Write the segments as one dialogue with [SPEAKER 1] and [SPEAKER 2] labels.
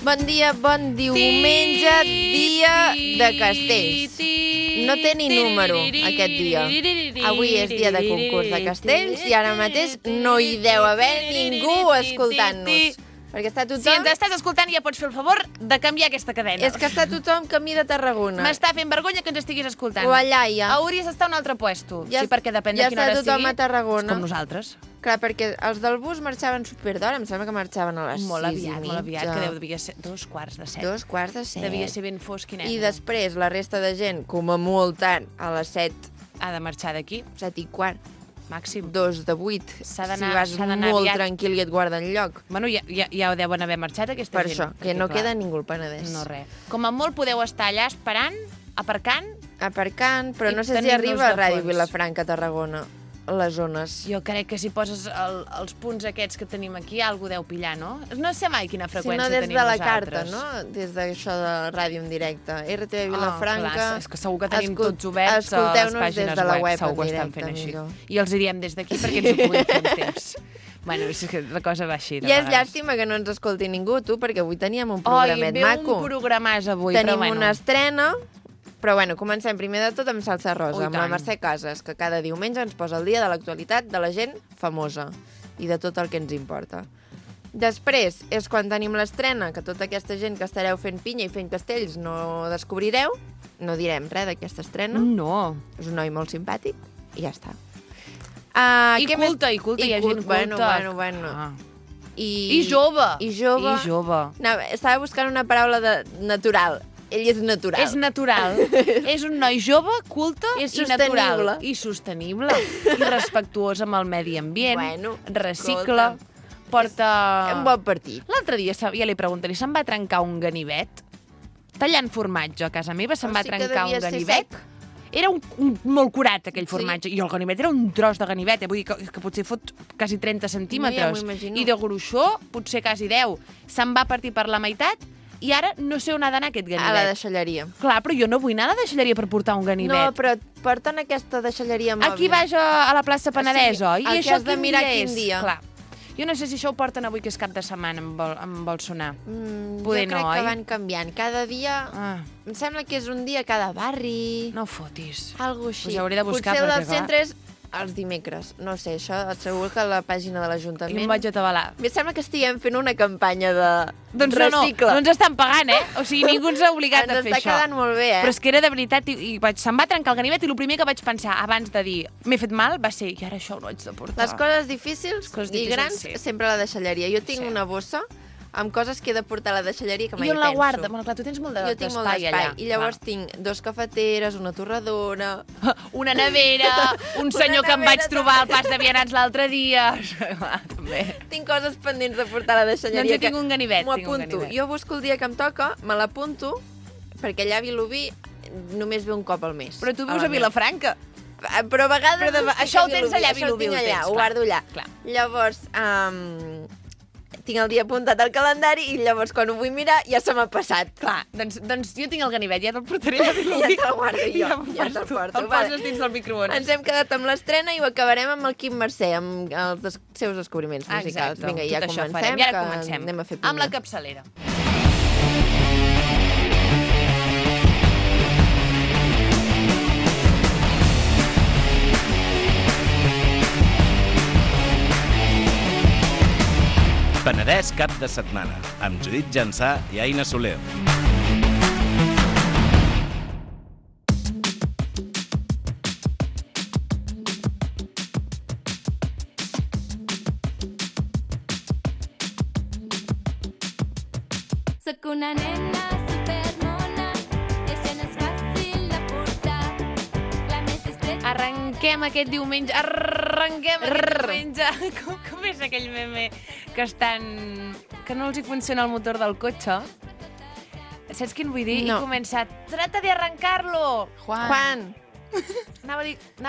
[SPEAKER 1] Bon dia, bon diumenge, dia de castells. No té ni número aquest dia. Avui és dia de concurs de castells i ara mateix no hi deu haver ningú escoltant-nos. Perquè està tothom...
[SPEAKER 2] Si ens estàs escoltant ja pots fer el favor de canviar aquesta cadena.
[SPEAKER 1] És que està tothom camí de Tarragona.
[SPEAKER 2] M'està fent vergonya que ens estiguis escoltant.
[SPEAKER 1] O allà ja.
[SPEAKER 2] Hauries d'estar a un altre puesto. Sí, perquè depèn de quina hora sigui.
[SPEAKER 1] Ja està tothom a Tarragona.
[SPEAKER 2] És com nosaltres.
[SPEAKER 1] Clar, perquè els del bus marxaven superdhora, em sembla que marxaven a les 6:30.
[SPEAKER 2] Molt aviat, que devia ser 7:15.
[SPEAKER 1] 7:15.
[SPEAKER 2] Devia ser ben fosc i negre.
[SPEAKER 1] I després la resta de gent, com a molt tard, a les 7.
[SPEAKER 2] Ha de marxar d'aquí.
[SPEAKER 1] 7:15.
[SPEAKER 2] Màxim.
[SPEAKER 1] 2:08.
[SPEAKER 2] Si
[SPEAKER 1] vas molt aviat. Tranquil i et guarden lloc.
[SPEAKER 2] Bueno, ja ho deuen haver marxat, aquesta
[SPEAKER 1] gent. Per això, que no queda ningú al Penedès.
[SPEAKER 2] No, res. Com a molt podeu estar allà esperant, aparcant,
[SPEAKER 1] però no sé si arriba a Ràdio Vilafranca a Tarragona, les zones.
[SPEAKER 2] Jo crec que si poses els punts aquests que tenim aquí, algú deu pillar, no? No sé mai quina freqüència tenim nosaltres.
[SPEAKER 1] Si no, des de la carta, no? Des d'això de ràdio en directe. RTV Vilafranca...
[SPEAKER 2] Clar, és que segur que tenim tots oberts a les pàgines web. Segur que ho estan fent així. I els hi diem des d'aquí perquè ens ho puguin fer en temps. Bueno, és que la cosa va així.
[SPEAKER 1] I és llàstima que no ens escolti ningú, tu, perquè avui teníem un programet maco.
[SPEAKER 2] Un programàs avui,
[SPEAKER 1] Tenim una estrena... Però bueno, comencem primer de tot amb Salsa Rosa, amb la Mercè Casas, que cada diumenge ens posa el dia de l'actualitat de la gent famosa i de tot el que ens importa. Després és quan tenim l'estrena, que tota aquesta gent que estareu fent pinya i fent castells no descobrireu. No direm res d'aquesta estrena.
[SPEAKER 2] No.
[SPEAKER 1] És un noi molt simpàtic i ja està.
[SPEAKER 2] I culta, hi ha gent culta.
[SPEAKER 1] Bueno.
[SPEAKER 2] I jove.
[SPEAKER 1] I jove. Estava buscant una paraula natural. Ell és natural.
[SPEAKER 2] És natural. És un noi jove, culte i natural. I sostenible. I respectuós amb el medi ambient.
[SPEAKER 1] Bueno,
[SPEAKER 2] recicla. Porta...
[SPEAKER 1] Un bon partit.
[SPEAKER 2] L'altre dia, ja li preguntaré, se'm va trencar un ganivet? Tallant formatge a casa meva, se'm va trencar un ganivet. Era molt curat, aquell formatge. I el ganivet era un tros de ganivet. Vull dir que potser fot quasi 30 centímetres. I de gruixó, potser quasi 10. Se'm va partir per la meitat. I ara no sé on ha d'anar aquest ganivet.
[SPEAKER 1] A la deixalleria.
[SPEAKER 2] Clar, però jo no vull anar a la deixalleria per portar un ganivet.
[SPEAKER 1] No, però porten aquesta deixalleria mòbil.
[SPEAKER 2] Aquí baix a la plaça Penedès, oi?
[SPEAKER 1] I això has de mirar quin dia.
[SPEAKER 2] Clar. Jo no sé si això ho porten avui, que és cap de setmana, em vol sonar.
[SPEAKER 1] Poder no, oi? Jo crec que van canviant. Cada dia... Em sembla que és un dia a cada barri.
[SPEAKER 2] No fotis.
[SPEAKER 1] Algo així.
[SPEAKER 2] Pues hauré de buscar.
[SPEAKER 1] Potser el del centre és els dimecres. No sé, això segur que a la pàgina de l'Ajuntament...
[SPEAKER 2] I em vaig atabalar.
[SPEAKER 1] Em sembla que estiguem fent una campanya de
[SPEAKER 2] recicle. No ens estan pagant, O sigui, ningú ens ha obligat a fer això.
[SPEAKER 1] Ens està quedant molt bé,
[SPEAKER 2] Però és que era de veritat, i se'm va trencar el ganivet i el primer que vaig pensar abans de dir m'he fet mal va ser, i ara això ho haig de portar.
[SPEAKER 1] Les coses difícils i grans, sempre a la deixalleria. Jo tinc una bossa amb coses que he de portar a la deixalleria que mai penso.
[SPEAKER 2] I on la guarda? Bueno, clar, tu tens molt d'espai allà.
[SPEAKER 1] I llavors tinc 2 cafeteres, una torradora...
[SPEAKER 2] Una nevera, un senyor que em vaig trobar al pas de vianants l'altre dia... També.
[SPEAKER 1] Tinc coses pendents de portar a la deixalleria.
[SPEAKER 2] Doncs jo tinc un ganivet.
[SPEAKER 1] M'ho apunto. Jo busco el dia que em toca, me l'apunto, perquè allà a Vilobí només ve un cop al mes.
[SPEAKER 2] Però tu vius a Vilafranca.
[SPEAKER 1] Però a vegades...
[SPEAKER 2] Això ho tens allà a Vilobí.
[SPEAKER 1] Ho guardo allà. Llavors... tinc el dia apuntat al calendari i llavors quan ho vull mirar ja se m'ha passat.
[SPEAKER 2] Clar, doncs jo tinc el ganivet, ja te'l portaré a Vilobí.
[SPEAKER 1] Ja te'l guardo jo, ja te'l porto.
[SPEAKER 2] El poses dins del microones.
[SPEAKER 1] Ens hem quedat amb l'estrena i ho acabarem amb el Quim Mercè, amb els seus descobriments musicals. Vinga, ja comencem,
[SPEAKER 2] que anem
[SPEAKER 1] a fer pinya.
[SPEAKER 2] Amb la capçalera.
[SPEAKER 3] Penedès cap de setmana, amb Judit Jansà i Aina Soler.
[SPEAKER 4] Soc una nena supermona, això no és fàcil de portar. La més estreta...
[SPEAKER 2] Arrenquem aquest diumenge. Com és aquell meme que no els hi funciona el motor del cotxe? Saps quin vull dir?
[SPEAKER 1] No.
[SPEAKER 2] I comença, trata de arrancarlo.
[SPEAKER 1] Juan.
[SPEAKER 2] Anava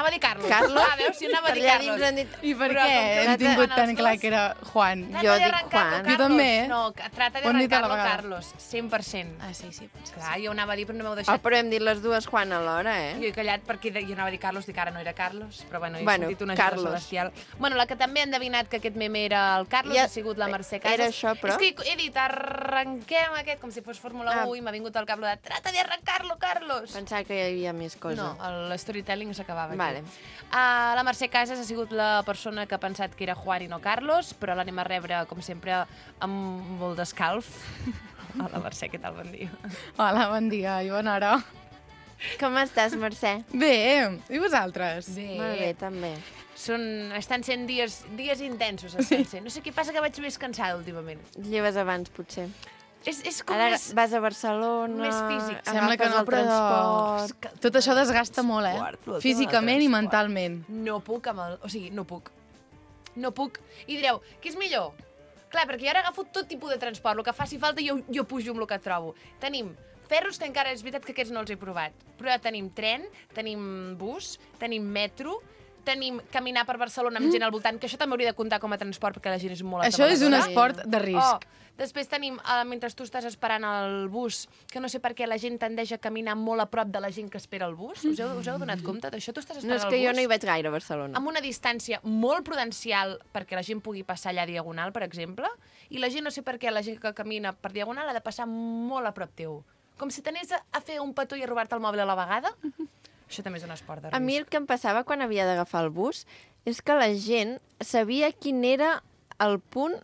[SPEAKER 2] a dir Carlos.
[SPEAKER 1] Carlos?
[SPEAKER 2] Ah, veus, si anava a dir
[SPEAKER 1] Per allà dins
[SPEAKER 2] Carlos.
[SPEAKER 1] han dit...
[SPEAKER 5] I per
[SPEAKER 2] Però
[SPEAKER 5] què
[SPEAKER 2] com que
[SPEAKER 5] hem
[SPEAKER 2] van
[SPEAKER 5] tingut
[SPEAKER 2] els
[SPEAKER 5] tan clar
[SPEAKER 2] dos-
[SPEAKER 5] que era Juan?
[SPEAKER 1] Jo
[SPEAKER 2] Trata de
[SPEAKER 1] dic
[SPEAKER 2] arrancar-lo,
[SPEAKER 1] Juan.
[SPEAKER 5] Jo
[SPEAKER 2] Carlos.
[SPEAKER 5] també.
[SPEAKER 2] No, trata de
[SPEAKER 5] Ho hem dit a la
[SPEAKER 2] arrancar-lo,
[SPEAKER 5] vegada.
[SPEAKER 2] Carlos. 100%.
[SPEAKER 5] Ah, sí, potser.
[SPEAKER 2] Clar, jo anava a dir, però no m'heu
[SPEAKER 1] Oh,
[SPEAKER 2] deixat.
[SPEAKER 1] però hem dit les dues Juan alhora,
[SPEAKER 2] Jo he callat perquè jo anava a dir Carlos, dic ara no era Carlos, però bueno, he
[SPEAKER 1] Bueno,
[SPEAKER 2] sentit una
[SPEAKER 1] Carlos.
[SPEAKER 2] ajuda celestial. Bueno, la que també ha endevinat que aquest meme era el Carlos
[SPEAKER 1] Ja,
[SPEAKER 2] ha sigut la Mercè Casas.
[SPEAKER 1] era això, però-
[SPEAKER 2] És que he dit, arrenquem aquest, com si fos Fórmula 1, i m'ha vingut al cap de trata de arrancar-lo, Carlos.
[SPEAKER 1] Pensava que hi havia més coses.
[SPEAKER 2] No, l'storytelling s'acabava aquí.
[SPEAKER 1] Vale.
[SPEAKER 2] La Mercè Casas ha sigut la persona que ha pensat que era Juan i no Carlos, però l'anem a rebre, com sempre, amb molt d'escalf. Hola, Mercè, què tal? Bon dia.
[SPEAKER 5] Hola, bon dia i bona hora.
[SPEAKER 1] Com estàs, Mercè?
[SPEAKER 5] Bé, i vosaltres?
[SPEAKER 1] Molt bé, també.
[SPEAKER 2] Estan sent dies intensos, estan sent. No sé què passa, que vaig més cansada últimament.
[SPEAKER 1] Lleves abans, potser.
[SPEAKER 2] És com
[SPEAKER 1] Ara
[SPEAKER 2] més...
[SPEAKER 1] vas a Barcelona...
[SPEAKER 2] més físic.
[SPEAKER 5] Sembla que
[SPEAKER 1] agafes
[SPEAKER 5] no,
[SPEAKER 1] el
[SPEAKER 5] però
[SPEAKER 1] transport...
[SPEAKER 5] tot això desgasta molt, Físicament i mentalment.
[SPEAKER 2] No puc amb el... O sigui, no puc. No puc. I direu, què és millor? Clar, perquè jo ara agafo tot tipus de transport. El que faci falta jo pujo amb el que trobo. Tenim ferros, que encara és veritat que aquests no els he provat. Però ja tenim tren, tenim bus, tenim metro, tenim caminar per Barcelona amb gent al voltant, que això també hauria de comptar com a transport, perquè la gent és molt
[SPEAKER 5] Això és un
[SPEAKER 2] atabaladora.
[SPEAKER 5] esport de risc.
[SPEAKER 2] Després tenim, mentre tu estàs esperant el bus, que no sé per què la gent tendeix a caminar molt a prop de la gent que espera el bus. Us heu donat compte d'això? Tu estàs
[SPEAKER 1] No,
[SPEAKER 2] esperant
[SPEAKER 1] és que
[SPEAKER 2] el bus
[SPEAKER 1] jo no hi vaig gaire a Barcelona.
[SPEAKER 2] amb una distància molt prudencial perquè la gent pugui passar allà diagonal, per exemple, i la gent, no sé per què, la gent que camina per diagonal ha de passar molt a prop teu. Com si t'anés a fer un petó i a robar-te el mòbil a la vegada. Això també és un esport de risc.
[SPEAKER 1] A mi el que em passava quan havia d'agafar el bus és que la gent sabia quin era el punt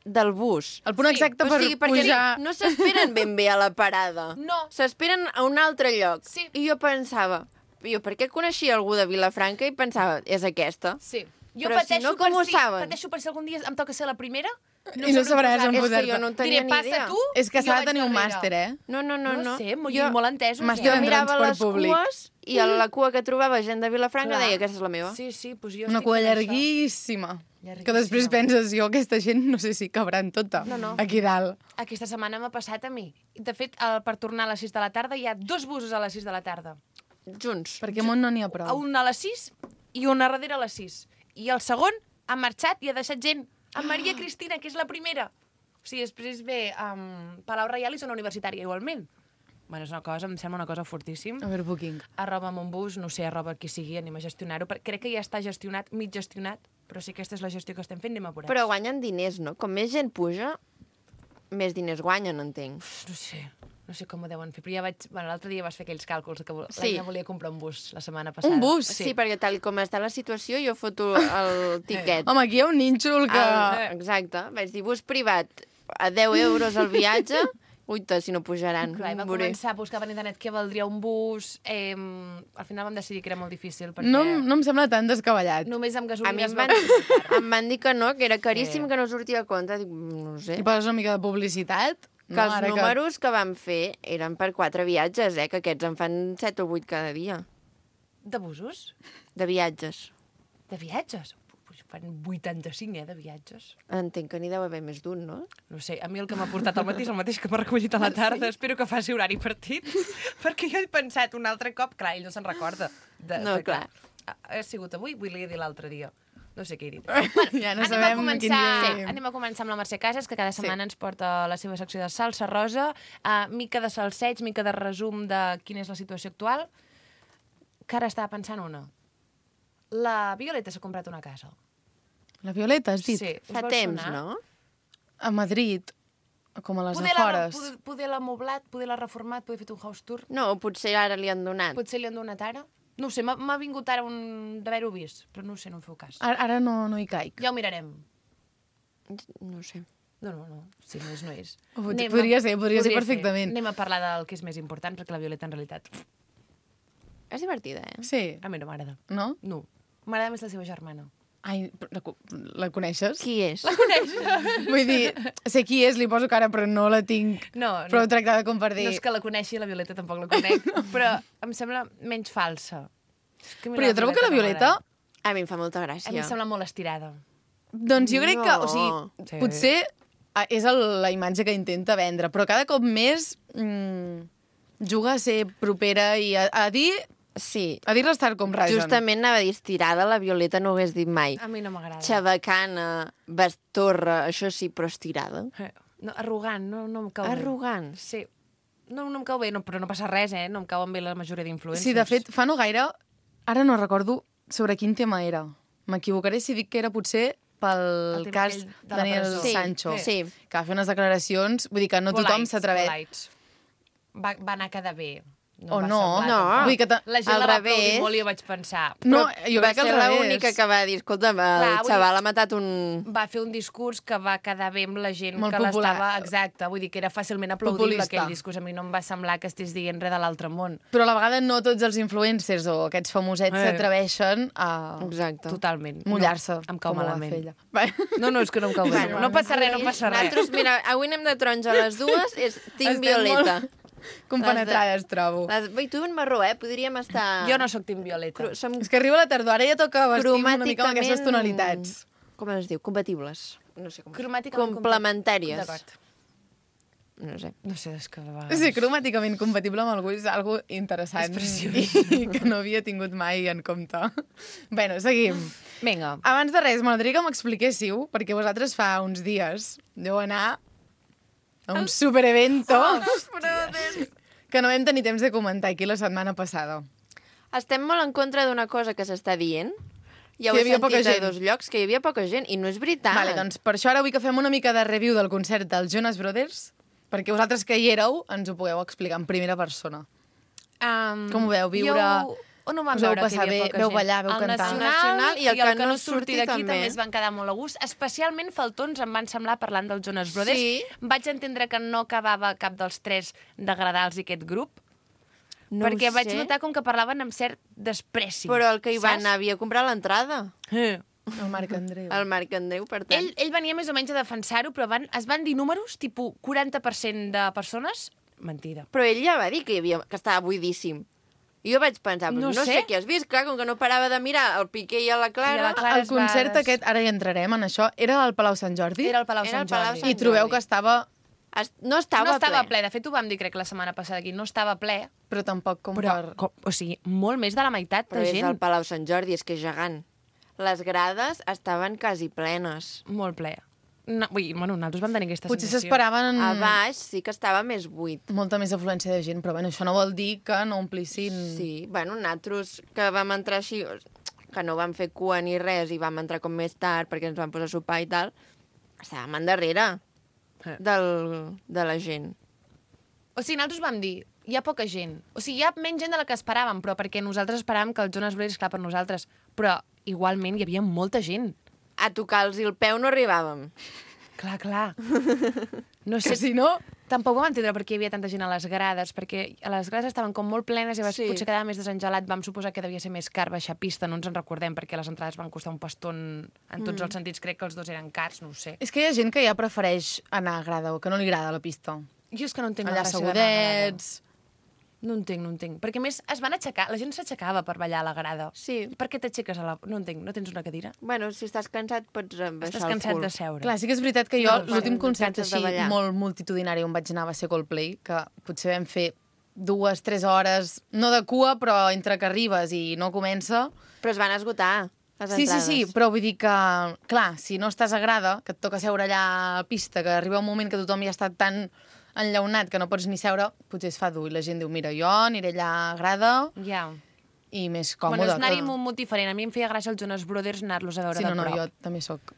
[SPEAKER 1] del bus.
[SPEAKER 5] El punt exacte per
[SPEAKER 1] perquè
[SPEAKER 5] pujar...
[SPEAKER 1] no s'esperen ben bé a la parada.
[SPEAKER 2] No.
[SPEAKER 1] S'esperen a un altre lloc.
[SPEAKER 2] Sí.
[SPEAKER 1] I jo pensava... Jo perquè coneixia algú de Vilafranca i pensava, és aquesta.
[SPEAKER 2] Sí.
[SPEAKER 1] Però si no, com ho saben?
[SPEAKER 2] Pateixo per si algun dia em toca ser la primera.
[SPEAKER 5] I no sabràs on
[SPEAKER 1] És que
[SPEAKER 5] posar-te.
[SPEAKER 1] jo no en tenia
[SPEAKER 2] Diré,
[SPEAKER 1] ni idea.
[SPEAKER 2] passa tu,
[SPEAKER 5] És que
[SPEAKER 2] i
[SPEAKER 5] s'ha
[SPEAKER 2] jo
[SPEAKER 5] de tenir
[SPEAKER 2] vaig
[SPEAKER 5] un
[SPEAKER 2] darrere.
[SPEAKER 5] màster,
[SPEAKER 1] No.
[SPEAKER 2] No sé, molt entesos.
[SPEAKER 5] Màster
[SPEAKER 1] Jo
[SPEAKER 5] en
[SPEAKER 1] mirava
[SPEAKER 5] transport
[SPEAKER 1] les
[SPEAKER 5] públic.
[SPEAKER 1] cues i a la cua que trobava gent de Vilafranca
[SPEAKER 2] Clar.
[SPEAKER 1] deia, aquesta és la meva.
[SPEAKER 2] Sí, pues jo
[SPEAKER 5] Una
[SPEAKER 2] estic
[SPEAKER 5] cua
[SPEAKER 2] fent això.
[SPEAKER 5] llarguíssima.
[SPEAKER 2] Llarguíssima.
[SPEAKER 5] Que després penses, jo aquesta gent no sé si cabran tota
[SPEAKER 2] No.
[SPEAKER 5] aquí dalt.
[SPEAKER 2] Aquesta setmana m'ha passat a mi. De fet, per tornar a les 6 de la tarda hi ha 2 busos a les 6 de la tarda.
[SPEAKER 1] Junts.
[SPEAKER 5] Perquè amunt no n'hi ha prou.
[SPEAKER 2] Un a les 6 i un a darrere a les 6. I el segon ha marxat i ha deixat gent. En Maria Cristina, que és la primera. O sigui, després ve Palau Reial i zona universitària, igualment. Bueno, és una cosa, em sembla una cosa fortíssim.
[SPEAKER 5] Overbooking.
[SPEAKER 2] Arroba amb un bus, no sé, arroba qui sigui, anem a gestionar-ho. Crec que ja està gestionat, mig gestionat, però si aquesta és la gestió que estem fent, anem apurats.
[SPEAKER 1] Però guanyen diners, no? Com més gent puja, més diners guanyen, entenc.
[SPEAKER 2] No sé com ho deuen fer, però ja vaig... Bueno, l'altre dia vas fer aquells càlculs que
[SPEAKER 1] Sí.
[SPEAKER 2] ja volia comprar un bus la setmana passada.
[SPEAKER 5] Un bus?
[SPEAKER 1] Sí, perquè tal com està la situació, jo foto el tiquet.
[SPEAKER 5] Home, aquí hi ha un nínxol que...
[SPEAKER 1] Exacte. Vaig dir, bus privat, a 10 euros el viatge, uita, si no pujaran.
[SPEAKER 2] Clar, va
[SPEAKER 1] Veuré.
[SPEAKER 2] començar a buscar per internet què valdria un bus. Al final vam decidir que era molt difícil, perquè
[SPEAKER 5] No em sembla tan descabellat.
[SPEAKER 2] només amb
[SPEAKER 1] A
[SPEAKER 2] gasolina
[SPEAKER 1] mi
[SPEAKER 2] es
[SPEAKER 1] em
[SPEAKER 2] va...
[SPEAKER 1] van, em van dir que no, que era caríssim, que no sortia a compte. Dic, no ho sé.
[SPEAKER 5] I poses una mica de publicitat.
[SPEAKER 1] Que els números que vam fer eren per 4 viatges, que aquests en fan 7 o 8 cada dia,
[SPEAKER 2] De busos?
[SPEAKER 1] de viatges.
[SPEAKER 2] De viatges? Pues fan 85, de viatges.
[SPEAKER 1] Entenc que n'hi deu haver més d'un, no?
[SPEAKER 2] No sé, a mi el que m'ha portat al matí és el mateix que m'ha recollit a la tarda. Espero que faci horari partit, perquè jo he pensat un altre cop... Clar, ell no se'n recorda.
[SPEAKER 1] No, clar.
[SPEAKER 2] Ha sigut avui, vull dir l'altre dia. No sé què he dit.
[SPEAKER 5] Ja no sabem quin dia vivim.
[SPEAKER 2] Anem a començar amb la Mercè Casas, que cada setmana ens porta la seva secció de salsa rosa, mica de salseig, mica de resum de quina és la situació actual. Que ara estava pensant una. La Violeta s'ha comprat una casa.
[SPEAKER 5] La Violeta, has dit?
[SPEAKER 2] Sí. Us
[SPEAKER 1] Fa
[SPEAKER 2] vol
[SPEAKER 1] temps,
[SPEAKER 2] sonar?
[SPEAKER 1] no?
[SPEAKER 5] A Madrid, com a les
[SPEAKER 2] Poder
[SPEAKER 5] afores.
[SPEAKER 2] Poder l'ha moblat, poder l'ha reformat, poder fet un house tour.
[SPEAKER 1] No, potser ara li han donat.
[SPEAKER 2] Potser li han donat ara. No ho sé, m'ha vingut ara d'haver-ho vist, però no ho sé, no em feu cas.
[SPEAKER 5] Ara no hi caic.
[SPEAKER 2] Ja ho mirarem.
[SPEAKER 1] No ho sé.
[SPEAKER 2] No. Si no és, no és.
[SPEAKER 5] Podria ser perfectament.
[SPEAKER 2] Anem a parlar del que és més important, perquè la Violeta, en realitat,
[SPEAKER 1] És divertida,
[SPEAKER 5] Sí,
[SPEAKER 2] a mi no m'agrada.
[SPEAKER 5] no?
[SPEAKER 2] No. M'agrada més la seva germana.
[SPEAKER 5] Ai, la coneixes?
[SPEAKER 1] Qui és?
[SPEAKER 5] Vull dir, sé qui és, li poso cara, però no la tinc
[SPEAKER 2] No,
[SPEAKER 5] prou tractada com per dir...
[SPEAKER 2] No és que la coneixi, la Violeta tampoc la conec, però em sembla menys falsa. És que a mi
[SPEAKER 5] Però jo trobo que la
[SPEAKER 2] no
[SPEAKER 5] Violeta...
[SPEAKER 2] m'agrada.
[SPEAKER 1] A mi em fa molta
[SPEAKER 2] A mi
[SPEAKER 1] gràcia.
[SPEAKER 2] em sembla molt estirada.
[SPEAKER 5] Doncs jo crec que, o
[SPEAKER 1] No.
[SPEAKER 5] sigui,
[SPEAKER 2] Sí.
[SPEAKER 5] potser és la imatge que intenta vendre, però cada cop més... juga a ser propera i a dir...
[SPEAKER 1] Sí.
[SPEAKER 5] A dir l'estar com ragen.
[SPEAKER 1] Justament anava a dir estirada, la Violeta no ho hagués dit mai.
[SPEAKER 2] A mi no m'agrada.
[SPEAKER 1] Xabacana, bastorra, això sí, però estirada.
[SPEAKER 2] No, arrogant, no em cau bé.
[SPEAKER 1] Arrogant.
[SPEAKER 2] Sí. No em cau bé, però no passa res, No em cauen bé la majoria d'influencers.
[SPEAKER 5] Sí, de fet, fa no gaire, ara no recordo sobre quin tema era. M'equivocaré si dic que era potser pel
[SPEAKER 2] tema
[SPEAKER 5] cas
[SPEAKER 2] aquell de la
[SPEAKER 5] Daniel
[SPEAKER 2] presó.
[SPEAKER 5] Sancho,
[SPEAKER 1] Sí.
[SPEAKER 5] que va fer unes declaracions, vull dir que no tothom s'atreveix.
[SPEAKER 2] Polites. Va anar a quedar bé.
[SPEAKER 5] O
[SPEAKER 2] em va
[SPEAKER 5] no.
[SPEAKER 2] semblar
[SPEAKER 1] No.
[SPEAKER 2] tampoc.
[SPEAKER 5] Vull dir que
[SPEAKER 2] La gent
[SPEAKER 1] al
[SPEAKER 2] la va
[SPEAKER 1] revés.
[SPEAKER 2] aplaudir molt i jo vaig pensar...
[SPEAKER 5] No,
[SPEAKER 1] Però
[SPEAKER 5] jo
[SPEAKER 1] va
[SPEAKER 5] crec que
[SPEAKER 1] ser
[SPEAKER 5] al revés.
[SPEAKER 1] l'única que va dir, escolta, el
[SPEAKER 2] Clar, vull dir-
[SPEAKER 1] xaval ha matat un...
[SPEAKER 2] Va fer un discurs que va quedar bé amb la gent
[SPEAKER 5] Molt
[SPEAKER 2] que
[SPEAKER 5] popular.
[SPEAKER 2] l'estava... Exacte, vull dir que era fàcilment aplaudible
[SPEAKER 5] Populista.
[SPEAKER 2] aquell discurs. A mi no em va semblar que estigués dient res de l'altre món.
[SPEAKER 5] Però a la vegada no tots els influencers o aquests famosets s'atreveixen a
[SPEAKER 1] Exacte.
[SPEAKER 2] Totalment.
[SPEAKER 5] mullar-se,
[SPEAKER 2] No, em cau
[SPEAKER 5] com ho va
[SPEAKER 2] malament.
[SPEAKER 5] fer ella.
[SPEAKER 2] No, és que no em cau bé.
[SPEAKER 1] Bueno,
[SPEAKER 2] no passa res, no passa res.
[SPEAKER 1] Nosaltres, mira, avui anem de taronja a les dues, és Team
[SPEAKER 5] Estem
[SPEAKER 1] Violeta.
[SPEAKER 5] molt compenetrades, trobo.
[SPEAKER 1] I tu en marró, Podríem estar...
[SPEAKER 2] Jo no sóc Team Violeta.
[SPEAKER 1] Som
[SPEAKER 5] És que arriba la tardor, ara ja toca vestir una mica amb aquestes
[SPEAKER 1] cromàticament-
[SPEAKER 5] tonalitats.
[SPEAKER 1] Com es diu? Compatibles. No sé com.
[SPEAKER 2] Cromàticament
[SPEAKER 1] Complementàries.
[SPEAKER 2] D'acord.
[SPEAKER 1] No sé.
[SPEAKER 2] No sé, és que...
[SPEAKER 5] Sí, cromàticament compatible amb algú és algo interessant
[SPEAKER 2] És preciós.
[SPEAKER 5] i que no havia tingut mai en compte. Bueno, seguim.
[SPEAKER 2] Vinga.
[SPEAKER 5] Abans de res, m'agradaria que m'expliquéssiu, perquè vosaltres fa uns dies deu anar a un superevento que no vam tenir temps de comentar aquí la setmana passada.
[SPEAKER 1] Estem molt en contra d'una cosa que s'està dient. Ja ho
[SPEAKER 5] Que
[SPEAKER 1] he
[SPEAKER 5] hi havia poca
[SPEAKER 1] sentit a
[SPEAKER 5] gent.
[SPEAKER 1] dos llocs, que hi havia poca gent, i no és veritat.
[SPEAKER 5] Vale, doncs per això ara vull que fem una mica de review del concert dels Jonas Brothers, perquè vosaltres que hi éreu ens ho pugueu explicar en primera persona. Com ho veu, viure...
[SPEAKER 2] On ho vam
[SPEAKER 5] Us vau
[SPEAKER 2] veure,
[SPEAKER 5] passar
[SPEAKER 2] que hi havia
[SPEAKER 5] bé,
[SPEAKER 2] poca
[SPEAKER 5] veu
[SPEAKER 2] gent?
[SPEAKER 5] ballar, veu
[SPEAKER 2] El
[SPEAKER 5] cantar.
[SPEAKER 2] Nacional
[SPEAKER 1] I el que no surti
[SPEAKER 2] d'aquí
[SPEAKER 1] també.
[SPEAKER 2] també es van quedar molt a gust. Especialment faltons em van semblar parlant dels Jonas Brothers.
[SPEAKER 1] Sí.
[SPEAKER 2] Vaig entendre que no acabava cap dels tres d'agradar-los aquest grup,
[SPEAKER 1] No
[SPEAKER 2] perquè
[SPEAKER 1] ho
[SPEAKER 2] vaig
[SPEAKER 1] sé,
[SPEAKER 2] notar com que parlaven amb cert despreci.
[SPEAKER 1] Però el que hi va
[SPEAKER 2] saps?
[SPEAKER 1] anar havia comprat l'entrada.
[SPEAKER 5] El Marc Andreu.
[SPEAKER 1] El Marc Andreu, per tant.
[SPEAKER 2] Ell venia més o menys a defensar-ho, però es van dir números, tipus 40% de persones... Mentida.
[SPEAKER 1] Però ell ja va dir que estava buidíssim. I jo vaig pensar,
[SPEAKER 2] No
[SPEAKER 1] no
[SPEAKER 2] sé.
[SPEAKER 1] sé què has vist, clar, com que no parava de mirar el Piqué i a la Clara.
[SPEAKER 2] I a la Clara.
[SPEAKER 5] El concert aquest, ara hi entrarem en això, era al Palau Sant Jordi?
[SPEAKER 2] Era el Palau
[SPEAKER 1] Era
[SPEAKER 2] Sant
[SPEAKER 1] el Palau
[SPEAKER 2] Jordi.
[SPEAKER 1] Sant
[SPEAKER 5] I trobeu
[SPEAKER 1] Jordi.
[SPEAKER 5] que estava...
[SPEAKER 1] No estava,
[SPEAKER 2] No estava ple. De fet, ho vam dir, crec, la setmana passada aquí. No estava ple,
[SPEAKER 5] Però tampoc com
[SPEAKER 2] però,
[SPEAKER 5] per...
[SPEAKER 2] o sigui, molt més de la meitat
[SPEAKER 1] Però
[SPEAKER 2] de
[SPEAKER 1] és
[SPEAKER 2] gent.
[SPEAKER 1] el Palau Sant Jordi, és que és gegant. Les grades estaven quasi plenes.
[SPEAKER 2] Molt ple. No, vull dir, bueno, nosaltres vam tenir aquesta
[SPEAKER 5] Potser
[SPEAKER 2] sensació.
[SPEAKER 5] s'esperaven
[SPEAKER 1] A baix sí que estava més buit.
[SPEAKER 5] molta més afluència de gent, però bueno, això no vol dir que no omplissin...
[SPEAKER 1] Sí, bueno, nosaltres que vam entrar així, que no vam fer cua ni res i vam entrar com més tard perquè ens vam posar a sopar i tal, estàvem endarrere de la gent.
[SPEAKER 2] O sigui, nosaltres vam dir, hi ha poca gent. O sigui, hi ha menys gent de la que esperàvem, però perquè nosaltres esperàvem que el Jonas Brothers, clar, per nosaltres. Però, igualment, hi havia molta gent.
[SPEAKER 1] A tocar-los el peu no arribàvem.
[SPEAKER 2] Clar, clar. No sé,
[SPEAKER 5] Que si no...
[SPEAKER 2] tampoc vam entendre per què hi havia tanta gent a les grades, perquè a les grades estaven com molt plenes i
[SPEAKER 1] Sí.
[SPEAKER 2] potser quedava més desengelat. Vam suposar que devia ser més car baixar pista, no ens en recordem, perquè les entrades van costar un paston en tots els sentits. Crec que els dos eren cars, no ho sé.
[SPEAKER 5] És que hi ha gent que ja prefereix anar a grada o que no li agrada la pista.
[SPEAKER 2] Jo és que no entenc
[SPEAKER 5] Allà
[SPEAKER 2] la gràcia d'anar a la grada.
[SPEAKER 5] segudets...
[SPEAKER 2] No entenc. Perquè, a més, es van aixecar, la gent s'aixecava per ballar a la grada.
[SPEAKER 1] Sí.
[SPEAKER 2] Per què t'aixeques a la... No entenc, no tens una cadira?
[SPEAKER 1] Bueno, si estàs cansat pots baixar
[SPEAKER 2] Estàs
[SPEAKER 1] el
[SPEAKER 2] cansat
[SPEAKER 1] cul.
[SPEAKER 2] de seure.
[SPEAKER 5] Clar, sí que és veritat que jo,
[SPEAKER 1] No,
[SPEAKER 5] l'últim
[SPEAKER 1] quan
[SPEAKER 5] concert
[SPEAKER 1] canses de
[SPEAKER 5] així
[SPEAKER 1] ballar.
[SPEAKER 5] molt multitudinari on vaig anar va ser Coldplay, que potser vam fer 2-3 hores, no de cua, però entre que arribes i no comença...
[SPEAKER 1] Però es van esgotar, les
[SPEAKER 5] Sí,
[SPEAKER 1] entrades.
[SPEAKER 5] però vull dir que, clar, si no estàs a grada, que et toca seure allà a pista, que arriba un moment que tothom ja està tan enllaunat que no pots ni seure, potser es fa dur. I la gent diu, mira, jo aniré allà a grada
[SPEAKER 2] Ja.
[SPEAKER 5] i més
[SPEAKER 2] Bueno,
[SPEAKER 5] còmode.
[SPEAKER 2] és anar-hi amb un mood diferent. A mi em feia gràcia els Jonas Brothers anar-los a veure
[SPEAKER 5] Sí,
[SPEAKER 2] de
[SPEAKER 5] no,
[SPEAKER 2] prop.
[SPEAKER 5] jo també sóc.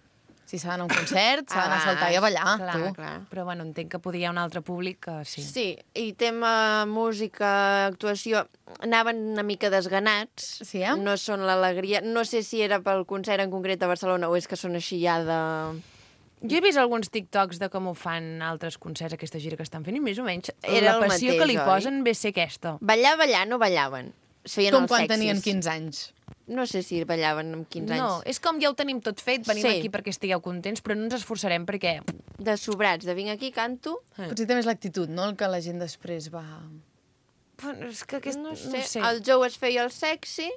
[SPEAKER 5] Si s'ha d'anar a un concert, s'ha d'anar a saltar i a ballar.
[SPEAKER 2] Clar,
[SPEAKER 5] tu.
[SPEAKER 1] clar.
[SPEAKER 2] Però bueno, entenc que podia hi ha un altre públic que sí.
[SPEAKER 1] Sí, i tema música, actuació, anaven una mica desganats.
[SPEAKER 5] Sí, eh?
[SPEAKER 1] No són l'alegria. No sé si era pel concert en concret a Barcelona o és que són així ja de...
[SPEAKER 2] Jo he vist alguns TikToks de com ho fan altres concerts, aquesta gira que estan fent, i més o menys
[SPEAKER 1] Era
[SPEAKER 2] la
[SPEAKER 1] el
[SPEAKER 2] passió
[SPEAKER 1] mateix,
[SPEAKER 2] que li
[SPEAKER 1] oi?
[SPEAKER 2] posen ve ser aquesta.
[SPEAKER 1] Ballar, no ballaven. Es feien
[SPEAKER 5] Com
[SPEAKER 1] els
[SPEAKER 5] quan
[SPEAKER 1] sexis.
[SPEAKER 5] tenien 15 anys.
[SPEAKER 1] No sé si ballaven amb 15
[SPEAKER 2] No,
[SPEAKER 1] anys.
[SPEAKER 2] és com ja ho tenim tot fet, venim
[SPEAKER 1] Sí.
[SPEAKER 2] aquí perquè estigueu contents, però no ens esforçarem perquè...
[SPEAKER 1] De sobrats, de vinc aquí, canto...
[SPEAKER 5] Potser també és l'actitud, no?, el que la gent després va...
[SPEAKER 2] Bueno, és que aquest...
[SPEAKER 1] No sé. El Joe es feia el sexy,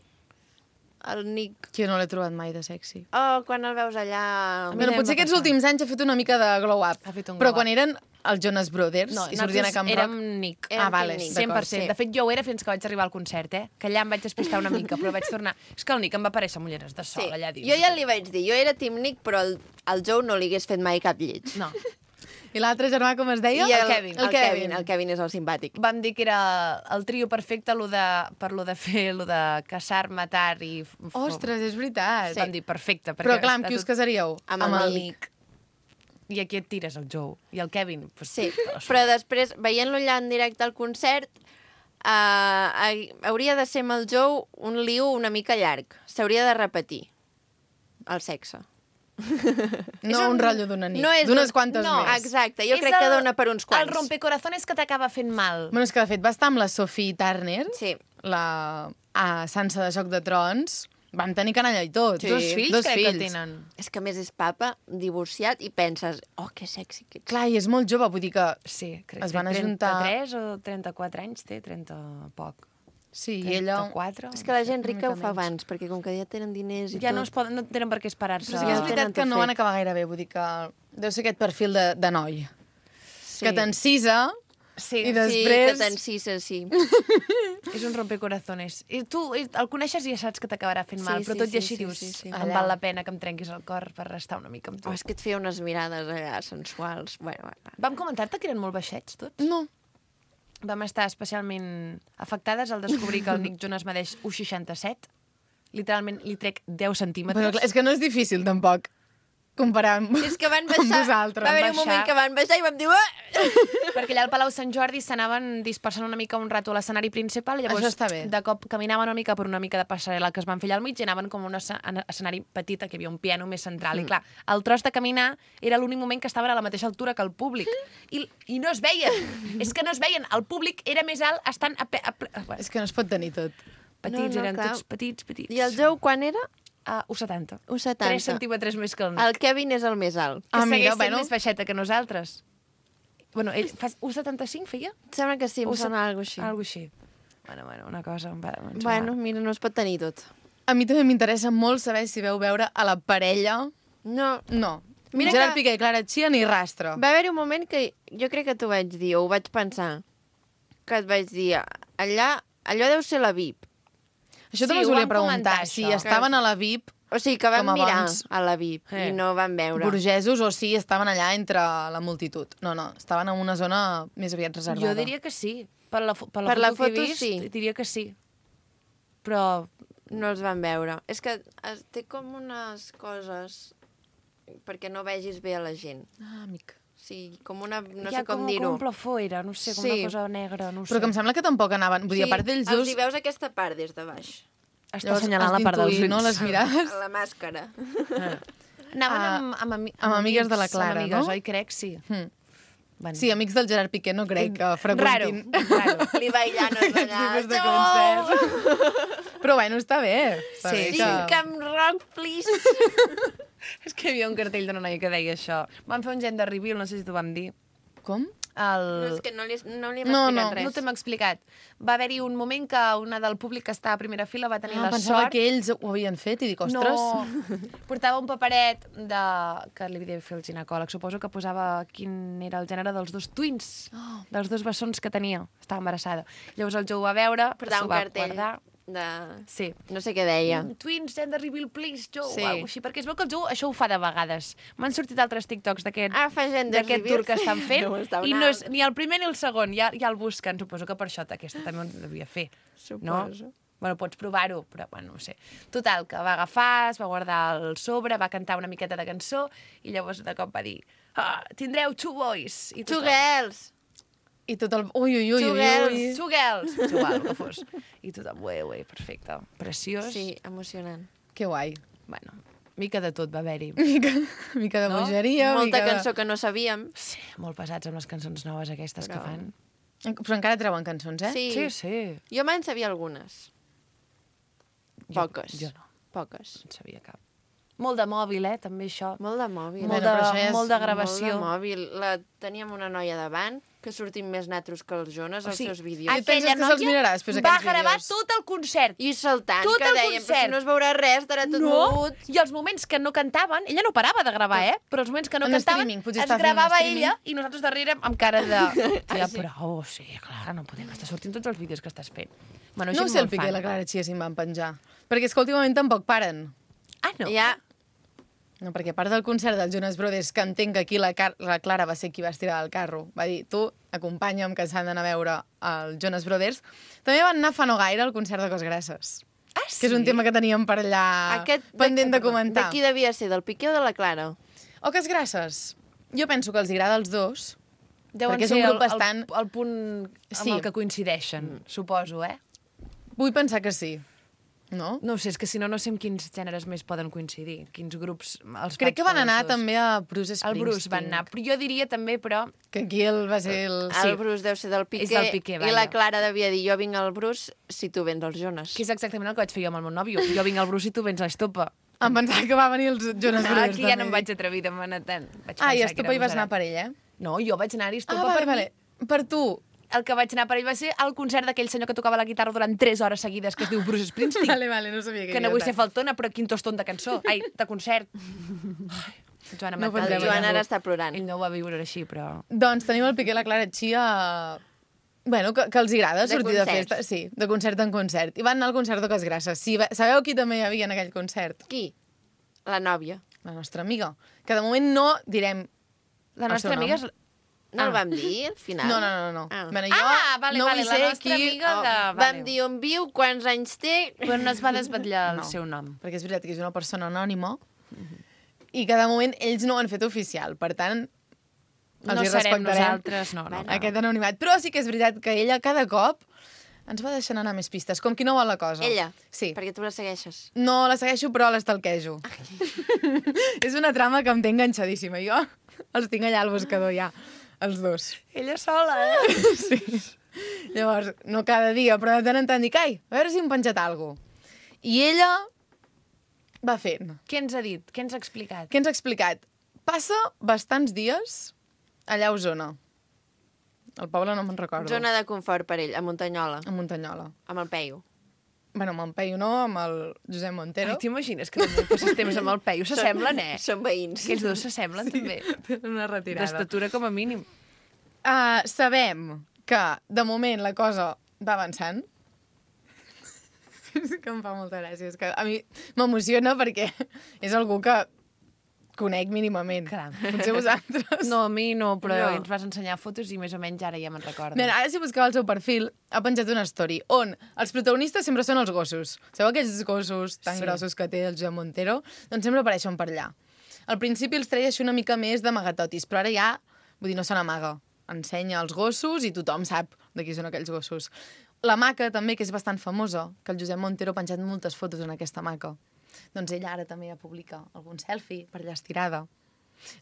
[SPEAKER 1] el Nick...
[SPEAKER 5] Que jo no l'he trobat mai de sexy.
[SPEAKER 1] Oh, quan el veus allà...
[SPEAKER 2] mi
[SPEAKER 5] Bueno,
[SPEAKER 2] també em
[SPEAKER 5] potser
[SPEAKER 2] va
[SPEAKER 5] aquests
[SPEAKER 2] passar.
[SPEAKER 5] últims anys ha fet una mica de glow-up.
[SPEAKER 2] Ha fet un
[SPEAKER 5] però
[SPEAKER 2] glow-up.
[SPEAKER 5] quan eren els Jonas Brothers i sortien a Camp Rock?
[SPEAKER 2] Érem Nick.
[SPEAKER 5] Vale,
[SPEAKER 1] Nick.
[SPEAKER 2] 100%.
[SPEAKER 5] sí.
[SPEAKER 2] De fet, jo ho era fins que vaig arribar al concert, Que allà em vaig despistar una mica, però vaig tornar... És que el Nick em va aparèixer amb ulleres de sol allà dins.
[SPEAKER 1] Jo ja li vaig dir, jo era Team Nick, però el Joe no li hagués fet mai cap lleig.
[SPEAKER 2] No.
[SPEAKER 5] I l'altre germà, com es deia?
[SPEAKER 1] I
[SPEAKER 2] el Kevin.
[SPEAKER 1] El Kevin és el simpàtic.
[SPEAKER 2] Vam dir que era el trio perfecte per lo de fer, lo de caçar, matar i...
[SPEAKER 5] Ostres, és veritat.
[SPEAKER 2] Vam dir perfecte.
[SPEAKER 5] Però clar, amb qui us casaríeu?
[SPEAKER 1] Amb el Nick.
[SPEAKER 2] I aquí et tires el Joe. I el Kevin... Pues,
[SPEAKER 1] Sí, però després, veient-lo allà en directe al concert, hauria de ser amb el Joe un liu una mica llarg. S'hauria de repetir el sexe.
[SPEAKER 5] No un rotllo d'una nit,
[SPEAKER 1] no és
[SPEAKER 5] d'unes quantes
[SPEAKER 2] no,
[SPEAKER 5] més.
[SPEAKER 1] Exacte, jo crec que dona per uns quants.
[SPEAKER 2] El rompecorazones que t'acaba fent mal.
[SPEAKER 5] Bueno, és que de fet va estar amb la Sophie Turner,
[SPEAKER 1] Sí.
[SPEAKER 5] la Sansa de Joc de Trons, van tenir canalla i tot.
[SPEAKER 1] Sí.
[SPEAKER 2] Dos fills crec que tenen.
[SPEAKER 1] És que a més és papa, divorciat, i penses, oh, que sexy que ets.
[SPEAKER 5] Clar, i és molt jove, vull dir que...
[SPEAKER 2] Sí, crec
[SPEAKER 5] Es
[SPEAKER 2] que
[SPEAKER 5] van
[SPEAKER 2] té
[SPEAKER 5] ajuntar-
[SPEAKER 2] 33 o 34 anys, té 30 poc.
[SPEAKER 5] Sí, i ella...
[SPEAKER 2] 34.
[SPEAKER 1] És que la gent
[SPEAKER 5] Una
[SPEAKER 1] rica
[SPEAKER 5] mica
[SPEAKER 1] ho fa
[SPEAKER 5] menys.
[SPEAKER 1] abans, perquè com que ja tenen diners i
[SPEAKER 2] Ja
[SPEAKER 1] tot...
[SPEAKER 2] no tenen per què esperar-se.
[SPEAKER 5] Però sí que és
[SPEAKER 1] Ja
[SPEAKER 5] veritat
[SPEAKER 1] tenen
[SPEAKER 5] que
[SPEAKER 1] tot
[SPEAKER 5] no van
[SPEAKER 1] fet.
[SPEAKER 5] acabar gaire bé, vull dir que deu ser aquest perfil de noi.
[SPEAKER 1] Sí.
[SPEAKER 5] Que t'encisa
[SPEAKER 2] Sí,
[SPEAKER 5] i
[SPEAKER 1] Sí,
[SPEAKER 5] després...
[SPEAKER 1] que t'encisa, sí.
[SPEAKER 2] és un rompecorazones. I tu el coneixes i ja saps que t'acabarà fent mal,
[SPEAKER 1] Sí,
[SPEAKER 2] però
[SPEAKER 1] sí,
[SPEAKER 2] tot i
[SPEAKER 1] sí,
[SPEAKER 2] així
[SPEAKER 1] sí,
[SPEAKER 2] dius,
[SPEAKER 1] sí, sí.
[SPEAKER 2] em
[SPEAKER 5] Allà.
[SPEAKER 2] val la pena que em trenquis el cor per restar una mica amb tu.
[SPEAKER 1] Oh, és que et feia unes mirades allà sensuals. Bueno.
[SPEAKER 2] Vam comentar-te que eren molt baixets, tots?
[SPEAKER 5] No.
[SPEAKER 2] Vam estar especialment afectades al descobrir que el Nick Jonas medeix 1,67. Literalment li trec 10 centímetres.
[SPEAKER 5] Però clar, és que no és difícil, tampoc, comparar amb,
[SPEAKER 1] És que van
[SPEAKER 5] amb
[SPEAKER 1] baixar...
[SPEAKER 5] vosaltres.
[SPEAKER 1] Va haver un
[SPEAKER 2] baixar.
[SPEAKER 1] moment que van baixar i vam dir... Ah!
[SPEAKER 2] Perquè allà al Palau Sant Jordi s'anaven dispersant una mica un rato a l'escenari principal, llavors
[SPEAKER 5] Això està bé.
[SPEAKER 2] de cop caminaven una mica per una mica de passarel·la que es van fer allà al mig i anaven com a un escenari petit, que hi havia un piano més central. I clar, el tros de caminar era l'únic moment que estaven a la mateixa altura que el públic. I no es veien. És que no es veien. El públic era més alt estant bueno,
[SPEAKER 5] És que no es pot tenir tot.
[SPEAKER 2] petits,
[SPEAKER 1] No,
[SPEAKER 2] eren
[SPEAKER 1] clar.
[SPEAKER 2] tots petits.
[SPEAKER 1] I el Joe quan era?
[SPEAKER 2] 1,70.
[SPEAKER 1] 1,70.
[SPEAKER 2] 3 centímetres més que el Nick.
[SPEAKER 1] El Kevin és el més alt.
[SPEAKER 2] Que segueix sent
[SPEAKER 5] bueno.
[SPEAKER 2] més baixeta que nosaltres. Bueno, ell fa 1,75 feia?
[SPEAKER 1] Sembla que sí, em sona alguna cosa així.
[SPEAKER 2] Algo així. Bueno, una cosa... em sembla-
[SPEAKER 1] Bueno, mira, no es pot tenir tot.
[SPEAKER 5] A mi també m'interessa molt saber si veu veure a la parella...
[SPEAKER 1] No,
[SPEAKER 5] No.
[SPEAKER 1] Mira
[SPEAKER 5] Gerard
[SPEAKER 1] que-
[SPEAKER 5] Piqué i Clara Chia ni rastre.
[SPEAKER 1] va haver-hi un moment que jo crec que t'ho vaig dir, o ho vaig pensar, que et vaig dir, allò deu ser la VIP.
[SPEAKER 5] Això
[SPEAKER 2] Sí,
[SPEAKER 5] també us
[SPEAKER 2] ho
[SPEAKER 5] volia
[SPEAKER 2] vam
[SPEAKER 5] preguntar,
[SPEAKER 2] comentar,
[SPEAKER 5] si
[SPEAKER 2] això.
[SPEAKER 5] estaven a la VIP
[SPEAKER 1] O sigui, que vam
[SPEAKER 5] Com
[SPEAKER 1] mirar
[SPEAKER 5] abans.
[SPEAKER 1] a la VIP i no vam veure.
[SPEAKER 5] burgesos o si estaven allà entre la multitud. No, estaven en una zona més aviat reservada.
[SPEAKER 2] Jo diria que sí. Per la
[SPEAKER 1] Per
[SPEAKER 2] foto
[SPEAKER 1] la
[SPEAKER 2] que he
[SPEAKER 1] foto,
[SPEAKER 2] vist,
[SPEAKER 1] sí.
[SPEAKER 2] diria que sí. Però
[SPEAKER 1] No els vam veure. És que té com unes coses perquè no vegis bé a la gent.
[SPEAKER 5] Ah, amic.
[SPEAKER 1] Sí, com una... No
[SPEAKER 2] hi ha
[SPEAKER 1] sé com
[SPEAKER 2] com
[SPEAKER 1] dir-ho.
[SPEAKER 2] un plafó era, no sé, com
[SPEAKER 1] Sí.
[SPEAKER 2] una cosa negra, no ho sé.
[SPEAKER 5] Però que em sembla que tampoc anaven... Vull dir, a part d'ells
[SPEAKER 1] els
[SPEAKER 5] dos...
[SPEAKER 1] hi veus aquesta part des de baix.
[SPEAKER 2] Està
[SPEAKER 5] llavors
[SPEAKER 2] assenyalant
[SPEAKER 5] has
[SPEAKER 2] la part dels
[SPEAKER 5] d'intuir,
[SPEAKER 2] ulls.
[SPEAKER 5] no, les mirades.
[SPEAKER 1] A la màscara.
[SPEAKER 2] Anaven
[SPEAKER 5] amb amigues de la Clara,
[SPEAKER 2] amb amigues,
[SPEAKER 5] no?
[SPEAKER 2] oi? Crec, sí.
[SPEAKER 5] Mm.
[SPEAKER 2] Van.
[SPEAKER 5] Sí, amics del Gerard Piqué no crec que
[SPEAKER 2] Raro,
[SPEAKER 5] freqüentin
[SPEAKER 2] raro.
[SPEAKER 1] Li bailant allà.
[SPEAKER 5] tipus de
[SPEAKER 1] No!
[SPEAKER 5] concerts. Però bueno, està bé. Està
[SPEAKER 2] Sí,
[SPEAKER 5] bé
[SPEAKER 1] Sí, Camp Rock, please.
[SPEAKER 2] És que hi havia un cartell d'una noia que deia això. Vam fer un gender reveal, no sé si t'ho vam dir.
[SPEAKER 5] Com?
[SPEAKER 1] No, és que no li hem
[SPEAKER 5] No,
[SPEAKER 1] explicat
[SPEAKER 5] no,
[SPEAKER 1] res.
[SPEAKER 2] No t'hem explicat. Va haver-hi un moment que una del públic que estava a primera fila va tenir la
[SPEAKER 5] pensava
[SPEAKER 2] sort...
[SPEAKER 5] que ells ho havien fet i dic, ostres...
[SPEAKER 2] No, portava un paperet que li havia de fer el ginecòleg. Suposo que posava quin era el gènere dels dos twins, dels dos bessons que tenia. Estava embarassada. Llavors el Joe ho va veure,
[SPEAKER 1] Portava
[SPEAKER 2] s'ho
[SPEAKER 1] un
[SPEAKER 2] va
[SPEAKER 1] cartell
[SPEAKER 2] guardar.
[SPEAKER 1] de...
[SPEAKER 2] Sí.
[SPEAKER 1] No sé què deia.
[SPEAKER 2] Twins, gender reveal, please, Joe,
[SPEAKER 1] Sí.
[SPEAKER 2] o alguna així. Perquè es veu que el Joe això ho fa de vegades. M'han sortit altres TikToks d'aquest
[SPEAKER 1] Fa gender
[SPEAKER 2] d'aquest
[SPEAKER 1] reveal.
[SPEAKER 2] tour que estan fent
[SPEAKER 1] No, està
[SPEAKER 2] i
[SPEAKER 1] una-
[SPEAKER 2] no és ni el primer ni el segon, ja el busquen. Suposo que per això aquesta també ho devia fer.
[SPEAKER 1] Suposo.
[SPEAKER 2] No? Bueno, pots provar-ho, però bueno, no ho sé. Total, que va agafar, es va guardar el sobre, va cantar una miqueta de cançó i llavors de cop va dir tindreu two boys. I
[SPEAKER 1] Two
[SPEAKER 2] tothom,
[SPEAKER 1] girls.
[SPEAKER 5] I tot el... Ui, ui, ui,
[SPEAKER 1] Two
[SPEAKER 5] ui,
[SPEAKER 1] girls.
[SPEAKER 5] ui.
[SPEAKER 2] Two girls. És igual, el que fos. I tothom, ué, perfecte. Preciós.
[SPEAKER 1] Sí, emocionant.
[SPEAKER 5] Que guai.
[SPEAKER 2] Bueno, mica de tot va haver-hi.
[SPEAKER 5] Mica de
[SPEAKER 2] No?
[SPEAKER 5] bogeria,
[SPEAKER 1] Molta
[SPEAKER 5] mica
[SPEAKER 1] cançó que no sabíem.
[SPEAKER 2] Sí, molt pesats amb les cançons noves aquestes que fan.
[SPEAKER 5] de... Però encara treuen cançons, eh?
[SPEAKER 1] Sí.
[SPEAKER 2] Sí, sí.
[SPEAKER 1] Jo me'n sabia algunes. Poques.
[SPEAKER 2] Jo no,
[SPEAKER 1] Poques.
[SPEAKER 2] en sabia cap. Molt de mòbil, També això.
[SPEAKER 1] Molt de mòbil.
[SPEAKER 2] Molt
[SPEAKER 5] Bueno, però això ja és
[SPEAKER 2] molt de gravació.
[SPEAKER 1] Molt de mòbil. Teníem una noia davant que sortim més natros que els Jonas als seus vídeos.
[SPEAKER 5] Et penses que se'ls mirarà després
[SPEAKER 2] va
[SPEAKER 5] aquests
[SPEAKER 2] gravar
[SPEAKER 5] vídeos?
[SPEAKER 2] tot el concert.
[SPEAKER 1] I saltant,
[SPEAKER 2] Tot
[SPEAKER 1] que
[SPEAKER 2] el
[SPEAKER 1] dèiem, però
[SPEAKER 2] concert.
[SPEAKER 1] si no es veurà res, estarà tot
[SPEAKER 2] No,
[SPEAKER 1] mogut.
[SPEAKER 2] i els moments que no cantaven, ella no parava de gravar, però els moments que no
[SPEAKER 5] En
[SPEAKER 2] cantaven
[SPEAKER 5] streaming, potser
[SPEAKER 2] es
[SPEAKER 5] està fent
[SPEAKER 2] gravava
[SPEAKER 5] streaming.
[SPEAKER 2] ella i nosaltres darrere amb cara de... Ja, prou, sí, clar, no podem estar sortint tots els vídeos que estàs fent. Bueno,
[SPEAKER 5] No ho
[SPEAKER 2] gent
[SPEAKER 5] sé el
[SPEAKER 2] molt
[SPEAKER 5] Piqué i
[SPEAKER 2] fan.
[SPEAKER 5] la Clara Chia si em van penjar. Perquè és que últimament tampoc paren.
[SPEAKER 2] Ah, no?
[SPEAKER 1] Ja,
[SPEAKER 5] No, perquè a part del concert dels Jonas Brothers, que entenc que aquí la Clara va ser qui va estirar del carro, va dir, tu, acompanya'm, que s'han d'anar a veure els Jonas Brothers, també van anar fa no gaire al concert de Cosgrasses.
[SPEAKER 2] Ah, sí?
[SPEAKER 5] Que és un tema que teníem per allà pendent de comentar.
[SPEAKER 1] De qui devia ser, del Piqué o de la Clara?
[SPEAKER 5] O Cosgrasses. Jo penso que els agrada als dos,
[SPEAKER 2] Deuen
[SPEAKER 5] perquè és
[SPEAKER 2] ser
[SPEAKER 5] un grup bastant...
[SPEAKER 2] el punt amb el que coincideixen, suposo,
[SPEAKER 5] Vull pensar que sí. No?
[SPEAKER 2] No ho sé, és que si no, no sé amb quins gèneres més poden coincidir, quins grups els
[SPEAKER 5] Crec que van anar
[SPEAKER 2] tots.
[SPEAKER 5] també a Bruce Springsteen.
[SPEAKER 2] El Bruce van anar, però jo diria també, però...
[SPEAKER 5] Que aquí va ser el...
[SPEAKER 1] El Bruce deu ser del Piqué,
[SPEAKER 2] És del Piqué,
[SPEAKER 1] i
[SPEAKER 2] vaja.
[SPEAKER 1] la Clara devia dir, jo vinc al Bruce si tu vens als Jonas.
[SPEAKER 2] Que és exactament el que vaig fer jo amb el meu nòvio. Jo vinc al Bruce i tu vens a Estopa.
[SPEAKER 5] Em pensava que va venir els Jonas Brothers.
[SPEAKER 2] Aquí ja no em
[SPEAKER 5] també.
[SPEAKER 2] vaig atrevir de manar tant. Vaig
[SPEAKER 5] I
[SPEAKER 2] pensar que
[SPEAKER 5] Estopa
[SPEAKER 2] era
[SPEAKER 5] hi vas anar
[SPEAKER 2] agosarat.
[SPEAKER 5] per ell, eh?
[SPEAKER 2] No, jo vaig anar a Estopa
[SPEAKER 5] vale,
[SPEAKER 2] per
[SPEAKER 5] vale. Per tu.
[SPEAKER 2] El que vaig anar per ell va ser el concert d'aquell senyor que tocava la guitarra durant 3 hores seguides, que es diu Bruce Springsteen.
[SPEAKER 5] Vale, no sabia
[SPEAKER 2] Que no vull ser faltona, però quin tostón de cançó. Ai, de concert. Ai, Joana
[SPEAKER 5] No
[SPEAKER 2] Matal.
[SPEAKER 5] podrem
[SPEAKER 1] El Joan ara està plorant.
[SPEAKER 2] Ell no ho va viure així, però...
[SPEAKER 5] Doncs tenim el Piqué i la Clara Chia... Bueno, que els agrada
[SPEAKER 1] De
[SPEAKER 5] sortir de
[SPEAKER 1] concerts.
[SPEAKER 5] festa. Sí, de concert en concert. I van anar al concert de Cosgrasses. Sí, sabeu qui també hi havia en aquell concert?
[SPEAKER 1] Qui? La nòvia.
[SPEAKER 5] La nostra amiga. Que de moment no direm...
[SPEAKER 2] La
[SPEAKER 5] el
[SPEAKER 2] nostra
[SPEAKER 5] seu nom.
[SPEAKER 2] amiga és...
[SPEAKER 1] No el vam dir, al final?
[SPEAKER 5] No.
[SPEAKER 1] Ah.
[SPEAKER 5] Bueno, jo
[SPEAKER 2] vale,
[SPEAKER 5] no
[SPEAKER 2] vale,
[SPEAKER 5] vull
[SPEAKER 2] la
[SPEAKER 5] ser
[SPEAKER 2] nostra amiga de...
[SPEAKER 1] Vam
[SPEAKER 2] Vale.
[SPEAKER 1] dir on viu, quants anys té...
[SPEAKER 2] Però no es va desvetllar el
[SPEAKER 5] No.
[SPEAKER 2] seu nom.
[SPEAKER 5] Perquè és veritat que és una persona anònima i que de moment ells no ho han fet oficial. Per tant, els
[SPEAKER 2] No
[SPEAKER 5] hi
[SPEAKER 2] serem
[SPEAKER 5] respectarem
[SPEAKER 2] nosaltres, no.
[SPEAKER 5] aquest anonimat. Però sí que és veritat que ella cada cop ens va deixant anar més pistes, com qui no vol la cosa.
[SPEAKER 1] Ella?
[SPEAKER 5] Sí.
[SPEAKER 1] Perquè tu la segueixes.
[SPEAKER 5] No la segueixo, però l'estalquejo. És una trama que em té enganxadíssima. Jo els tinc allà al buscador ja, els dos.
[SPEAKER 2] Ella sola,
[SPEAKER 5] Sí. Llavors, no cada dia, però de tant en tant dic, ai, a veure si hem penjat alguna cosa. I ella va fent.
[SPEAKER 2] Què ens ha dit? Què ens ha explicat?
[SPEAKER 5] Què ens ha explicat? Passa bastants dies allà a Osona. El poble no me'n recordo.
[SPEAKER 1] Zona de confort per ell, a Muntanyola,
[SPEAKER 5] A Muntanyola.
[SPEAKER 1] amb el Peyu.
[SPEAKER 5] Bueno, amb en Peyu no, amb el Josep Montero.
[SPEAKER 2] Ai, t'imagines que no passes temps amb el Peyu? S'assemblen,
[SPEAKER 1] Són veïns.
[SPEAKER 2] Aquells dos s'assemblen, també.
[SPEAKER 5] Tenen una retirada.
[SPEAKER 2] D'estatura com a mínim.
[SPEAKER 5] Sabem que, de moment, la cosa va avançant. És que em fa molta gràcia. És que a mi m'emociona perquè és algú que conec mínimament.
[SPEAKER 2] Clar.
[SPEAKER 5] Potser vosaltres.
[SPEAKER 2] No, a mi no, però
[SPEAKER 1] No.
[SPEAKER 2] ens vas ensenyar fotos i més o menys ara ja me'n recordo.
[SPEAKER 5] Mira, ara si busqueu el seu perfil, ha penjat una story on els protagonistes sempre són els gossos. Sabeu aquells gossos tan grossos que té el Josep Montero? Doncs sempre apareixen per allà. Al principi els treia així una mica més d'amagatotis, però ara ja, vull dir, no se n'amaga. Ensenya els gossos i tothom sap de qui són aquells gossos. La maca també, que és bastant famosa, que el Josep Montero ha penjat moltes fotos en aquesta maca. Doncs ella ara també ja publica algun selfie per allà estirada.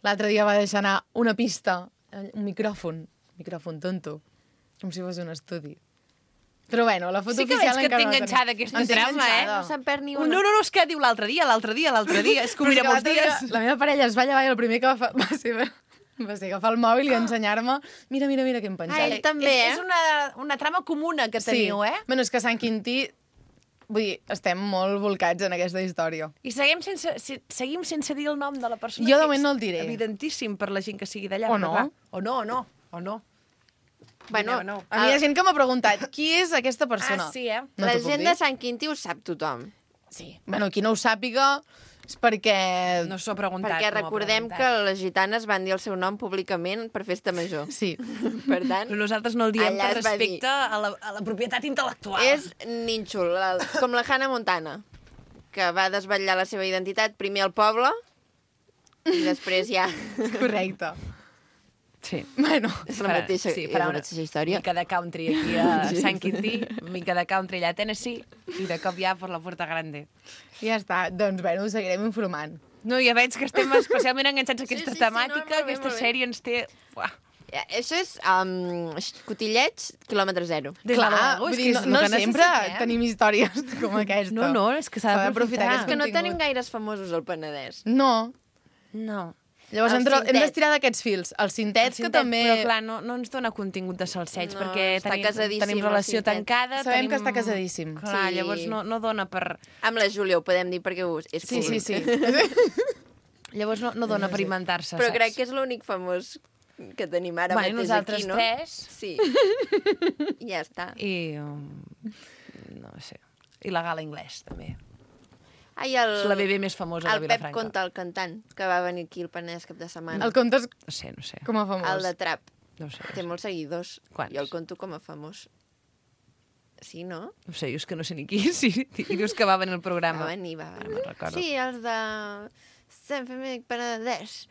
[SPEAKER 5] L'altre dia va deixar anar una pista, un micròfon tonto, com si fos un estudi. Però bueno, la foto
[SPEAKER 2] Sí que
[SPEAKER 5] oficial
[SPEAKER 2] veig que
[SPEAKER 5] encara
[SPEAKER 2] té
[SPEAKER 5] no la
[SPEAKER 2] enganxada
[SPEAKER 5] tenim.
[SPEAKER 2] aquesta
[SPEAKER 5] Em té
[SPEAKER 2] trama,
[SPEAKER 5] enganxada.
[SPEAKER 1] No se'n perd ni
[SPEAKER 2] No,
[SPEAKER 1] una.
[SPEAKER 2] no, és que diu l'altre dia. És que ho
[SPEAKER 5] Però és
[SPEAKER 2] mira
[SPEAKER 5] que
[SPEAKER 2] molts
[SPEAKER 5] l'altre dia
[SPEAKER 2] dies.
[SPEAKER 5] La meva parella es va llevar i el primer que va ser agafar el mòbil i ensenyar-me mira què hem penjat.
[SPEAKER 1] Ell també,
[SPEAKER 2] És una trama comuna que teniu,
[SPEAKER 5] Bueno, és que Sant Quintí, vull dir, estem molt volcats en aquesta història.
[SPEAKER 2] I seguim sense dir el nom de la persona.
[SPEAKER 5] Jo de
[SPEAKER 2] que
[SPEAKER 5] moment
[SPEAKER 2] és
[SPEAKER 5] no el diré.
[SPEAKER 2] Evidentíssim per la gent que sigui d'allà.
[SPEAKER 5] O
[SPEAKER 2] però
[SPEAKER 5] no.
[SPEAKER 2] clar, O no.
[SPEAKER 1] Bueno,
[SPEAKER 2] No.
[SPEAKER 5] A mi hi ha gent que m'ha preguntat, qui és aquesta persona?
[SPEAKER 2] Ah, sí, eh?
[SPEAKER 5] No
[SPEAKER 1] la
[SPEAKER 5] t'ho puc
[SPEAKER 1] gent
[SPEAKER 5] dir?
[SPEAKER 1] de Sant Quintí ho sap tothom.
[SPEAKER 5] Sí. Bueno, qui no ho sàpiga és perquè...
[SPEAKER 2] No s'ho ha preguntat.
[SPEAKER 1] Perquè
[SPEAKER 2] no m'ho ha
[SPEAKER 1] recordem que
[SPEAKER 2] preguntat.
[SPEAKER 1] les gitanes van dir el seu nom públicament per festa major.
[SPEAKER 5] Sí.
[SPEAKER 1] Per tant,
[SPEAKER 2] Però nosaltres no el diem
[SPEAKER 1] allà
[SPEAKER 2] per
[SPEAKER 1] es va dir.
[SPEAKER 2] respecte a la propietat intel·lectual.
[SPEAKER 1] és nínxol, com la Hannah Montana, que va desvetllar la seva identitat primer al poble i després ja...
[SPEAKER 5] Correcte.
[SPEAKER 2] Sí.
[SPEAKER 5] Bueno,
[SPEAKER 1] És la mateixa,
[SPEAKER 2] farà
[SPEAKER 1] la mateixa història.
[SPEAKER 2] mica de country aquí a Sant Quintí, mica de country allà a Tennessee, i de cop ja per la Puerta Grande.
[SPEAKER 5] ja està. Doncs, bueno, ho seguirem informant.
[SPEAKER 2] No, ja veig que estem especialment enganxats a aquesta
[SPEAKER 1] sí,
[SPEAKER 2] temàtica,
[SPEAKER 1] no, molt bé,
[SPEAKER 2] aquesta
[SPEAKER 1] molt bé.
[SPEAKER 2] sèrie ens té... Uah.
[SPEAKER 1] Això és cotilleig, quilòmetre zero.
[SPEAKER 2] Des de
[SPEAKER 5] Clar,
[SPEAKER 2] luego,
[SPEAKER 5] vull
[SPEAKER 2] és
[SPEAKER 5] dir,
[SPEAKER 2] que és
[SPEAKER 5] no
[SPEAKER 2] el que
[SPEAKER 5] sempre
[SPEAKER 2] necessitem.
[SPEAKER 5] tenim històries com aquesta.
[SPEAKER 2] No, és que s'ha d'aprofitar.
[SPEAKER 5] aquest
[SPEAKER 1] És que no
[SPEAKER 5] contingut.
[SPEAKER 1] tenim gaires famosos al Penedès.
[SPEAKER 5] No.
[SPEAKER 2] No.
[SPEAKER 5] Llavors hem d'estirar d'aquests fils. El cintet, que també...
[SPEAKER 2] Però clar, no ens dona contingut de salseig, perquè tenim relació tancada.
[SPEAKER 5] Sabem que està casadíssim.
[SPEAKER 2] Clar, llavors no dona per...
[SPEAKER 1] Amb la Júlia ho podem dir perquè és públic.
[SPEAKER 5] Sí.
[SPEAKER 2] Llavors no dona per inventar-se,
[SPEAKER 1] Però crec que és l'únic famós que tenim ara mateix aquí, no?
[SPEAKER 2] Nosaltres tres.
[SPEAKER 1] Sí. I ja està.
[SPEAKER 2] I... no sé. I la gala anglès, també.
[SPEAKER 1] Ai,
[SPEAKER 2] És la bebè més famosa de Vilafranca.
[SPEAKER 1] El Pep Conta, el cantant, que va venir aquí al Penedès cap de setmana.
[SPEAKER 5] El contes...
[SPEAKER 2] No sé.
[SPEAKER 5] Com a famós.
[SPEAKER 1] El de Trap.
[SPEAKER 2] No sé.
[SPEAKER 1] Té molts seguidors.
[SPEAKER 2] Quants?
[SPEAKER 1] Jo el conto com a famós. Sí, no?
[SPEAKER 2] No sé, jo és que no sé ni qui. Sí, i dius que va venir al programa.
[SPEAKER 1] Va venir.
[SPEAKER 2] Ara me'n recordo.
[SPEAKER 1] Sí, els de... Sant Fèmec Penedès.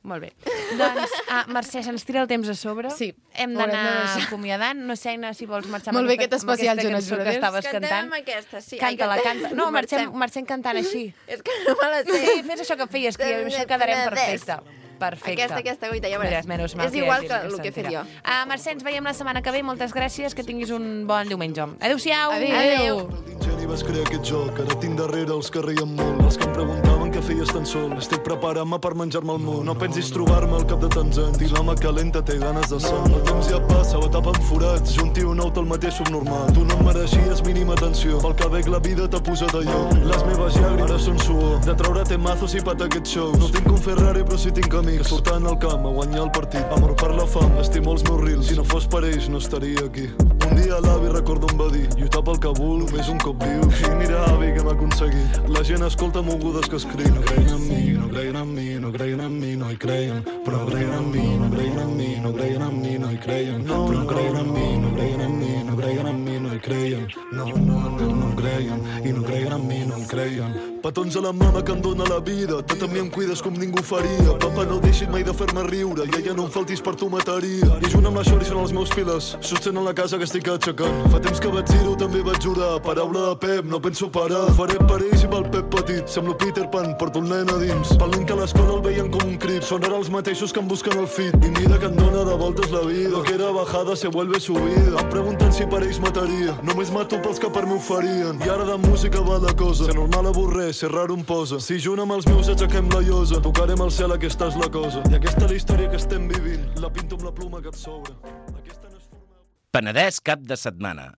[SPEAKER 2] Molt bé. Doncs, Mercè, se'ns tira el temps a sobre.
[SPEAKER 5] Sí.
[SPEAKER 2] Hem d'anar acomiadant. No sé, Aina, si vols marxar
[SPEAKER 5] Molt bé, aquest especial
[SPEAKER 2] cançó
[SPEAKER 5] Jonas
[SPEAKER 2] que
[SPEAKER 5] Brothers.
[SPEAKER 2] estaves
[SPEAKER 1] Cantem
[SPEAKER 2] cantant.
[SPEAKER 1] aquesta, sí.
[SPEAKER 2] Canta-la, canta. No, marxem cantant així.
[SPEAKER 1] És que no me la sé.
[SPEAKER 2] Sí, fes això que feies, que això quedarem perfecte. Perfecte.
[SPEAKER 1] Aquesta goita, ja veuràs.
[SPEAKER 2] Menys mal
[SPEAKER 1] És igual
[SPEAKER 2] hi
[SPEAKER 1] que
[SPEAKER 2] hagi
[SPEAKER 1] el que he fet jo.
[SPEAKER 2] Mercè, ens veiem la setmana que ve. Moltes gràcies, que tinguis un bon diumenge. Adéu-siau.
[SPEAKER 5] Adéu.
[SPEAKER 6] Geni vas crear aquest joc, ara tinc darrere els que reien molt, els que em preguntaven què feies tan sol. Estic preparant-me per menjar-me el món. No pensis trobar-me al cap de tants anys, i l'home calenta té ganes de sang. El temps ja passa, va tapant forats, junti un out al mateix subnormal. Tu no em mereixies mínima atenció, pel que veig la vida t'ha posat a lloc. Les meves llàgrimes ara són suor, de treure temazos i patar aquests shows. No tinc un Ferrari però sí tinc amics, que surten al camp a guanyar el partit. Amor per la fam, estimo els meus reels, si no fos per ells no estaria aquí. Un dia l'avi recordo em va dir, lluitar pel que vol, només un cop viu. Sí, mira, avi, que hem aconseguit. La gent escolta mogudes que escric. No creien en mi, no creien en mi, no creien en mi, no hi creien. Però creien en mi, no creien en mi, no creien en mi, no hi creien. Però creien en mi, no creien en mi, no creien en mi, no hi creien. No creien, i no creien en mi, no hi creien. Petons a la mama que em dóna la vida, tot a mi em cuides com ningú faria. Papa, no deixis mai de fer-me riure, i ella no em faltis per tu mataria. I junt amb la Xori són els meus pilars, sostenen la casa que estic aixecant. Fa temps que vaig dir-ho, també vaig jurar, paraula de Pep, no penso parar. Ho faré per ells i pel Pep petit, semblo Peter Pan, porto el nen a dins. Pel nen que a l'escola el veien com un crit, són ara els mateixos que em busquen el fit. I mira que em dóna de voltes la vida, lo que era bajada se vuelve subida. Em pregunten si per ells mataria, només mato pels que per mi ho farien. I ara de música va la cosa, ser normal avorreix, ser raro em posa. Si junt amb els meus aixequem la llosa, tocarem el cel, aquesta és la cosa. I aquesta és la història que estem vivint, la pinto amb la pluma que et sobra. Aquesta no és forma...
[SPEAKER 3] Penedès cap de setmana.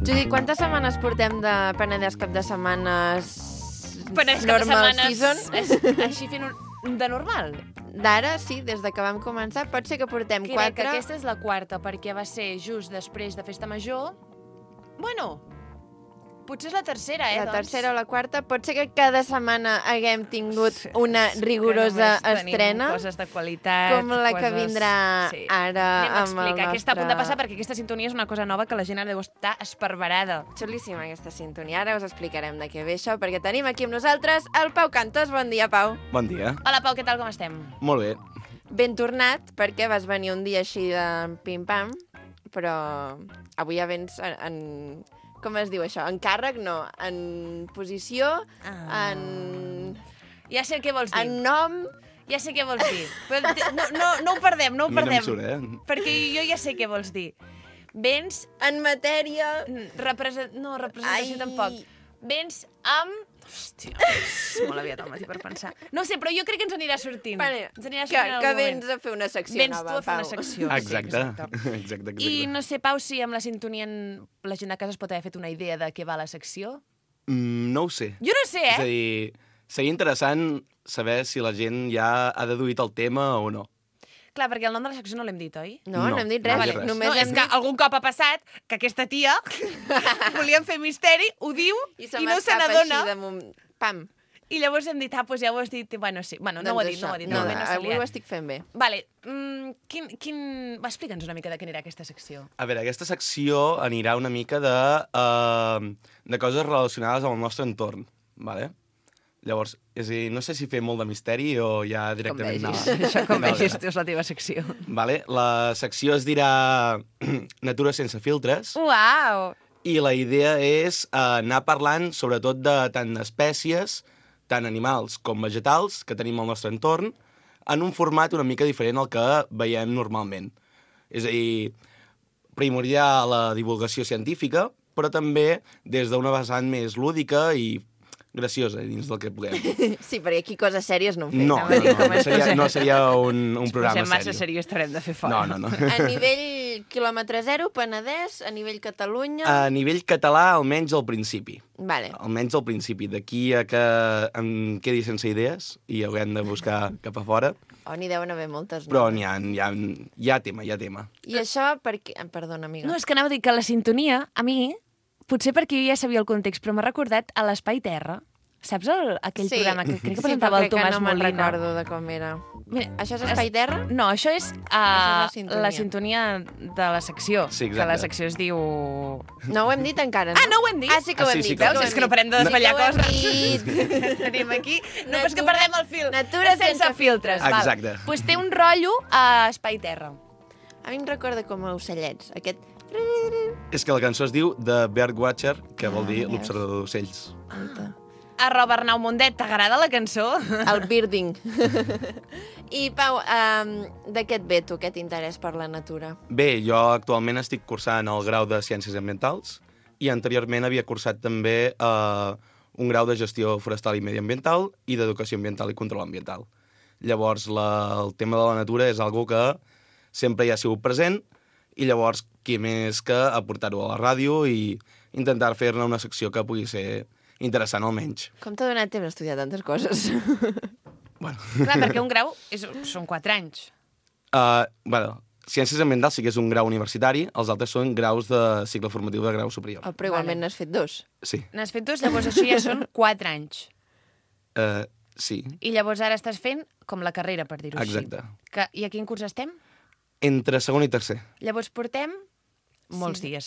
[SPEAKER 1] Judit, quantes setmanes portem de Penedès cap de setmanes
[SPEAKER 2] Penedès cap de
[SPEAKER 1] normal
[SPEAKER 2] setmanes
[SPEAKER 1] season?
[SPEAKER 2] així fent de normal.
[SPEAKER 1] D'ara, sí, des de que vam començar. Pot ser que portem
[SPEAKER 2] Crec que
[SPEAKER 1] 4.
[SPEAKER 2] aquesta és la quarta, perquè va ser just després de Festa Major. Bueno, potser és la tercera,
[SPEAKER 1] La
[SPEAKER 2] doncs.
[SPEAKER 1] tercera o la quarta. Pot ser que cada setmana haguem tingut una rigorosa
[SPEAKER 2] Que només tenim
[SPEAKER 1] estrena,
[SPEAKER 2] coses de qualitat.
[SPEAKER 1] com la que vindrà ara
[SPEAKER 2] Anem a
[SPEAKER 1] amb el
[SPEAKER 2] explicar què està a punt de
[SPEAKER 1] nostre-
[SPEAKER 2] passar, perquè aquesta sintonia és una cosa nova que la gent deu estar esparverada.
[SPEAKER 1] Xulíssima aquesta sintonia. Ara us explicarem de què ve això, perquè tenim aquí amb nosaltres el Pau Cantos. Bon dia, Pau.
[SPEAKER 3] Bon dia.
[SPEAKER 2] Hola, Pau, què tal, com estem?
[SPEAKER 3] Molt bé.
[SPEAKER 1] Ben tornat, perquè vas venir un dia així de pim-pam, però avui ja vens en... Com es diu això? En càrrec? No. En posició? En...
[SPEAKER 2] Ja sé què vols dir.
[SPEAKER 1] En nom?
[SPEAKER 2] Ja sé què vols dir. Però no ho perdem, no ho
[SPEAKER 3] A mi no
[SPEAKER 2] perdem.
[SPEAKER 3] em surt,
[SPEAKER 2] Perquè jo ja sé què vols dir. Vens...
[SPEAKER 1] En matèria...
[SPEAKER 2] No, representació
[SPEAKER 1] Ai.
[SPEAKER 2] tampoc. Vens amb... Hòstia, és molt aviat al matí per pensar. No sé, però jo crec que ens anirà sortint.
[SPEAKER 1] Vale,
[SPEAKER 2] Ens anirà
[SPEAKER 1] que
[SPEAKER 2] sortint en algun
[SPEAKER 1] vens
[SPEAKER 2] moment.
[SPEAKER 1] a fer una secció
[SPEAKER 2] Vens
[SPEAKER 1] nova,
[SPEAKER 2] tu a fer una
[SPEAKER 1] Pau.
[SPEAKER 2] secció.
[SPEAKER 3] Exacte.
[SPEAKER 2] Sí,
[SPEAKER 3] Exacte.
[SPEAKER 2] I no sé, Pau, si amb la sintonia la gent a casa es pot haver fet una idea de què va la secció.
[SPEAKER 3] No ho sé.
[SPEAKER 2] Jo no sé,
[SPEAKER 3] És a dir, seria interessant saber si la gent ja ha deduït el tema o no.
[SPEAKER 2] Clar, perquè el nom de la secció no l'hem dit, oi?
[SPEAKER 1] No, no hem dit res.
[SPEAKER 3] no hem dit res.
[SPEAKER 1] Només
[SPEAKER 2] No, és
[SPEAKER 1] hem
[SPEAKER 2] que
[SPEAKER 1] dit...
[SPEAKER 2] algun cop ha passat que aquesta tia volíem fer misteri, ho diu
[SPEAKER 1] I se
[SPEAKER 2] i no se
[SPEAKER 1] m'escapa
[SPEAKER 2] n'adona.
[SPEAKER 1] així de moment. Pam.
[SPEAKER 2] I llavors hem dit, doncs ja ho has dit. Bueno, sí. Bueno, no ho ha dit, no ho ha dit.
[SPEAKER 1] No,
[SPEAKER 2] de moment no s'ha
[SPEAKER 1] avui ho
[SPEAKER 2] liat.
[SPEAKER 1] estic fent bé.
[SPEAKER 2] Vale, va, explica'ns una mica de què anirà aquesta secció.
[SPEAKER 3] A veure, aquesta secció anirà una mica de coses relacionades amb el nostre entorn, vale? Llavors, és a dir, no sé si fer molt de misteri o ja directament
[SPEAKER 1] vegis.
[SPEAKER 3] anar...
[SPEAKER 2] Això com
[SPEAKER 3] Vale.
[SPEAKER 2] vegis, és la teva secció.
[SPEAKER 3] Vale? La secció es dirà Natura sense filtres
[SPEAKER 2] Uau!
[SPEAKER 3] i la idea és anar parlant sobretot de tant d'espècies, tant animals com vegetals que tenim al nostre entorn en un format una mica diferent al que veiem normalment. És a dir, primordiar la divulgació científica, però també des d'una vessant més lúdica i graciosa dins del que puguem.
[SPEAKER 1] Sí, perquè aquí coses sèries no en fem.
[SPEAKER 3] No seria un programa
[SPEAKER 2] sèrio. Si massa
[SPEAKER 3] sèrio.
[SPEAKER 2] seriós t'haurem de fer fora.
[SPEAKER 3] No.
[SPEAKER 1] A nivell quilòmetre zero, Penedès, a nivell Catalunya...
[SPEAKER 3] A nivell català, almenys al principi.
[SPEAKER 1] Vale.
[SPEAKER 3] Almenys al principi. D'aquí a que em quedi sense idees i haurem de buscar cap a fora.
[SPEAKER 1] Oh, n'hi deuen haver moltes.
[SPEAKER 3] Però hi ha tema.
[SPEAKER 1] I això perquè... Perdona, amiga.
[SPEAKER 2] No, és que anava a dir que la sintonia, a mi, potser perquè jo ja sabia el context, però m'ha recordat a l'Espai Terra. Saps aquell programa que crec que presentava el Tomàs Molina?
[SPEAKER 1] Sí, però crec que no me'n recordo de com era.
[SPEAKER 2] Mira,
[SPEAKER 1] això és Espai Terra?
[SPEAKER 2] No, això és la sintonia de la secció.
[SPEAKER 3] Sí, exacte.
[SPEAKER 2] Que la secció es diu...
[SPEAKER 1] No ho hem dit encara, no?
[SPEAKER 2] Ah, no ho hem dit?
[SPEAKER 1] Ah, sí que ho hem dit.
[SPEAKER 2] Veus? És que no parem de desvetllar coses.
[SPEAKER 1] Tenim
[SPEAKER 2] aquí. No, però és que perdem el fil.
[SPEAKER 1] Natura sense
[SPEAKER 2] filtres.
[SPEAKER 3] Exacte.
[SPEAKER 2] Doncs pues té un rotllo a Espai Terra.
[SPEAKER 1] A mi em recorda com a ocellets. Aquest...
[SPEAKER 3] És que la cançó es diu The Birdwatcher, que vol dir l'observador d'ocells.
[SPEAKER 2] @Arnau Mundet, t'agrada la cançó?
[SPEAKER 1] El birding. I, Pau, de què et ve tu, aquest interès per la natura?
[SPEAKER 3] Bé, jo actualment estic cursant el grau de Ciències Ambientals i anteriorment havia cursat també un grau de Gestió Forestal i Mediambiental i d'Educació Ambiental i Control Ambiental. Llavors, el tema de la natura és algo que sempre hi ha sigut present i llavors, qui més que aportar-ho a la ràdio i intentar fer-ne una secció que pugui ser interessant almenys.
[SPEAKER 1] Com t'ha donat temps a estudiar tantes coses?
[SPEAKER 3] Bueno.
[SPEAKER 2] Clar, perquè un grau són 4 anys.
[SPEAKER 3] Ciències Ambientals sí que és un grau universitari, els altres són graus de cicle formatiu de grau superior.
[SPEAKER 1] Però igualment n'has fet 2.
[SPEAKER 3] Sí.
[SPEAKER 2] N'has fet 2, llavors això ja són 4 anys.
[SPEAKER 3] Sí.
[SPEAKER 2] I llavors ara estàs fent com la carrera, per dir-ho així.
[SPEAKER 3] Exacte.
[SPEAKER 2] I a quin curs estem?
[SPEAKER 3] Entre segon i tercer.
[SPEAKER 2] Llavors portem molts dies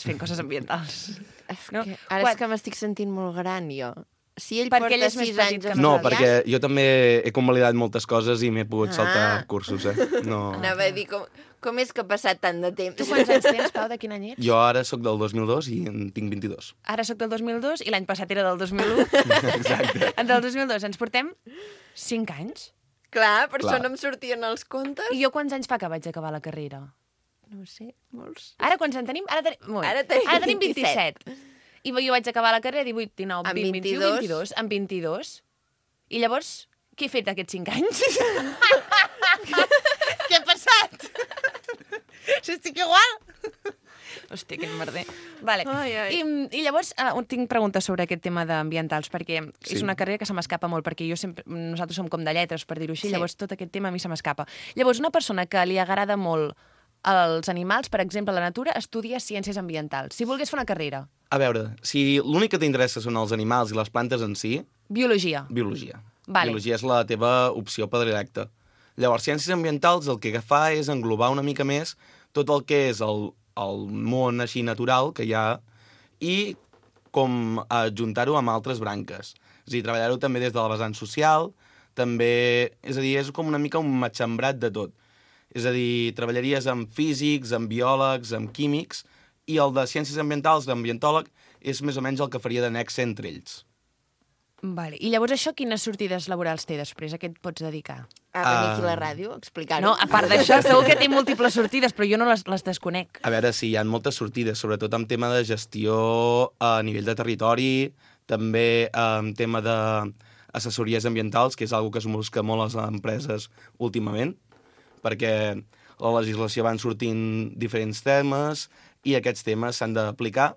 [SPEAKER 2] fent coses ambientals.
[SPEAKER 1] Ara és que m'estic sentint molt gran, jo. Si ell
[SPEAKER 2] perquè
[SPEAKER 1] porta
[SPEAKER 2] ell és
[SPEAKER 1] 6 anys...
[SPEAKER 3] No, perquè jo també he convalidat moltes coses i m'he pogut saltar cursos, No.
[SPEAKER 1] Anava a dir, com és que ha passat tant de temps?
[SPEAKER 2] Tu quants anys tens, Pau? De quin any ets?
[SPEAKER 3] Jo ara sóc del 2002 i en tinc 22.
[SPEAKER 2] Ara sóc del 2002 i l'any passat era del 2001.
[SPEAKER 3] Exacte.
[SPEAKER 2] Del 2002 ens portem 5 anys.
[SPEAKER 1] Clar, per això no em sortien els comptes.
[SPEAKER 2] I jo quants anys fa que vaig acabar la carrera?
[SPEAKER 1] No ho sé, molts.
[SPEAKER 2] Ara quants en tenim? Ara tenim 27. I jo vaig acabar la carrera 18, 19, 20, 21, 22. Amb 22. I llavors, què he fet aquests 5 anys? Què ha passat? Si estic igual? Hòstia, quin merder. Vale. I llavors tinc preguntes sobre aquest tema d'ambientals, perquè és una carrera que se m'escapa molt, perquè nosaltres som com de lletres, per dir-ho així, llavors tot aquest tema a mi se m'escapa. Llavors, una persona que li agrada molt els animals, per exemple, la natura, estudia ciències ambientals. Si volgués fer una carrera.
[SPEAKER 3] A veure, si l'únic que t'interessa són els animals i les plantes en si...
[SPEAKER 2] Biologia.
[SPEAKER 3] Biologia.
[SPEAKER 2] Vale.
[SPEAKER 3] Biologia és la teva opció predilecta. Llavors, ciències ambientals el que fa és englobar una mica més tot el que és el món així natural que hi ha i com ajuntar-ho amb altres branques. És a dir, treballar-ho també des de la vessant social, també... És a dir, és com una mica un matxembrat de tot. És a dir, treballaries amb físics, amb biòlegs, amb químics, i el de ciències ambientals, d'ambientòleg, és més o menys el que faria de nexe entre ells.
[SPEAKER 2] Vale. I llavors això, quines sortides laborals té després? A què et pots dedicar?
[SPEAKER 1] A venir aquí a la ràdio, explicar-ho.
[SPEAKER 2] No, a part d'això, segur que té múltiples sortides, però jo no les desconec.
[SPEAKER 3] A veure, sí, hi ha moltes sortides, sobretot en tema de gestió a nivell de territori, també en tema d'assessories ambientals, que és una que es busca molt a les empreses últimament, perquè la legislació van sortint diferents temes i aquests temes s'han d'aplicar.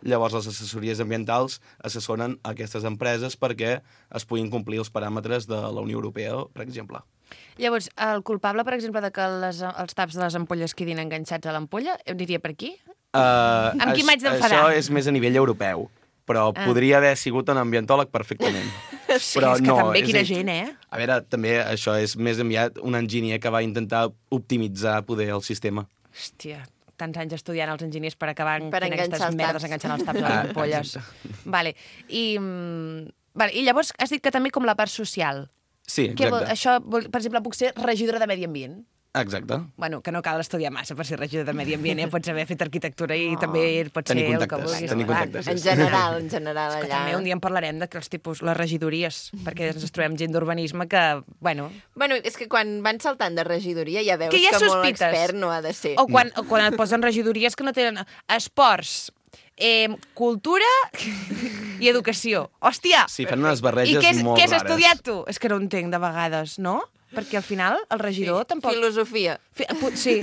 [SPEAKER 3] Llavors, les assessories ambientals assessoren aquestes empreses perquè es puguin complir els paràmetres de la Unió Europea, per exemple.
[SPEAKER 2] Llavors, el culpable, per exemple, de que els taps de les ampolles quedin enganxats a l'ampolla, diria per aquí? Amb qui m'haig d'enfadar?
[SPEAKER 3] Això és més a nivell europeu, però podria haver sigut un ambientòleg perfectament.
[SPEAKER 2] Sí, però és que també, quina gent,
[SPEAKER 3] A veure, també això és més enviat un enginyer que va intentar optimitzar poder el sistema.
[SPEAKER 2] Hòstia, tants anys estudiant els enginyers per acabar
[SPEAKER 1] per
[SPEAKER 2] fent aquestes merdes enganxant els taps a les ampolles. Vale. I llavors has dit que també com la part social.
[SPEAKER 3] Sí, exacte.
[SPEAKER 2] Això, per exemple, puc ser regidora de Medi Ambient?
[SPEAKER 3] Exacte.
[SPEAKER 2] Bueno, que no cal estudiar massa per ser regidor de Medi Ambient, Pots haver fet arquitectura i també pots ser el que vulguis.
[SPEAKER 3] Tenir contactes.
[SPEAKER 1] En general, allà.
[SPEAKER 2] Que també un dia en parlarem de les regidories, perquè ens trobem gent d'urbanisme que, bueno...
[SPEAKER 1] Bueno, és que quan van saltant de regidoria ja veus
[SPEAKER 2] que hi ha
[SPEAKER 1] molt
[SPEAKER 2] sospites.
[SPEAKER 1] expert no ha de ser.
[SPEAKER 2] O quan et posen regidories que no tenen esports, cultura i educació. Hòstia!
[SPEAKER 3] Sí, fan unes barreges molt
[SPEAKER 2] rares. I què has
[SPEAKER 3] rares.
[SPEAKER 2] estudiat tu? És que no entenc de vegades, no? Perquè al final el regidor tampoc...
[SPEAKER 1] Filosofia.
[SPEAKER 2] Sí.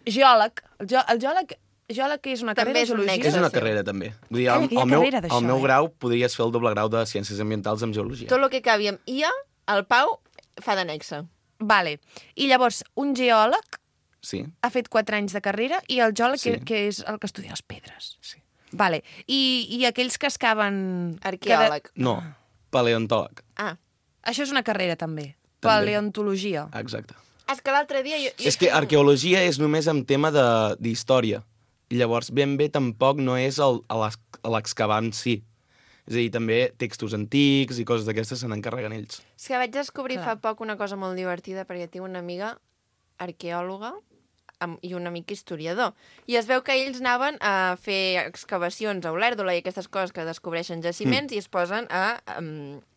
[SPEAKER 2] Geòleg. El geòleg és una
[SPEAKER 1] També
[SPEAKER 2] carrera,
[SPEAKER 1] és un
[SPEAKER 2] geologia.
[SPEAKER 1] nexo.
[SPEAKER 3] És una carrera, també. Vull dir,
[SPEAKER 2] Calla, que hi ha carrera d'això,
[SPEAKER 3] al meu grau podries fer el doble grau de Ciències Ambientals amb Geologia.
[SPEAKER 1] Tot el que acabi amb IA, el Pau fa d'annexa.
[SPEAKER 2] Vale. I llavors, un geòleg
[SPEAKER 3] Sí,
[SPEAKER 2] ha fet 4 anys de carrera i el geòleg,
[SPEAKER 3] Sí.
[SPEAKER 2] que és el que estudia les pedres.
[SPEAKER 3] sí.
[SPEAKER 2] Vale. I aquells que excaven...
[SPEAKER 1] Arqueòleg.
[SPEAKER 3] No, paleontòleg.
[SPEAKER 1] Ah,
[SPEAKER 2] Això és una carrera, també.
[SPEAKER 3] També.
[SPEAKER 2] Paleontologia.
[SPEAKER 3] Exacte.
[SPEAKER 1] és que l'altre dia...
[SPEAKER 3] És que arqueologia és només en tema d'història. I llavors, ben bé, tampoc no és l'excavar en si. És a dir, també textos antics i coses d'aquestes se n'encarreguen ells.
[SPEAKER 1] És que vaig descobrir
[SPEAKER 2] Clar.
[SPEAKER 1] fa poc una cosa molt divertida perquè tinc una amiga arqueòloga i un amic historiador. I es veu que ells anaven a fer excavacions a Olèrdola i aquestes coses que descobreixen jaciments i es posen a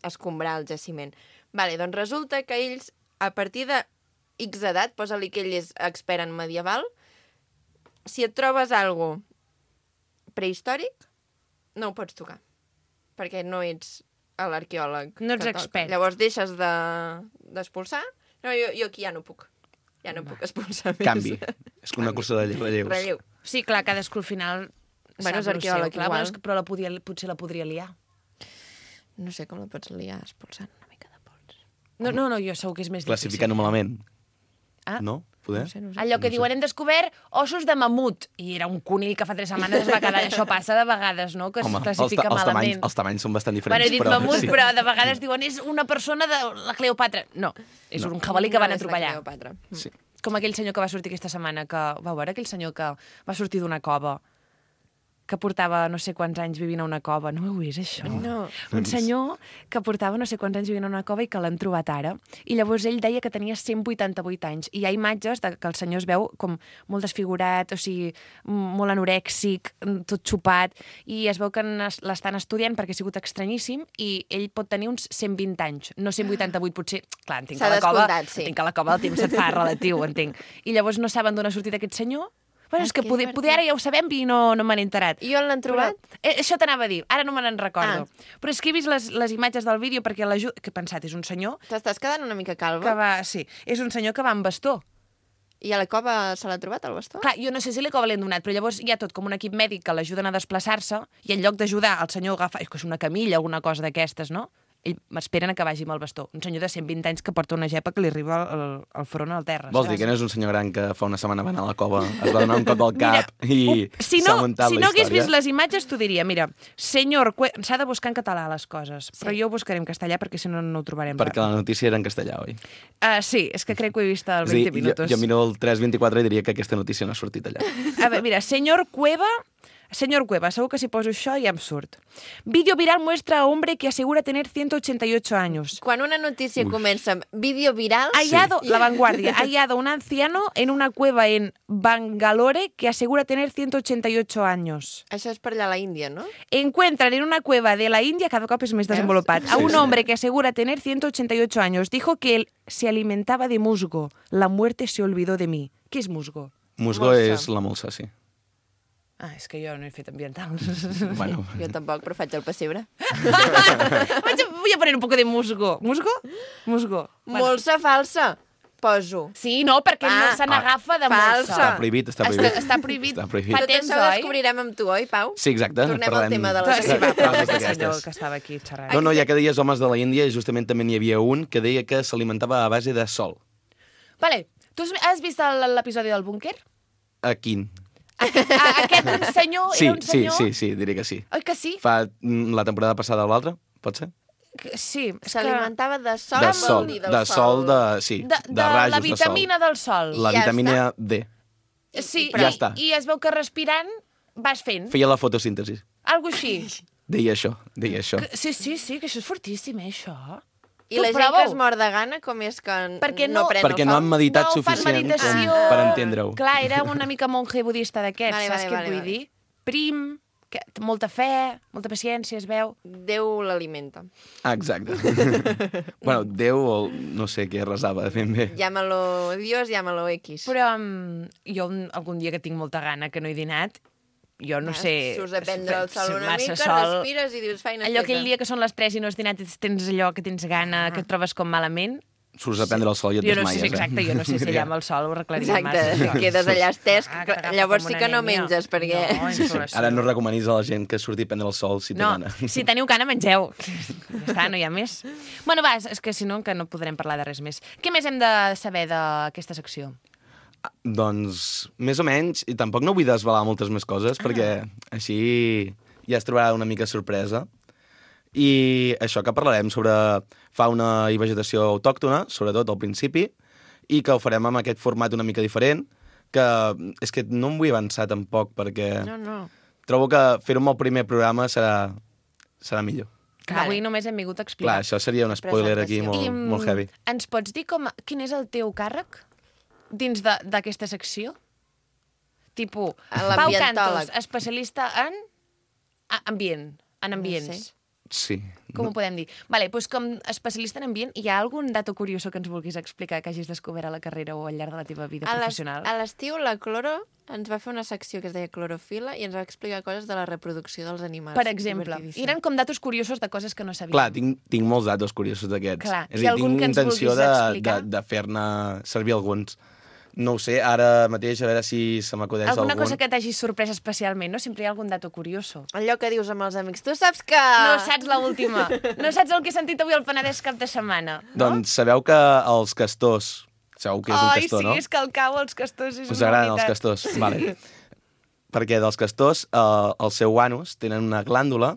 [SPEAKER 1] escombrar el jaciment. Vale, doncs resulta que ells, a partir de X edat, posa-li que ell és expert en medieval, si et trobes algo prehistòric, no ho pots tocar, perquè no ets l'arqueòleg.
[SPEAKER 2] No ets
[SPEAKER 1] que toca.
[SPEAKER 2] expert.
[SPEAKER 1] Llavors deixes d'expulsar. No, jo aquí ja no puc. Ja no puc expulsar més.
[SPEAKER 3] Canvi. És una cursa de relleus.
[SPEAKER 1] Relleu.
[SPEAKER 2] Sí, clar, cadascú al final...
[SPEAKER 1] Bueno, és
[SPEAKER 2] sap lo seu.
[SPEAKER 1] arqueòleg
[SPEAKER 2] Clar,
[SPEAKER 1] igual.
[SPEAKER 2] bueno, però potser la podria liar.
[SPEAKER 1] No sé com la pots liar expulsant una mica de pols.
[SPEAKER 2] No, jo segur que és més
[SPEAKER 3] Classificant-ho malament.
[SPEAKER 2] Ah.
[SPEAKER 3] No? Poder?
[SPEAKER 1] No sé.
[SPEAKER 2] Allò que diuen, hem descobert ossos de mamut. I era un conill que fa 3 setmanes es va quedar... Això passa de vegades, no?, que
[SPEAKER 3] Home,
[SPEAKER 2] es classifica malament.
[SPEAKER 3] Els tamanys són bastant diferents.
[SPEAKER 2] Bueno, he dit
[SPEAKER 3] però,
[SPEAKER 2] mamut,
[SPEAKER 3] sí.
[SPEAKER 2] però de vegades diuen és una persona de la Cleopatra. No, és un jabalí que van
[SPEAKER 1] No és la
[SPEAKER 2] atropellar.
[SPEAKER 1] Cleopatra.
[SPEAKER 3] Sí.
[SPEAKER 2] Com aquell senyor que va sortir aquesta setmana, que vau veure aquell senyor que va sortir d'una cova, que portava no sé quants anys vivint a una cova. No ho heu vist, això?
[SPEAKER 1] No.
[SPEAKER 2] Un senyor que portava no sé quants anys vivint a una cova i que l'han trobat ara. I llavors ell deia que tenia 188 anys. I hi ha imatges de que el senyor es veu com molt desfigurat, o sigui, molt anorèxic, tot xupat, i es veu que l'estan estudiant perquè ha sigut estranyíssim i ell pot tenir uns 120 anys, no 188, potser... Clar, entenc
[SPEAKER 1] S'ha
[SPEAKER 2] que a la cova,
[SPEAKER 1] descomptat, sí.
[SPEAKER 2] entenc que a la cova el temps et fa relatiu, entenc. I llavors no saben d'on ha sortit aquest senyor. Bueno, és que
[SPEAKER 1] que
[SPEAKER 2] poder ara ja ho sabem i no me n'he enterat.
[SPEAKER 1] I on l'han trobat?
[SPEAKER 2] Però, això t'anava a dir, ara no me n'en recordo. Però és que he vist les imatges del vídeo perquè que he pensat, és un senyor
[SPEAKER 1] T'estàs quedant una mica calva?
[SPEAKER 2] que va... Sí, és un senyor que va amb bastó.
[SPEAKER 1] I a la cova se l'ha trobat, el bastó?
[SPEAKER 2] Clar, jo no sé si l'Ecova l'han donat, però llavors hi ha tot com un equip mèdic que l'ajuden a desplaçar-se i en lloc d'ajudar el senyor a agafar... És que és una camilla, alguna cosa d'aquestes, no? M'esperen a que vagi amb el bastó. Un senyor de 120 anys que porta una gepa que li arriba al front al terra.
[SPEAKER 3] Vols dir que no és un senyor gran que fa una setmana va anar a la cova, es va donar un cop al cap i s'ha muntat
[SPEAKER 2] si
[SPEAKER 3] la
[SPEAKER 2] no hagués
[SPEAKER 3] història?
[SPEAKER 2] vist les imatges, t'ho diria. Mira, s'ha de buscar en català les coses, però jo ho buscaré en castellà perquè si no, no ho trobarem.
[SPEAKER 3] Perquè la notícia era en castellà, oi?
[SPEAKER 2] Sí, és que crec que ho he vist al
[SPEAKER 3] És a dir,
[SPEAKER 2] 20 minutos.
[SPEAKER 3] jo miro el 3.24 i diria que aquesta notícia no ha sortit allà.
[SPEAKER 2] A veure, mira, Señor Cueva, segur que si poso això ja em surt. Vídeo viral muestra a hombre que asegura tener 188 años.
[SPEAKER 1] Quan una notícia comença amb vídeo viral...
[SPEAKER 2] Hallado, La Vanguardia, hallado un anciano en una cueva en Bangalore que asegura tener 188 años.
[SPEAKER 1] Això és per allà a la Índia, no?
[SPEAKER 2] Encuentran en una cueva de la India, cada cop és més desenvolupat, a un hombre que asegura tener 188 años. Dijo que él se alimentaba de musgo. La muerte se olvidó de mí. Què és musgo?
[SPEAKER 3] Musgo
[SPEAKER 1] Molsa.
[SPEAKER 3] és la molsa, sí.
[SPEAKER 2] Ah, és que jo no he fet ambientals.
[SPEAKER 3] Bueno,
[SPEAKER 1] Jo tampoc, però faig el pessebre.
[SPEAKER 2] Voy a poner un poco de musgo. ¿Musgo? Musgo.
[SPEAKER 1] Molsa falsa, poso.
[SPEAKER 2] Sí, no, perquè no se n'agafa de
[SPEAKER 1] falsa.
[SPEAKER 2] molsa.
[SPEAKER 3] està prohibit, està prohibit.
[SPEAKER 2] Està prohibit.
[SPEAKER 3] Està prohibit.
[SPEAKER 2] Fa
[SPEAKER 1] Tot
[SPEAKER 2] temps,
[SPEAKER 1] això ho
[SPEAKER 2] oi?
[SPEAKER 1] descobrirem amb tu, oi, Pau?
[SPEAKER 3] Sí, exacte.
[SPEAKER 1] Tornem al
[SPEAKER 3] parlem
[SPEAKER 1] tema de
[SPEAKER 2] Ah,
[SPEAKER 1] les
[SPEAKER 2] sí, va,
[SPEAKER 3] coses
[SPEAKER 2] però el
[SPEAKER 3] d'aquestes.
[SPEAKER 2] senyor que estava aquí xerrant.
[SPEAKER 3] No, ja que deies homes de la Índia, justament també n'hi havia un que deia que s'alimentava a base de sol.
[SPEAKER 2] Vale, tu has vist l'episodi del búnquer?
[SPEAKER 3] A quin?
[SPEAKER 2] Aquest senyor
[SPEAKER 3] Sí,
[SPEAKER 2] era un senyor...
[SPEAKER 3] sí, diré que sí.
[SPEAKER 2] Oi que sí?
[SPEAKER 3] Fa la temporada passada o l'altra, pot ser?
[SPEAKER 2] Sí. És que...
[SPEAKER 1] S'alimentava de sol,
[SPEAKER 3] De
[SPEAKER 1] amb
[SPEAKER 3] sol,
[SPEAKER 1] el dir del
[SPEAKER 3] de sol, sí,
[SPEAKER 2] De
[SPEAKER 3] de rajos
[SPEAKER 2] la vitamina del sol.
[SPEAKER 3] La
[SPEAKER 1] I ja
[SPEAKER 3] vitamina D.
[SPEAKER 2] Sí,
[SPEAKER 3] Ja està.
[SPEAKER 2] I es veu que respirant vas fent.
[SPEAKER 3] Feia la fotosíntesi.
[SPEAKER 2] Algo així.
[SPEAKER 3] Deia això.
[SPEAKER 2] Sí, que això és fortíssim, això.
[SPEAKER 1] I la gent que es mor de gana, com és que no pren
[SPEAKER 3] Perquè no han meditat suficient per entendre-ho.
[SPEAKER 2] Clar, era una mica monje budista d'aquests, saps què et vull dir? Prim, molta fe, molta paciència, es veu.
[SPEAKER 1] Déu l'alimenta.
[SPEAKER 3] Exacte. Bueno, Déu, no sé què resava ben bé.
[SPEAKER 1] Llámalo Dios, llámalo X.
[SPEAKER 2] Però jo algun dia que tinc molta gana, que no he dinat, jo no sé...
[SPEAKER 1] Surts a prendre el sol una mica, respires i dius feina feta.
[SPEAKER 2] Allò aquell dia que són les 3 i no has dinat i tens allò que tens gana, que et trobes com malament...
[SPEAKER 3] Surts a prendre el sol i et desmaies,
[SPEAKER 2] Exacte, jo no sé si allà amb el sol ho arreglaria massa.
[SPEAKER 1] Exacte, quedes allà estès, llavors sí que no menges, perquè...
[SPEAKER 3] Ara no recomanis a la gent que surti a prendre el sol si té gana.
[SPEAKER 2] No, si teniu gana, mengeu. Ja està, no hi ha més. Bueno, va, és que si no, que no podrem parlar de res més. Què més hem de saber d'aquesta secció?
[SPEAKER 3] Doncs, més o menys, i tampoc no vull desvelar moltes més coses, perquè així ja es trobarà una mica sorpresa. I això que parlarem sobre fauna i vegetació autòctona, sobretot al principi, i que ho farem amb aquest format una mica diferent, que és que no em vull avançar tampoc, perquè trobo que fer-ho amb el primer programa serà millor.
[SPEAKER 2] Avui només hem vingut a explicar.
[SPEAKER 3] Clar, això seria un spoiler aquí molt heavy.
[SPEAKER 2] Ens pots dir quin és el teu càrrec dins d'aquesta secció? Tipo, Pau Cantos, especialista en ambients.
[SPEAKER 1] No sé.
[SPEAKER 3] Sí.
[SPEAKER 2] Com ho podem dir? Vale, doncs com especialista en ambient, hi ha algun dato curioso que ens vulguis explicar que hagis descobert a la carrera o al llarg de la teva vida professional?
[SPEAKER 1] A l'estiu la Cloro ens va fer una secció que es deia Clorofila i ens va explicar coses de la reproducció dels animals.
[SPEAKER 2] Per exemple, eren com datos curiosos de coses que no sabíem.
[SPEAKER 3] Clar, tinc molts datos curiosos d'aquests.
[SPEAKER 2] Clar,
[SPEAKER 3] és a dir, tinc intenció de fer-ne servir alguns. No ho sé, ara mateix, a veure si se m'acudeix algun.
[SPEAKER 2] Alguna cosa que t'hagi sorprès especialment, no? Sempre hi ha algun dato curioso.
[SPEAKER 1] Allò que dius amb els amics. Tu saps que...
[SPEAKER 2] No saps l'última. No saps el que he sentit avui al Penedès cap de setmana. No?
[SPEAKER 3] Doncs sabeu que els castors... Sabeu què és un castor, no?
[SPEAKER 2] Ai, sí, és que al cau els castors és
[SPEAKER 3] us agraden els castors? Vale. Perquè dels castors, el seu anus tenen una glàndula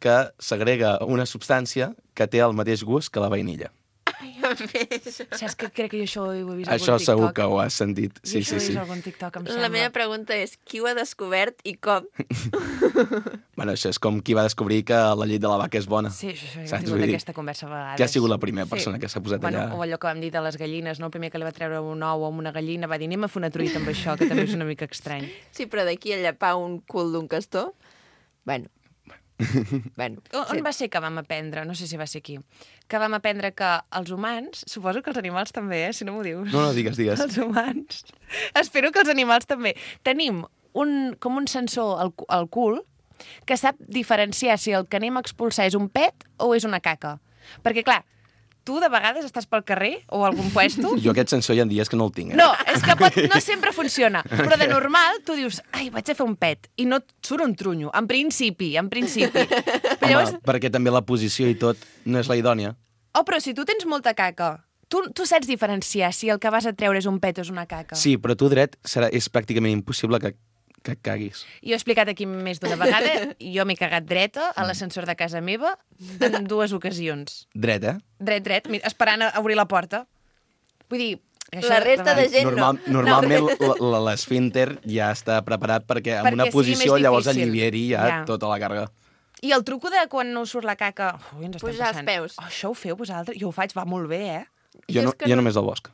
[SPEAKER 3] que segrega una substància que té el mateix gust que la vainilla.
[SPEAKER 2] Saps que crec que jo això ho he vist
[SPEAKER 3] això
[SPEAKER 2] algun TikTok?
[SPEAKER 3] segur que ho has sentit. Sí,
[SPEAKER 2] jo això ho he vist algun TikTok, em sembla.
[SPEAKER 1] La meva pregunta és, qui ho ha descobert i com?
[SPEAKER 3] Bueno, això és com qui va descobrir que la llet de la vaca és bona.
[SPEAKER 2] Sí, això hem tingut aquesta conversa a vegades.
[SPEAKER 3] Qui ha sigut la primera persona que s'ha posat allà?
[SPEAKER 2] O allò que vam dir de les gallines, no? El primer que li va treure un ou amb una gallina va dir, anem a fer una truita amb això, que també és una mica estrany.
[SPEAKER 1] Sí, però d'aquí a llepar un cul d'un castor... Bueno,
[SPEAKER 2] on va ser que vam aprendre? No sé si va ser aquí. Que vam aprendre que els humans, suposo que els animals també, si no m'ho dius.
[SPEAKER 3] No, digues.
[SPEAKER 2] Els humans, espero que els animals també. Tenim com un sensor al cul que sap diferenciar si el que anem a expulsar és un pet o és una caca. Perquè, clar, tu de vegades estàs pel carrer o a algun puesto...
[SPEAKER 3] Jo aquest sensor hi ha dies que no el tinc.
[SPEAKER 2] No, és que no sempre funciona. Però de normal tu dius, ai, vaig a fer un pet, i no et surt un trunyo. En principi. Però llavors...
[SPEAKER 3] perquè també la posició i tot no és la idònia.
[SPEAKER 2] Però si tu tens molta caca, tu saps diferenciar si el que vas a treure és un pet o és una caca.
[SPEAKER 3] Sí, però tu dret és pràcticament impossible que et caguis.
[SPEAKER 2] Jo he explicat aquí més d'una vegada, jo m'he cagat dreta a l'ascensor de casa meva en 2 ocasions.
[SPEAKER 3] Dret, eh?
[SPEAKER 2] Dret, esperant a obrir la porta. Vull dir...
[SPEAKER 1] La resta de gent
[SPEAKER 3] Normalment l'esfínter ja està preparat perquè en una posició llavors alliviari ja tota la càrrega.
[SPEAKER 2] I el truco de quan no surt la caca...
[SPEAKER 1] Pujar els peus.
[SPEAKER 2] Això ho feu vosaltres? Jo ho faig, va molt bé, eh?
[SPEAKER 3] Jo només al bosc.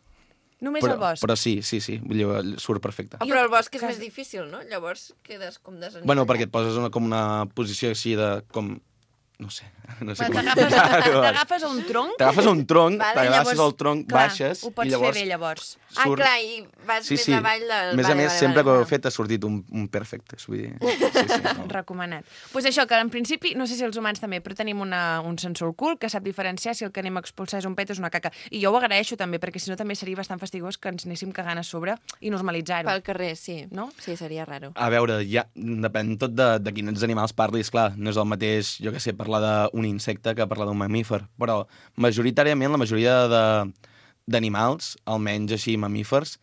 [SPEAKER 2] Només al bosc?
[SPEAKER 3] Però sí, surt perfecte.
[SPEAKER 1] Però el bosc és més difícil, no? Llavors quedes com desencaixat.
[SPEAKER 3] Bueno, perquè et poses com una posició així de... com... No sé com...
[SPEAKER 2] T'agafes a un tronc?
[SPEAKER 3] T'agafes a un tronc, t'agafes al tronc, baixes...
[SPEAKER 2] Ho pots fer bé, llavors.
[SPEAKER 1] Clar, i vas més avall del...
[SPEAKER 3] A més, sempre que ho he fet ha sortit un perfecte. Vull dir...
[SPEAKER 2] Recomanat. Doncs això, que en principi, no sé si els humans també, però tenim un sensor al cul que sap diferenciar si el que anem a expulsar és un pet o és una caca. I jo ho agraeixo també, perquè si no també seria bastant fastigós que ens anéssim cagant a sobre i normalitzar-ho.
[SPEAKER 1] Pel carrer, sí.
[SPEAKER 2] No?
[SPEAKER 1] Sí, seria raro.
[SPEAKER 3] A veure, ja depèn tot de quins animals parlis, clar. No és el mateix, jo què sé, parlar d'un insecte que parlar d'un mamífer. Però majoritàriament la majoria d'animals, almenys així mamífers,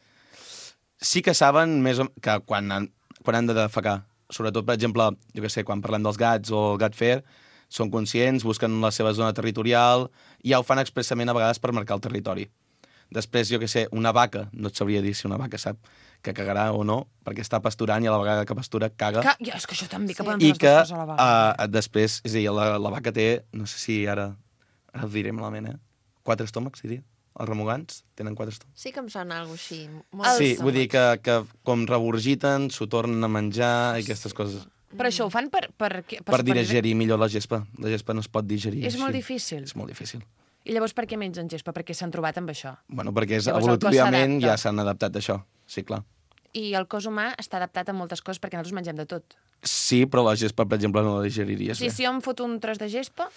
[SPEAKER 3] sí que saben més que quan han de defecar. Sobretot, per exemple, jo què sé, quan parlem dels gats o el gat fer, són conscients, busquen la seva zona territorial i ja ho fan expressament a vegades per marcar el territori. Després, jo què sé, una vaca, no et sabria dir si una vaca sap que cagarà o no, perquè està pasturant i a la vegada que pastura caga.
[SPEAKER 2] És que això també, que poden
[SPEAKER 3] fer
[SPEAKER 2] les dues coses a la vaca.
[SPEAKER 3] Després, és a dir, la vaca té, no sé si ara ho diré malament, 4 estómacs, diria. Els remugants tenen 4 estómacs.
[SPEAKER 1] Sí que em sona alguna cosa així.
[SPEAKER 3] Sí, vull dir que com regurgiten, s'ho tornen a menjar i aquestes coses.
[SPEAKER 2] Però això ho fan per
[SPEAKER 3] digerir millor la gespa. La gespa no es pot digerir.
[SPEAKER 2] És molt difícil.
[SPEAKER 3] És molt difícil.
[SPEAKER 2] I llavors per què mengen gespa? Perquè s'han trobat amb això.
[SPEAKER 3] Bueno, perquè
[SPEAKER 2] Llavors,
[SPEAKER 3] evolutivament
[SPEAKER 2] el cos
[SPEAKER 3] ja s'han adaptat a això. Sí, clar.
[SPEAKER 2] I el cos humà està adaptat a moltes coses perquè nosaltres mengem de tot.
[SPEAKER 3] Sí, però la gespa, per exemple, no la digeriries bé.
[SPEAKER 2] Si jo em foto un tros de gespa...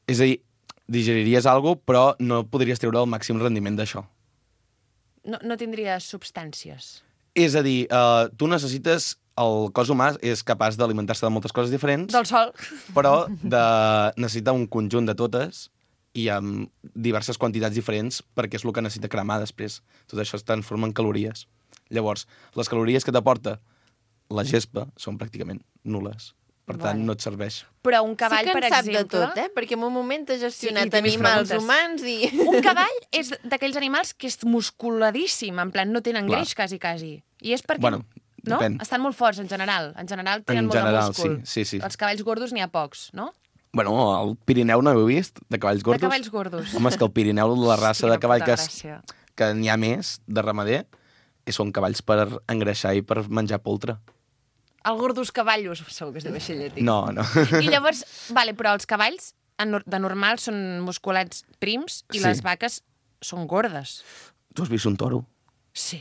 [SPEAKER 3] És a dir, digeriries alguna cosa, però no podries treure el màxim rendiment d'això.
[SPEAKER 2] No tindria substàncies.
[SPEAKER 3] És a dir, tu necessites... El cos humà és capaç d'alimentar-se de moltes coses diferents,
[SPEAKER 2] Del sol.
[SPEAKER 3] però necessita un conjunt de totes i amb diverses quantitats diferents perquè és el que necessita cremar després. Tot això es transforma en calories. Llavors, les calories que t'aporta la gespa són pràcticament nules. Per tant, no et serveix.
[SPEAKER 2] Però un cavall,
[SPEAKER 1] sí que
[SPEAKER 2] per
[SPEAKER 1] en sap
[SPEAKER 2] exemple...
[SPEAKER 1] de tot, perquè en un moment ha gestionat
[SPEAKER 2] té més
[SPEAKER 1] animals
[SPEAKER 2] preguntes.
[SPEAKER 1] humans i...
[SPEAKER 2] Un cavall és d'aquells animals que és musculadíssim, en plan, no tenen
[SPEAKER 3] Clar.
[SPEAKER 2] greix, quasi. I és perquè...
[SPEAKER 3] Bueno,
[SPEAKER 2] no?
[SPEAKER 3] depèn.
[SPEAKER 2] Estan molt forts, en general. En general tenen
[SPEAKER 3] En
[SPEAKER 2] molt
[SPEAKER 3] general,
[SPEAKER 2] de múscul.
[SPEAKER 3] sí.
[SPEAKER 2] Els cavalls gordos n'hi ha pocs, no?
[SPEAKER 3] Bueno, al Pirineu no heu vist, de cavalls gordos?
[SPEAKER 2] De cavalls gordos.
[SPEAKER 3] Home, és que el Pirineu, la raça
[SPEAKER 2] Quina
[SPEAKER 3] de cavall
[SPEAKER 2] puta gràcia.
[SPEAKER 3] que n'hi ha més, de ramader, són cavalls per engreixar i per menjar poltre.
[SPEAKER 2] El gordos cavallos, segur que es diu així llatí.
[SPEAKER 3] No.
[SPEAKER 2] I llavors, vale, però els cavalls de normal són musculats prims i
[SPEAKER 3] Sí.
[SPEAKER 2] les vaques són gordes.
[SPEAKER 3] Tu has vist un toro?
[SPEAKER 2] Sí.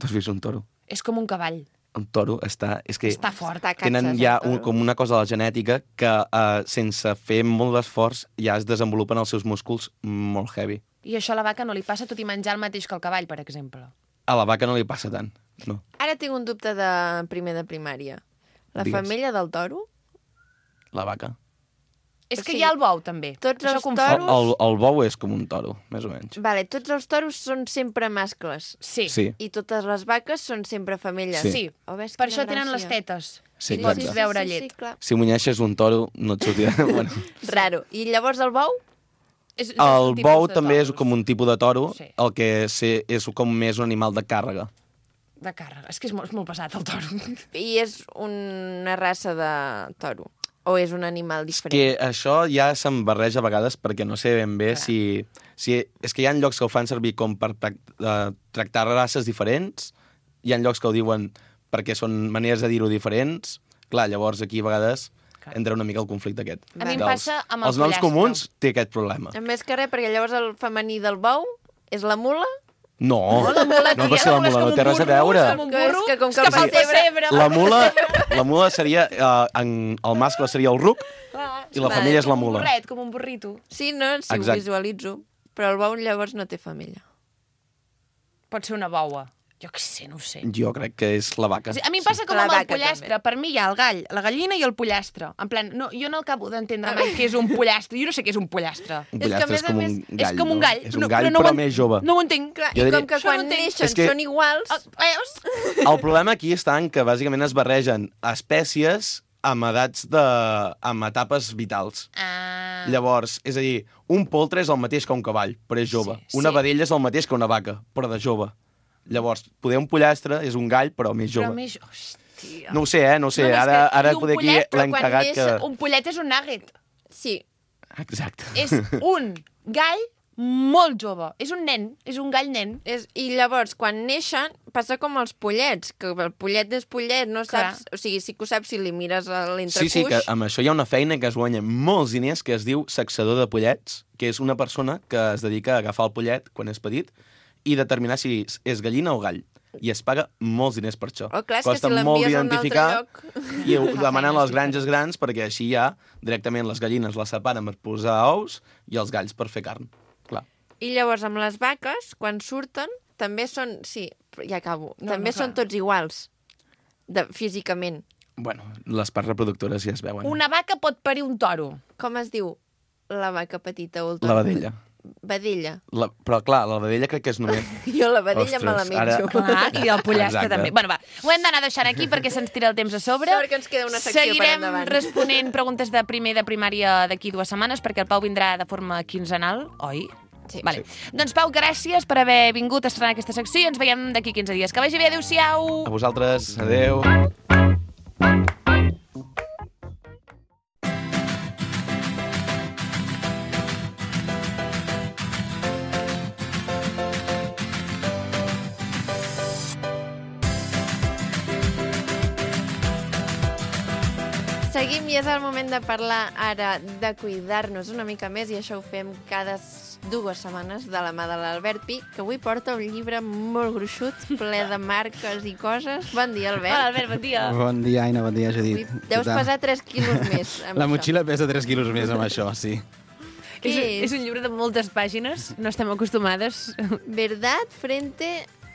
[SPEAKER 3] Tu has vist un toro?
[SPEAKER 2] És com un cavall.
[SPEAKER 3] Un toro està... És que
[SPEAKER 2] Està fort.
[SPEAKER 1] Està
[SPEAKER 3] tenen
[SPEAKER 1] catxes,
[SPEAKER 3] ja
[SPEAKER 1] el toro.
[SPEAKER 3] com una cosa de la genètica que sense fer molt d'esforç ja es desenvolupen els seus músculs molt heavy.
[SPEAKER 2] I això a la vaca no li passa, tot i menjar el mateix que el cavall, per exemple.
[SPEAKER 3] A la vaca no li passa tant, no.
[SPEAKER 1] Ara tinc un dubte de primer de primària. La
[SPEAKER 3] Digues.
[SPEAKER 1] femella del toro?
[SPEAKER 3] La vaca.
[SPEAKER 2] És que
[SPEAKER 1] sigui,
[SPEAKER 2] hi ha el bou, també.
[SPEAKER 1] tots
[SPEAKER 2] Això
[SPEAKER 1] els
[SPEAKER 2] confon.
[SPEAKER 1] toros-
[SPEAKER 3] El bou és com un toro, més o menys.
[SPEAKER 1] Vale, tots els toros són sempre mascles.
[SPEAKER 2] Sí.
[SPEAKER 3] Sí.
[SPEAKER 1] I totes les vaques són sempre femelles.
[SPEAKER 3] Sí.
[SPEAKER 2] Sí.
[SPEAKER 1] Oh, ves,
[SPEAKER 2] Per
[SPEAKER 1] quina
[SPEAKER 2] això tenen
[SPEAKER 1] gràcia.
[SPEAKER 2] les tetes.
[SPEAKER 3] Sí,
[SPEAKER 2] I pots
[SPEAKER 3] exacte.
[SPEAKER 2] veure llet.
[SPEAKER 1] Sí, clar.
[SPEAKER 3] Si munyeixes un toro, no et sortirà... bueno.
[SPEAKER 1] Raro. I llavors el bou?
[SPEAKER 2] És
[SPEAKER 3] El
[SPEAKER 2] un tipus
[SPEAKER 3] bou
[SPEAKER 2] de
[SPEAKER 3] també és
[SPEAKER 2] toros.
[SPEAKER 3] com un tipus de toro,
[SPEAKER 2] Sí.
[SPEAKER 3] el que és com més un animal de càrrega.
[SPEAKER 2] De càrrega. És que és molt pesat, el toro.
[SPEAKER 1] I és una raça de toro? O és un animal diferent?
[SPEAKER 3] Que això ja se'm barreja a vegades perquè no sé ben bé si... És que hi ha llocs que ho fan servir com per tractar races diferents, hi ha llocs que ho diuen perquè són maneres de dir-ho diferents. Clar, llavors aquí a vegades entra una mica el conflicte aquest.
[SPEAKER 2] A mi em
[SPEAKER 3] Dels-
[SPEAKER 2] passa amb el
[SPEAKER 3] Els noms
[SPEAKER 2] pollastre.
[SPEAKER 3] comuns té aquest problema.
[SPEAKER 1] Més que res, perquè llavors el femení del bou és la mula?
[SPEAKER 3] No, no pot ser la mula, no té res a veure.
[SPEAKER 2] Com un
[SPEAKER 1] Que és
[SPEAKER 2] burro,
[SPEAKER 1] que com que
[SPEAKER 2] és
[SPEAKER 1] el
[SPEAKER 2] pessebre.
[SPEAKER 3] La mula seria... el mascle seria el ruc i la femella és la
[SPEAKER 2] Com un
[SPEAKER 3] mula.
[SPEAKER 2] burret, com un burrito.
[SPEAKER 1] Sí, no? Si
[SPEAKER 3] Exacte.
[SPEAKER 1] ho visualitzo. Però el bou llavors no té femella.
[SPEAKER 2] Pot ser una boua. Jo què sé, no ho sé.
[SPEAKER 3] Jo crec que és la vaca.
[SPEAKER 2] O sigui, a mi em passa com
[SPEAKER 1] La
[SPEAKER 2] amb el
[SPEAKER 1] vaca,
[SPEAKER 2] pollastre.
[SPEAKER 1] també.
[SPEAKER 2] Per mi hi ha el gall, la gallina i el pollastre. En plan, no, jo no acabo d'entendre mai què és un pollastre. Jo no sé què és un pollastre.
[SPEAKER 3] Un
[SPEAKER 1] És que, a
[SPEAKER 3] pollastre
[SPEAKER 1] més
[SPEAKER 3] és com
[SPEAKER 1] a
[SPEAKER 3] un
[SPEAKER 1] més,
[SPEAKER 3] gall.
[SPEAKER 2] és com un
[SPEAKER 3] no?
[SPEAKER 2] gall.
[SPEAKER 3] És un gall, però més jove.
[SPEAKER 2] No ho entenc.
[SPEAKER 1] Clar,
[SPEAKER 3] Jo
[SPEAKER 1] i
[SPEAKER 3] diria-
[SPEAKER 1] com que
[SPEAKER 2] Això no
[SPEAKER 1] quan
[SPEAKER 2] entenc.
[SPEAKER 1] neixen
[SPEAKER 3] És que-
[SPEAKER 1] són iguals...
[SPEAKER 2] Veus?
[SPEAKER 3] El problema aquí està en que bàsicament es barregen espècies amb edats amb etapes vitals.
[SPEAKER 2] Ah.
[SPEAKER 3] Llavors, és a dir, un poltre és el mateix que un cavall, però és jove.
[SPEAKER 2] Sí,
[SPEAKER 3] Una
[SPEAKER 2] sí.
[SPEAKER 3] vedella és el mateix que una vaca, però de jove. Llavors, poder un pollastre és un gall, però més jove.
[SPEAKER 2] Però més... Hòstia.
[SPEAKER 3] No ho sé, no ho sé.
[SPEAKER 2] No, és
[SPEAKER 3] Ara
[SPEAKER 2] que- i un
[SPEAKER 3] poder aquí
[SPEAKER 2] pollet, però
[SPEAKER 3] l'hem
[SPEAKER 1] quan
[SPEAKER 3] cagat
[SPEAKER 1] neix
[SPEAKER 3] que...
[SPEAKER 2] Un pollet és un nugget.
[SPEAKER 1] Sí.
[SPEAKER 3] Exacte.
[SPEAKER 2] És un gall molt jove. És un nen, és un gall nen.
[SPEAKER 1] I llavors, quan neixen, passa com els pollets, que el pollet és pollet, no
[SPEAKER 2] Clar.
[SPEAKER 1] saps... O sigui, sí que ho saps si li mires a l'entrecuix.
[SPEAKER 3] Sí, que amb això hi ha una feina que es guanya molts diners que es diu sexador de pollets, que és una persona que es dedica a agafar el pollet quan és petit i determinar si és gallina o gall. I es paga molts diners per això.
[SPEAKER 1] Oh, clar, és que
[SPEAKER 3] Costa
[SPEAKER 1] si
[SPEAKER 3] molt
[SPEAKER 1] l'envies a un altre
[SPEAKER 3] identificar
[SPEAKER 1] lloc...
[SPEAKER 3] i ho demanen les granges grans perquè així ja directament les gallines les separen per posar ous i els galls per fer carn. Clar.
[SPEAKER 1] I llavors, amb les vaques, quan surten, també són... Sí, ja acabo.
[SPEAKER 2] No,
[SPEAKER 1] també
[SPEAKER 2] no,
[SPEAKER 1] són
[SPEAKER 2] clar.
[SPEAKER 1] tots iguals, físicament.
[SPEAKER 3] Bueno, les parts reproductores ja es veuen.
[SPEAKER 2] Una vaca pot parir un toro.
[SPEAKER 1] Com es diu la vaca petita o el
[SPEAKER 3] La
[SPEAKER 1] toro?
[SPEAKER 3] vedella.
[SPEAKER 1] Vedella.
[SPEAKER 3] Però clar, la vedella crec que és només...
[SPEAKER 1] Jo la vedella
[SPEAKER 3] Ostres,
[SPEAKER 1] me la menjo.
[SPEAKER 2] Clar, i el pollastre
[SPEAKER 3] Exacte.
[SPEAKER 2] també. Bueno, va, ho hem d'anar deixant aquí perquè se'ns tira el temps a sobre.
[SPEAKER 1] Sort que ens queda una secció per
[SPEAKER 2] Seguirem
[SPEAKER 1] endavant.
[SPEAKER 2] responent preguntes de primer de primària d'aquí 2 setmanes perquè el Pau vindrà de forma quinzenal, oi?
[SPEAKER 1] Sí.
[SPEAKER 2] Vale. Doncs Pau, gràcies per haver vingut a estrenar aquesta secció i ens veiem d'aquí 15 dies. Que vagi bé, adéu-siau!
[SPEAKER 3] A vosaltres, adeu.
[SPEAKER 1] Seguim i és el moment de parlar ara de cuidar-nos una mica més i això ho fem cada 2 setmanes de la mà de l'Albert Pi, que avui porta un llibre molt gruixut, ple de marques i coses. Bon dia, Albert.
[SPEAKER 2] Hola, Albert, bon dia.
[SPEAKER 7] Bon dia, Aina, bon dia, Judit.
[SPEAKER 1] Avui deus pesar 3 quilos més.
[SPEAKER 7] La motxilla pesa 3 quilos més amb això, sí.
[SPEAKER 1] Què és?
[SPEAKER 2] És un llibre de moltes pàgines, no estem acostumades.
[SPEAKER 1] Verdad frente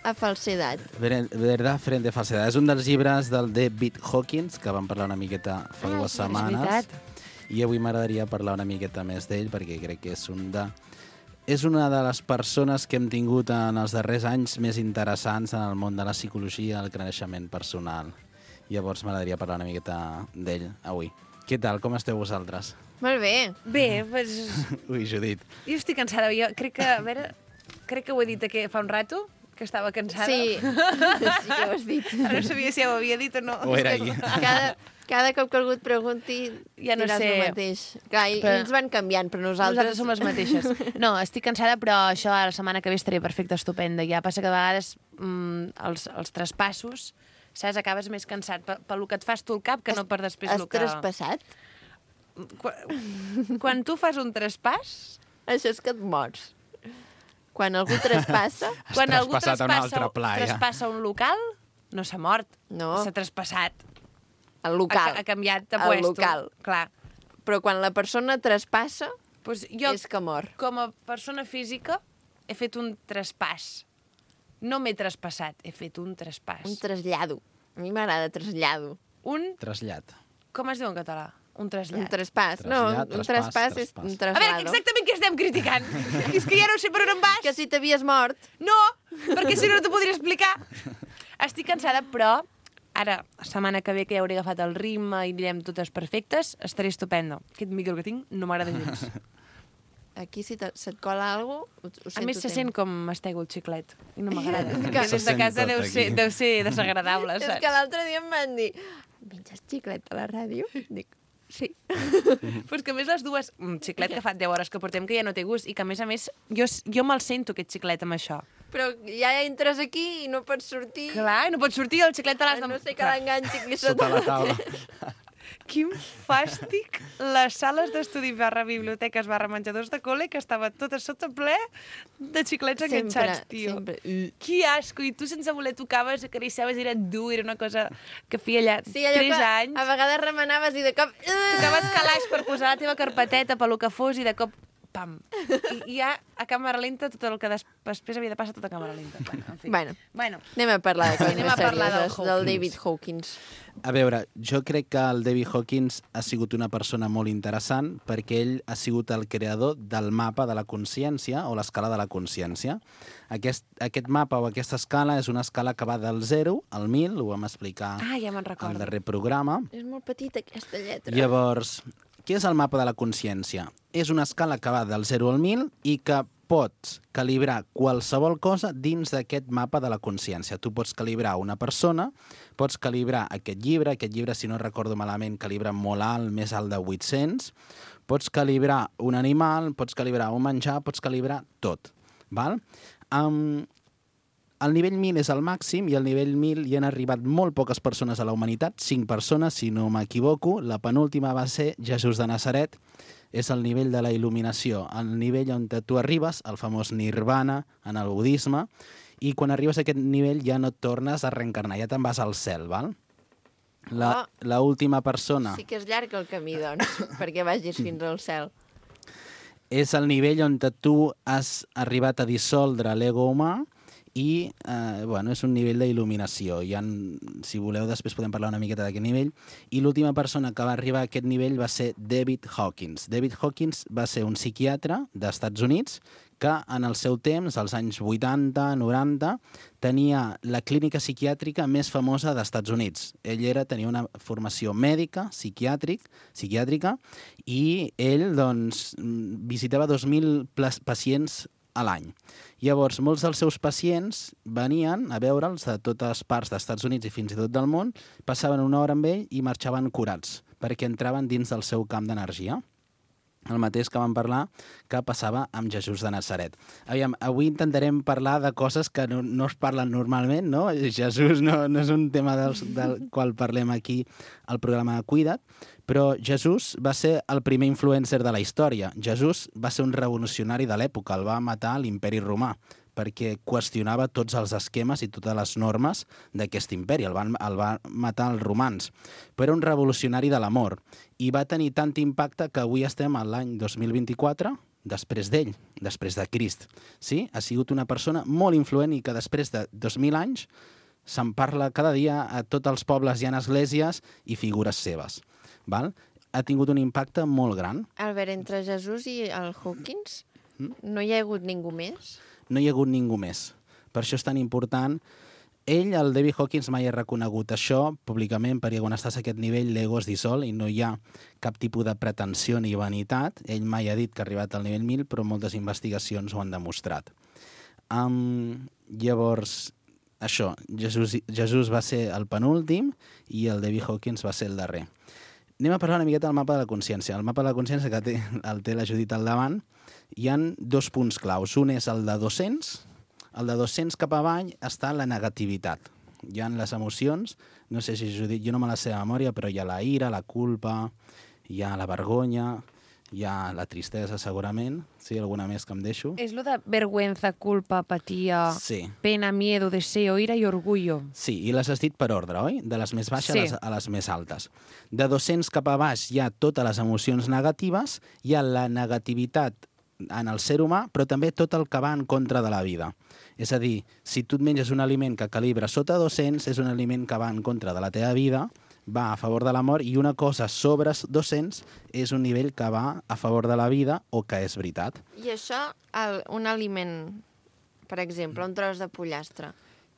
[SPEAKER 1] a falsedad.
[SPEAKER 7] Verdad frente a falsedad. És un dels llibres del David Hawkins, que vam parlar una miqueta fa 2 setmanes.
[SPEAKER 2] És veritat.
[SPEAKER 7] I avui m'agradaria parlar una miqueta més d'ell, perquè crec que és una de les persones que hem tingut en els darrers anys més interessants en el món de la psicologia i el creixement personal. Llavors m'agradaria parlar una miqueta d'ell avui. Què tal? Com esteu vosaltres?
[SPEAKER 1] Molt bé.
[SPEAKER 2] Bé, doncs...
[SPEAKER 7] Ui, Judit.
[SPEAKER 2] Jo estic cansada. Jo crec que, a veure, crec que ho he dit fa un rato, que estava cansada.
[SPEAKER 1] Sí, sí que ho has dit.
[SPEAKER 2] Ara no sabia si ja ho havia dit o no.
[SPEAKER 7] O era ahir.
[SPEAKER 1] Cada cop que algú et pregunti,
[SPEAKER 2] Ja no
[SPEAKER 1] diràs
[SPEAKER 2] sé.
[SPEAKER 1] el mateix. Clar, i
[SPEAKER 2] Però-
[SPEAKER 1] ells van canviant, però
[SPEAKER 2] Nosaltres som les mateixes. No, estic cansada, però això la setmana que ve estaré perfecta, estupenda. Ja passa que a vegades els traspassos, saps, acabes més cansat pel que et fas tu al cap que no per després
[SPEAKER 1] Has
[SPEAKER 2] el que...
[SPEAKER 1] traspassat?
[SPEAKER 2] Quan tu fas un traspàs,
[SPEAKER 1] Això és que et mors. Quan algú traspassa...
[SPEAKER 2] quan algú
[SPEAKER 7] traspassat a un altre pla, ja.
[SPEAKER 2] traspassa un local, no s'ha mort.
[SPEAKER 1] No.
[SPEAKER 2] S'ha traspassat.
[SPEAKER 1] El local.
[SPEAKER 2] Ha canviat de
[SPEAKER 1] El
[SPEAKER 2] puesto.
[SPEAKER 1] local.
[SPEAKER 2] Clar.
[SPEAKER 1] Però quan la persona traspassa,
[SPEAKER 2] Pues jo,
[SPEAKER 1] és que mor.
[SPEAKER 2] com a persona física, he fet un traspàs. No m'he traspassat, he fet un traspàs.
[SPEAKER 1] Un trasllado. A mi m'agrada trasllado.
[SPEAKER 2] Un...
[SPEAKER 7] Trasllat.
[SPEAKER 2] Com es diu en català? Un trasllat.
[SPEAKER 1] Un traspàs. No,
[SPEAKER 7] Trasllat,
[SPEAKER 1] un
[SPEAKER 7] traspàs,
[SPEAKER 1] traspàs és
[SPEAKER 7] traspàs.
[SPEAKER 1] un
[SPEAKER 2] A
[SPEAKER 1] traslado.
[SPEAKER 2] veure, exactament què estem criticant? És que ja no sé per on em vas.
[SPEAKER 1] Que si t'havies mort.
[SPEAKER 2] No, perquè si no t'ho podria explicar. Estic cansada, però ara, la setmana que ve, que ja hauré agafat el ritme i anirem totes perfectes, estaré estupendo. Aquest micro que tinc no m'agrada gens.
[SPEAKER 1] Aquí, si se't cola alguna cosa, ho sento
[SPEAKER 2] A més, se sent com mastego el xiclet. I no m'agrada.
[SPEAKER 1] És
[SPEAKER 2] Que
[SPEAKER 1] que-
[SPEAKER 2] des de casa
[SPEAKER 7] Se sent
[SPEAKER 2] deu
[SPEAKER 7] tot
[SPEAKER 2] ser,
[SPEAKER 7] aquí.
[SPEAKER 2] deu ser desagradable,
[SPEAKER 1] És
[SPEAKER 2] saps?
[SPEAKER 1] que l'altre dia em van dir menges xiclet a la ràdio? Dic, sí.
[SPEAKER 2] Però és que a més les dues... Un xiclet que fa 10 hores que portem que ja no té gust i que a més, jo me'l sento aquest xiclet amb això.
[SPEAKER 1] Però ja entres aquí i no pots sortir.
[SPEAKER 2] Clar, i no pots sortir, el xiclet te l'has
[SPEAKER 1] A
[SPEAKER 2] de...
[SPEAKER 1] no sé que l'enganxi aquí
[SPEAKER 7] Sota la taula.
[SPEAKER 2] Quin fàstic les sales d'estudi /biblioteques /menjadors de col·le que estava tot a sota ple de xiclets enganxats, tio.
[SPEAKER 1] Sempre.
[SPEAKER 2] Que asco! I tu sense voler tocaves, acariciaves, era dur, era una cosa que feia allà
[SPEAKER 1] Sí, allò
[SPEAKER 2] 3
[SPEAKER 1] que
[SPEAKER 2] anys.
[SPEAKER 1] a vegades remenaves i de cop...
[SPEAKER 2] Tocaves calaix per posar la teva carpeteta pel que fos i de cop, pam. I ja a càmera lenta tot el que després havia de passar tot a càmera lenta. Bueno, en fi.
[SPEAKER 1] Bueno, anem a parlar de coses
[SPEAKER 2] anem
[SPEAKER 1] més
[SPEAKER 2] a parlar del
[SPEAKER 1] serioses, del David Hawkins.
[SPEAKER 7] A veure, jo crec que el David Hawkins ha sigut una persona molt interessant perquè ell ha sigut el creador del mapa de la consciència o l'escala de la consciència. Aquest mapa o aquesta escala és una escala que va del 0 al 1.000, ho vam explicar
[SPEAKER 2] Ah, ja me'n
[SPEAKER 7] al
[SPEAKER 2] recordo.
[SPEAKER 7] darrer programa.
[SPEAKER 1] És molt petita aquesta lletra.
[SPEAKER 7] Llavors, què és el mapa de la consciència? És una escala que va del 0 al 1.000 i que pots calibrar qualsevol cosa dins d'aquest mapa de la consciència. Tu pots calibrar una persona, pots calibrar aquest llibre, si no recordo malament, calibra molt alt, més alt de 800, pots calibrar un animal, pots calibrar un menjar, pots calibrar tot. Val? El nivell 1000 és el màxim i al nivell 1000 hi han arribat molt poques persones a la humanitat, 5 persones, si no m'equivoco. La penúltima va ser Jesús de Nazaret. És el nivell de la il·luminació, el nivell on tu arribes, el famós nirvana en el budisme, i quan arribes a aquest nivell ja no et tornes a reencarnar, ja te'n vas al cel, val? La última persona
[SPEAKER 1] Sí que és llarg el camí, doncs, perquè vagis fins al cel.
[SPEAKER 7] és el nivell on tu has arribat a dissoldre l'ego humà i és un nivell d'il·luminació. Si voleu, després podem parlar una miqueta d'aquest nivell. I l'última persona que va arribar a aquest nivell va ser David Hawkins. David Hawkins va ser un psiquiatre d'Estats Units que en el seu temps, als anys 80, 90, tenia la clínica psiquiàtrica més famosa d'Estats Units. Ell tenia una formació mèdica, psiquiàtrica, i ell visitava 2.000 pacients a l'any. Llavors, molts dels seus pacients venien a veure'ls de totes parts d'Estats Units i fins i tot del món, passaven una hora amb ell i marxaven curats, perquè entraven dins del seu camp d'energia. el mateix que vam parlar que passava amb Jesús de Nazaret. Aviam, avui intentarem parlar de coses que no es parlen normalment, no? Jesús no és un tema del qual parlem aquí al programa de Cuida't, però Jesús va ser el primer influencer de la història. Jesús va ser un revolucionari de l'època, el va matar l'Imperi Romà, perquè qüestionava tots els esquemes i totes les normes d'aquest imperi. El van matar els romans. Però era un revolucionari de l'amor i va tenir tant impacte que avui estem a l'any 2024 després d'ell, després de Crist. Sí? Ha sigut una persona molt influent i que després de 2.000 anys se'n parla cada dia, a tots els pobles hi ha esglésies i figures seves. Val? Ha tingut un impacte molt gran.
[SPEAKER 1] Albert, entre Jesús i el Hawkins, no hi ha hagut ningú més?
[SPEAKER 7] No hi ha hagut ningú més. Per això és tan important. Ell, el David Hawkins, mai ha reconegut això públicament, perquè quan estàs a aquest nivell l'ego es dissol i no hi ha cap tipus de pretensió ni vanitat. Ell mai ha dit que ha arribat al nivell 1000, però moltes investigacions ho han demostrat. Llavors, això, Jesús va ser el penúltim i el David Hawkins va ser el darrer. Anem a parlar una miqueta del mapa de la consciència. El mapa de la consciència que té la Judit al davant, hi han 2 punts claus. Un és el de 200. El de 200 cap avall està la negativitat. Hi ha les emocions, no sé si Judit, jo no me la sé de memòria, però hi ha la ira, la culpa, hi ha la vergonya, hi ha la tristesa segurament, sí, alguna més que em deixo.
[SPEAKER 2] És lo de vergüenza, culpa, apatia,
[SPEAKER 7] sí.
[SPEAKER 2] Pena, miedo, deseo, ira i orgullo.
[SPEAKER 7] Sí, i les has dit per ordre, oi? De les més baixes a les més altes. De 200 cap a baix hi ha totes les emocions negatives, hi ha la negativitat en el ser humà, però també tot el que va en contra de la vida. És a dir, si tu et menges un aliment que calibra sota 200, és un aliment que va en contra de la teva vida, va a favor de l'amor, i una cosa sobre 200 és un nivell que va a favor de la vida o que és veritat.
[SPEAKER 1] I això, un aliment, per exemple, un tros de pollastre,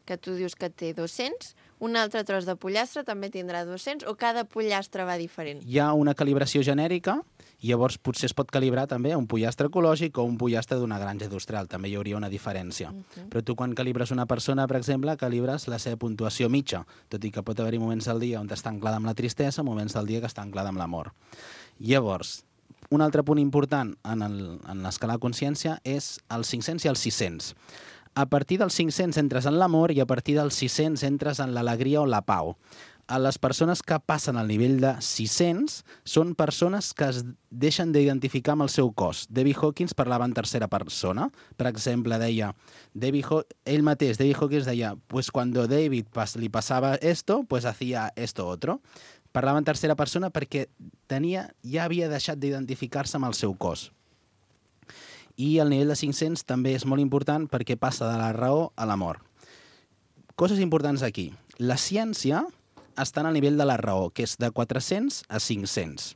[SPEAKER 1] que tu dius que té 200, un altre tros de pollastre també tindrà 200, o cada pollastre va diferent?
[SPEAKER 7] Hi ha una calibració genèrica, i llavors potser es pot calibrar també un pollastre ecològic o un pollastre d'una granja industrial, també hi hauria una diferència. Però tu quan calibres una persona, per exemple, calibres la seva puntuació mitja, tot i que pot haver-hi moments del dia on està anclada amb la tristesa, moments del dia que està anclada amb l'amor. Llavors, un altre punt important en l'escala de consciència és els 500 i els 600. A partir dels 500 entres en l'amor i a partir dels 600 entres en l'alegria o la pau. A les persones que passen al nivell de 600 són persones que es deixen d'identificar amb el seu cos. David Hawkins parlava en tercera persona. Per exemple, deia, ell mateix, David Hawkins deia, pues cuando David li pasaba esto, pues hacía esto otro. Parlava en tercera persona perquè ja havia deixat d'identificar-se amb el seu cos. I el nivell de 500 també és molt important perquè passa de la raó a l'amor. Coses importants aquí. La ciència està al nivell de la raó, que és de 400 a 500.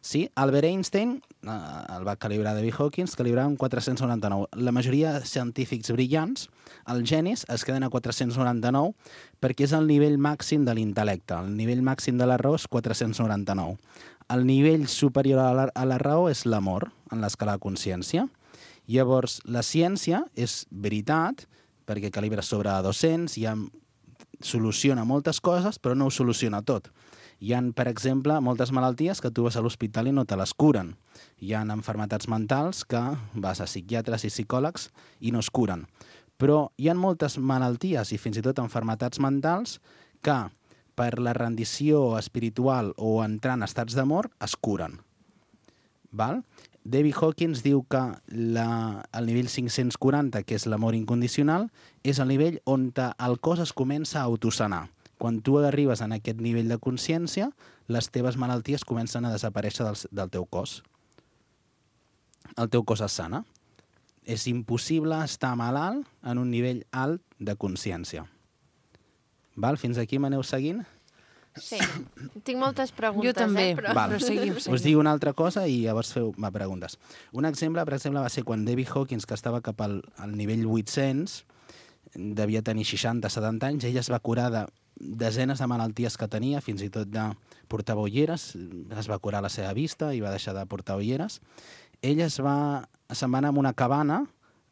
[SPEAKER 7] Sí? Albert Einstein el va calibrar David Hawkins, calibrava un 499. La majoria de científics brillants, els genis, es queden a 499 perquè és el nivell màxim de l'intel·lecte. El nivell màxim de la raó és 499. El nivell superior a la raó és l'amor, en l'escala de consciència. Llavors, la ciència és veritat, perquè calibra sobre 200, soluciona moltes coses, però no ho soluciona tot. Hi ha, per exemple, moltes malalties que tu vas a l'hospital i no te les curen. Hi ha malalties mentals que vas a psiquiatres i psicòlegs i no es curen. Però hi ha moltes malalties i fins i tot malalties mentals que per la rendició espiritual o entrar en estats d'amor es curen. Val? David Hawkins diu que el nivell 540, que és l'amor incondicional, és el nivell on el cos es comença a autosanar. Quan tu arribes en aquest nivell de consciència, les teves malalties comencen a desaparèixer del teu cos. El teu cos es sana. És impossible estar malalt en un nivell alt de consciència. Val? Fins aquí m'aneu seguint?
[SPEAKER 1] Sí, tinc moltes preguntes.
[SPEAKER 2] Jo també,
[SPEAKER 1] però
[SPEAKER 2] seguim.
[SPEAKER 7] Us dic una altra cosa i llavors feu preguntes. Un exemple, per exemple, va ser quan David Hawkins, que estava cap al nivell 800, devia tenir 60-70 anys, ell es va curar de desenes de malalties que tenia, fins i tot de portar ulleres, es va curar la seva vista i va deixar de portar ulleres. Ell se'n va anar a una cabana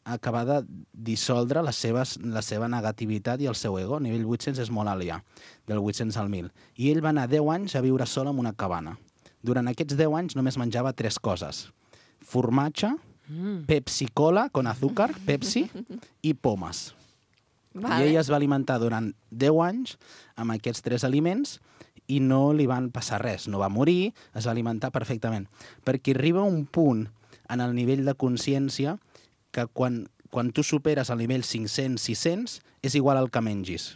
[SPEAKER 7] a acabar de dissoldre la seva negativitat i el seu ego. A nivell 800 és molt alt ja, del 800 al 1000. I ell va anar 10 anys a viure sol en una cabana. Durant aquests 10 anys només menjava 3 coses. formatge, Pepsi-Cola, con azúcar, Pepsi, i pomes.
[SPEAKER 1] Vale.
[SPEAKER 7] I ella es va alimentar durant 10 anys amb aquests 3 aliments i no li van passar res. No va morir, es va alimentar perfectament. Perquè arriba un punt en el nivell de consciència que quan tu superes el nivell 500-600 és igual al que mengis.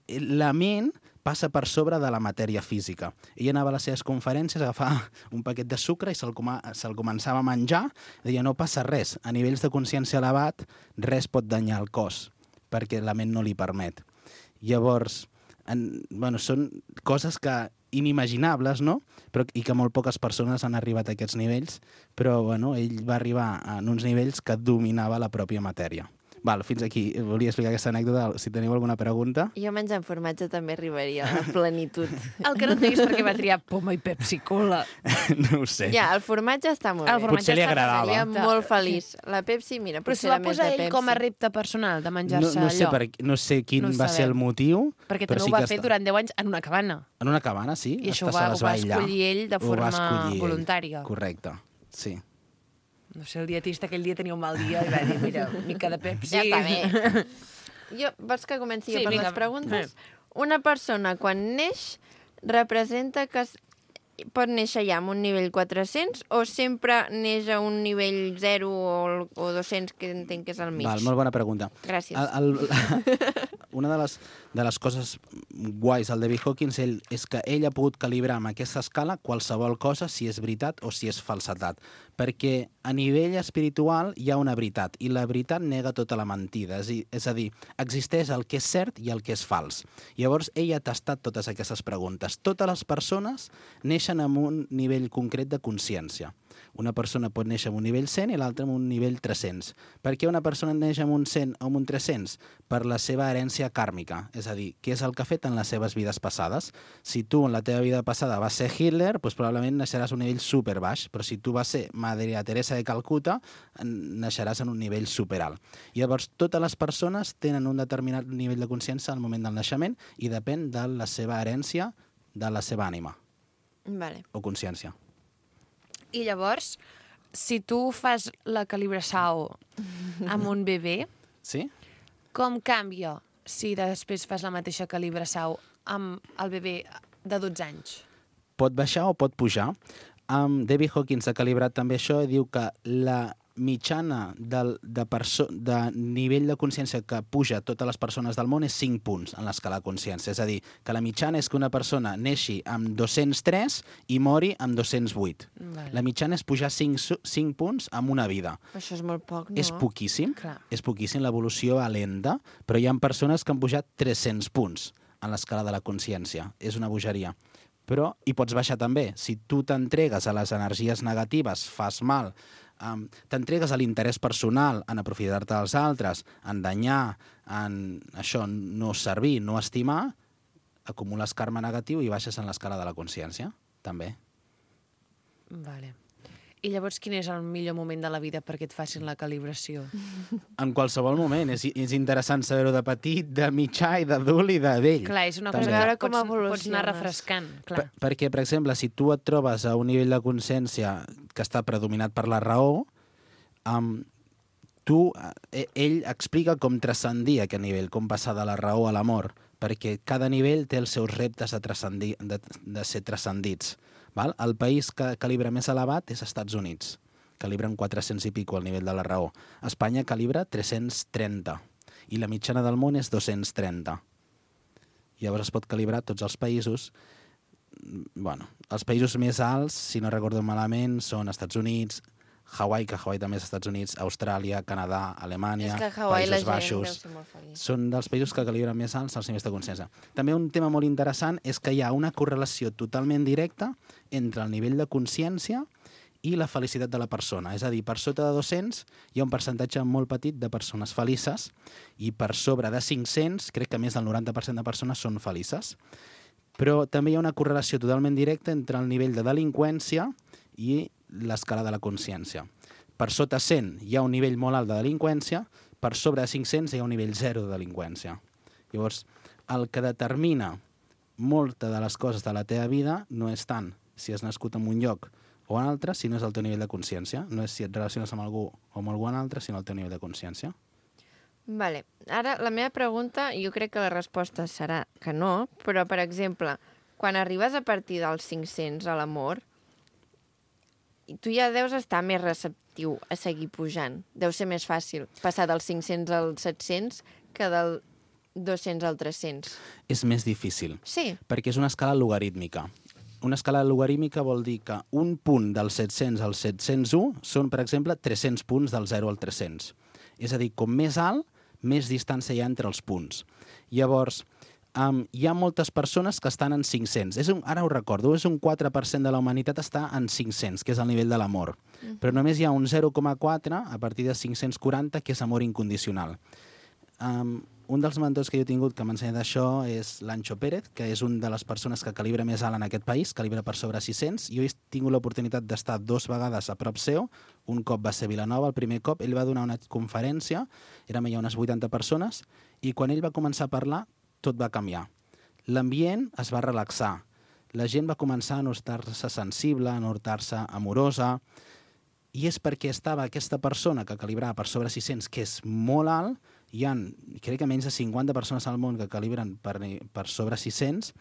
[SPEAKER 7] La ment passa per sobre de la matèria física. Ella anava a les seves conferències, agafava un paquet de sucre i se'l començava a menjar, i deia, no passa res, a nivells de consciència elevat res pot danyar el cos, perquè la ment no li permet. Llavors, són coses que inimaginables, no? I que molt poques persones han arribat a aquests nivells, però ell va arribar a uns nivells que dominava la pròpia matèria. Val, fins aquí. Volia explicar aquesta anècdota. Si teniu alguna pregunta...
[SPEAKER 1] Jo menjant formatge també arribaria a la plenitud.
[SPEAKER 2] El que no entenc és perquè va triar poma i Pepsi-Cola.
[SPEAKER 7] No ho sé.
[SPEAKER 1] Ja, el formatge està molt bé.
[SPEAKER 7] Potser li agradava.
[SPEAKER 1] Seria molt feliç. La Pepsi, mira,
[SPEAKER 2] però
[SPEAKER 1] potser
[SPEAKER 2] s'ho va
[SPEAKER 1] era més
[SPEAKER 2] posar
[SPEAKER 1] de
[SPEAKER 2] ell
[SPEAKER 1] Pepsi.
[SPEAKER 2] com a repte personal de menjar-se allò.
[SPEAKER 7] No sé quin va ser el motiu.
[SPEAKER 2] Perquè també ho va fer durant 10 anys en una cabana.
[SPEAKER 7] En una cabana, sí.
[SPEAKER 2] I això ho va escollir ell de forma voluntària.
[SPEAKER 7] Correcte, sí.
[SPEAKER 2] No sé, el dietista aquell dia tenia un mal dia i va dir, mira, mica de Pepsi.
[SPEAKER 1] Ja està bé. Vols que comenci per les preguntes? Una persona, quan neix, representa que pot néixer ja amb un nivell 400 o sempre neix a un nivell 0 o 200, que entenc que és el mig?
[SPEAKER 7] Val, molt bona pregunta.
[SPEAKER 1] Gràcies.
[SPEAKER 7] Una de les coses guais del David Hawkins és que ell ha pogut calibrar amb aquesta escala qualsevol cosa, si és veritat o si és falsedat. Perquè a nivell espiritual hi ha una veritat, i la veritat nega tota la mentida. És a dir, existeix el que és cert i el que és fals. Llavors, ell ha tastat totes aquestes preguntes. Totes les persones neixen amb un nivell concret de consciència. Una persona pot néixer amb un nivell 100 i l'altra amb un nivell 300. Per què una persona neix amb un 100 o amb un 300? Per la seva herència kàrmica, és a dir, què és el que ha fet en les seves vides passades. Si tu en la teva vida passada vas ser Hitler, doncs probablement naixeràs a un nivell superbaix, però si tu vas ser Maria Teresa de Calcuta, naixeràs en un nivell superalt. Llavors, totes les persones tenen un determinat nivell de consciència al moment del naixement i depèn de la seva herència, de la seva ànima.
[SPEAKER 1] Vale.
[SPEAKER 7] O consciència.
[SPEAKER 2] I llavors, si tu fas la calibració amb un bebè,
[SPEAKER 7] sí?
[SPEAKER 2] Com canvia si després fas la mateixa calibració amb el bebè de 12 anys?
[SPEAKER 7] Pot baixar o pot pujar. David Hawkins ha calibrat també això i diu que la mitjana de nivell de consciència que puja a totes les persones del món és 5 punts en l'escala de consciència. És a dir, que la mitjana és que una persona neixi amb 203 i mori amb 208. Vale. La mitjana és pujar 5 punts en una vida.
[SPEAKER 1] Això és molt poc, no?
[SPEAKER 7] És poquíssim.
[SPEAKER 2] Clar.
[SPEAKER 7] És poquíssim, l'evolució va lenta, però hi ha persones que han pujat 300 punts en l'escala de la consciència. És una bogeria. Però hi pots baixar també. Si tu t'entregues a les energies negatives, fas mal, t'entregues a l'interès personal, en aprofitar-te dels altres, en danyar, en això, no servir, no estimar, acumules karma negatiu i baixes en l'escala de la consciència, també.
[SPEAKER 2] Vale. I llavors quin és el millor moment de la vida perquè et facin la calibració?
[SPEAKER 7] En qualsevol moment. És interessant saber-ho de petit, de mitjà i d'adult i de vell.
[SPEAKER 2] Clar, és una
[SPEAKER 7] també.
[SPEAKER 2] cosa que
[SPEAKER 1] com
[SPEAKER 2] pots anar refrescant. Clar.
[SPEAKER 7] Perquè, per exemple, si tu et trobes a un nivell de consciència que està predominat per la raó, ell explica com transcendir aquest nivell, com passar de la raó a l'amor, perquè cada nivell té els seus reptes de ser transcendits. Val? El país que calibra més elevat és Estats Units. Calibren 400 i pico al nivell de la raó. Espanya calibra 330 i la mitjana del món és 230. Llavors es pot calibrar tots els països. Bueno, els països més alts, si no recordo malament, són Estats Units, Hawaii, que Hawaii també és Estats Units, Austràlia, Canadà, Alemanya, Països Baixos. Són dels països que calibren més alts els nivells de consciència. També un tema molt interessant és que hi ha una correlació totalment directa entre el nivell de consciència i la felicitat de la persona. És a dir, per sota de 200 hi ha un percentatge molt petit de persones felices i per sobre de 500 crec que més del 90% de persones són felices. Però també hi ha una correlació totalment directa entre el nivell de delinqüència i l'escala de la consciència. Per sota 100 hi ha un nivell molt alt de delinqüència, per sobre de 500 hi ha un nivell 0 de delinqüència. Llavors, el que determina molta de les coses de la teva vida no és tant si has nascut en un lloc o un altre si no és el teu nivell de consciència. No és si et relaciones amb algú o amb algú altre, sinó el teu nivell de consciència.
[SPEAKER 1] Vale. Ara, la meva pregunta, jo crec que la resposta serà que no, però, per exemple, quan arribes a partir dels 500 a l'amor, tu ja deus estar més receptiu a seguir pujant. Deu ser més fàcil passar dels 500 als 700 que del 200 al 300.
[SPEAKER 7] És més difícil.
[SPEAKER 1] Sí.
[SPEAKER 7] Perquè és una escala logarítmica. Una escala logarítmica vol dir que un punt del 700 al 701 són, per exemple, 300 punts del 0 al 300. És a dir, com més alt, més distància hi ha entre els punts. Llavors, hi ha moltes persones que estan en 500. Ara ho recordo, és un 4% de la humanitat està en 500, que és el nivell de l'amor. Però només hi ha un 0,4 a partir de 540, que és amor incondicional. Un dels mentors que jo he tingut que m'ha ensenyat això és l'Ancho Pérez, que és una de les persones que calibra més alt en aquest país, calibra per sobre 600. Jo he tingut l'oportunitat d'estar 2 vegades a prop seu. Un cop va ser a Vilanova, el primer cop. Ell va donar una conferència, érem ja unes 80 persones, i quan ell va començar a parlar, tot va canviar. L'ambient es va relaxar. La gent va començar a notar-se sensible, a notar-se amorosa, i és perquè estava aquesta persona que calibrava per sobre 600, que és molt alt. Hi ha, crec que menys de 50 persones al món que calibren per sobre 600,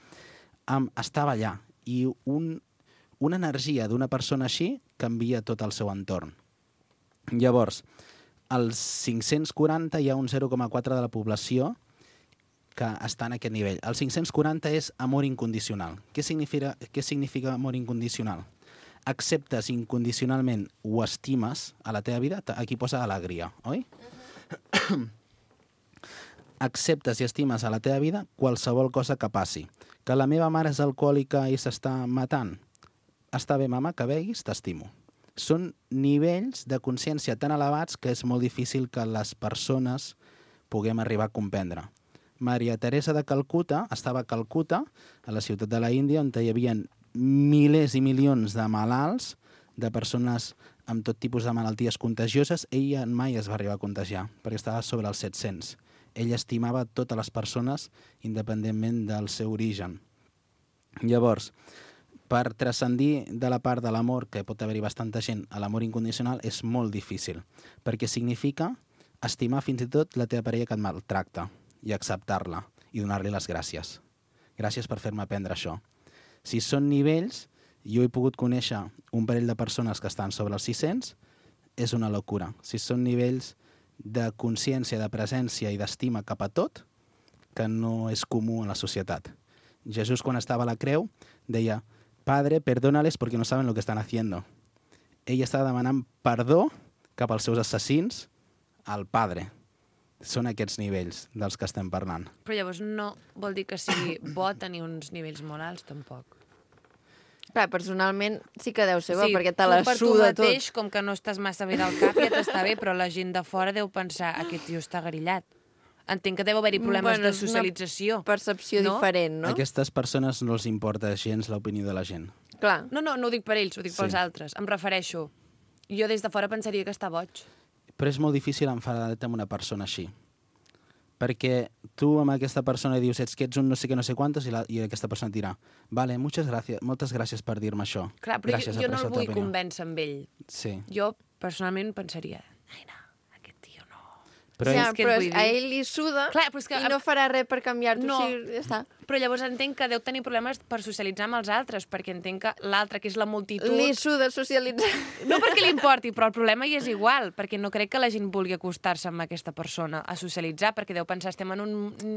[SPEAKER 7] estava allà. I una energia d'una persona així canvia tot el seu entorn. Llavors, als 540 hi ha un 0,4 de la població que està en aquest nivell. El 540 és amor incondicional. Què significa amor incondicional? Acceptes incondicionalment o estimes a la teva vida, aquí posa alegria, oi? Acceptes i estimes a la teva vida qualsevol cosa que passi. Que la meva mare és alcohòlica i s'està matant. Està bé, mama, que beguis, t'estimo. Són nivells de consciència tan elevats que és molt difícil que les persones puguem arribar a comprendre. Maria Teresa de Calcuta estava a Calcuta, a la ciutat de la Índia, on hi havia milers i milions de malalts, de persones amb tot tipus de malalties contagioses. Ella mai es va arribar a contagiar, perquè estava sobre els 700. Ella estimava totes les persones independentment del seu origen. Llavors, per transcendir de la part de l'amor, que pot haver-hi bastanta gent, a l'amor incondicional és molt difícil, perquè significa estimar fins i tot la teva parella que et maltracta i acceptar-la i donar-li les gràcies. Gràcies per fer-me aprendre això. Si són nivells, jo he pogut conèixer un parell de persones que estan sobre els 600, és una locura. Si són nivells de consciència, de presència i d'estima cap a tot, que no és comú en la societat. Jesús, quan estava a la creu, deia: Padre, perdónales porque no saben lo que están haciendo. Ell estava demanant perdó cap als seus assassins al Padre. Són aquests nivells dels que estem parlant.
[SPEAKER 2] Però llavors no vol dir que sigui bo tenir uns nivells molt alts, tampoc.
[SPEAKER 1] Clar, personalment sí que deu ser bo,
[SPEAKER 2] Sí,
[SPEAKER 1] perquè te la
[SPEAKER 2] tu per tu
[SPEAKER 1] suda
[SPEAKER 2] mateix,
[SPEAKER 1] tot.
[SPEAKER 2] com que no estàs massa bé del cap, ja t'està bé, però la gent de fora deu pensar: aquest tio està grillat. Entenc que deu haver-hi problemes de socialització.
[SPEAKER 1] És una percepció diferent, no?
[SPEAKER 7] A aquestes persones no els importa gens l'opinió de la gent.
[SPEAKER 1] Clar.
[SPEAKER 2] No ho dic per ells, ho dic pels altres. Em refereixo. Jo des de fora pensaria que està boig.
[SPEAKER 7] Però és molt difícil enfadar-te amb una persona així. Perquè tu amb aquesta persona dius: ets que ets un no sé què, no sé quantos, i aquesta persona et dirà: vale, moltes gràcies per dir-me això.
[SPEAKER 2] Clar, però
[SPEAKER 7] gràcies,
[SPEAKER 2] jo no
[SPEAKER 7] aprecio
[SPEAKER 2] el
[SPEAKER 7] la
[SPEAKER 2] vull
[SPEAKER 7] teva opinió."
[SPEAKER 2] convèncer amb ell.
[SPEAKER 7] Sí.
[SPEAKER 2] Jo, personalment, pensaria: ai, no, aquest tio no.
[SPEAKER 7] Però
[SPEAKER 1] ja,
[SPEAKER 2] què et
[SPEAKER 1] però
[SPEAKER 2] vull dir?
[SPEAKER 1] a ell li suda.
[SPEAKER 2] Clar, però és que
[SPEAKER 1] i no farà res per canviar-t'ho.
[SPEAKER 2] No.
[SPEAKER 1] Sí, ja està.
[SPEAKER 2] Però llavors entenc que deu tenir problemes per socialitzar amb els altres, perquè entenc que l'altre, que és la multitud...
[SPEAKER 1] Li suda socialitzar.
[SPEAKER 2] No perquè li importi, però el problema hi és igual, perquè no crec que la gent vulgui acostar-se amb aquesta persona a socialitzar, perquè deu pensar: estem en un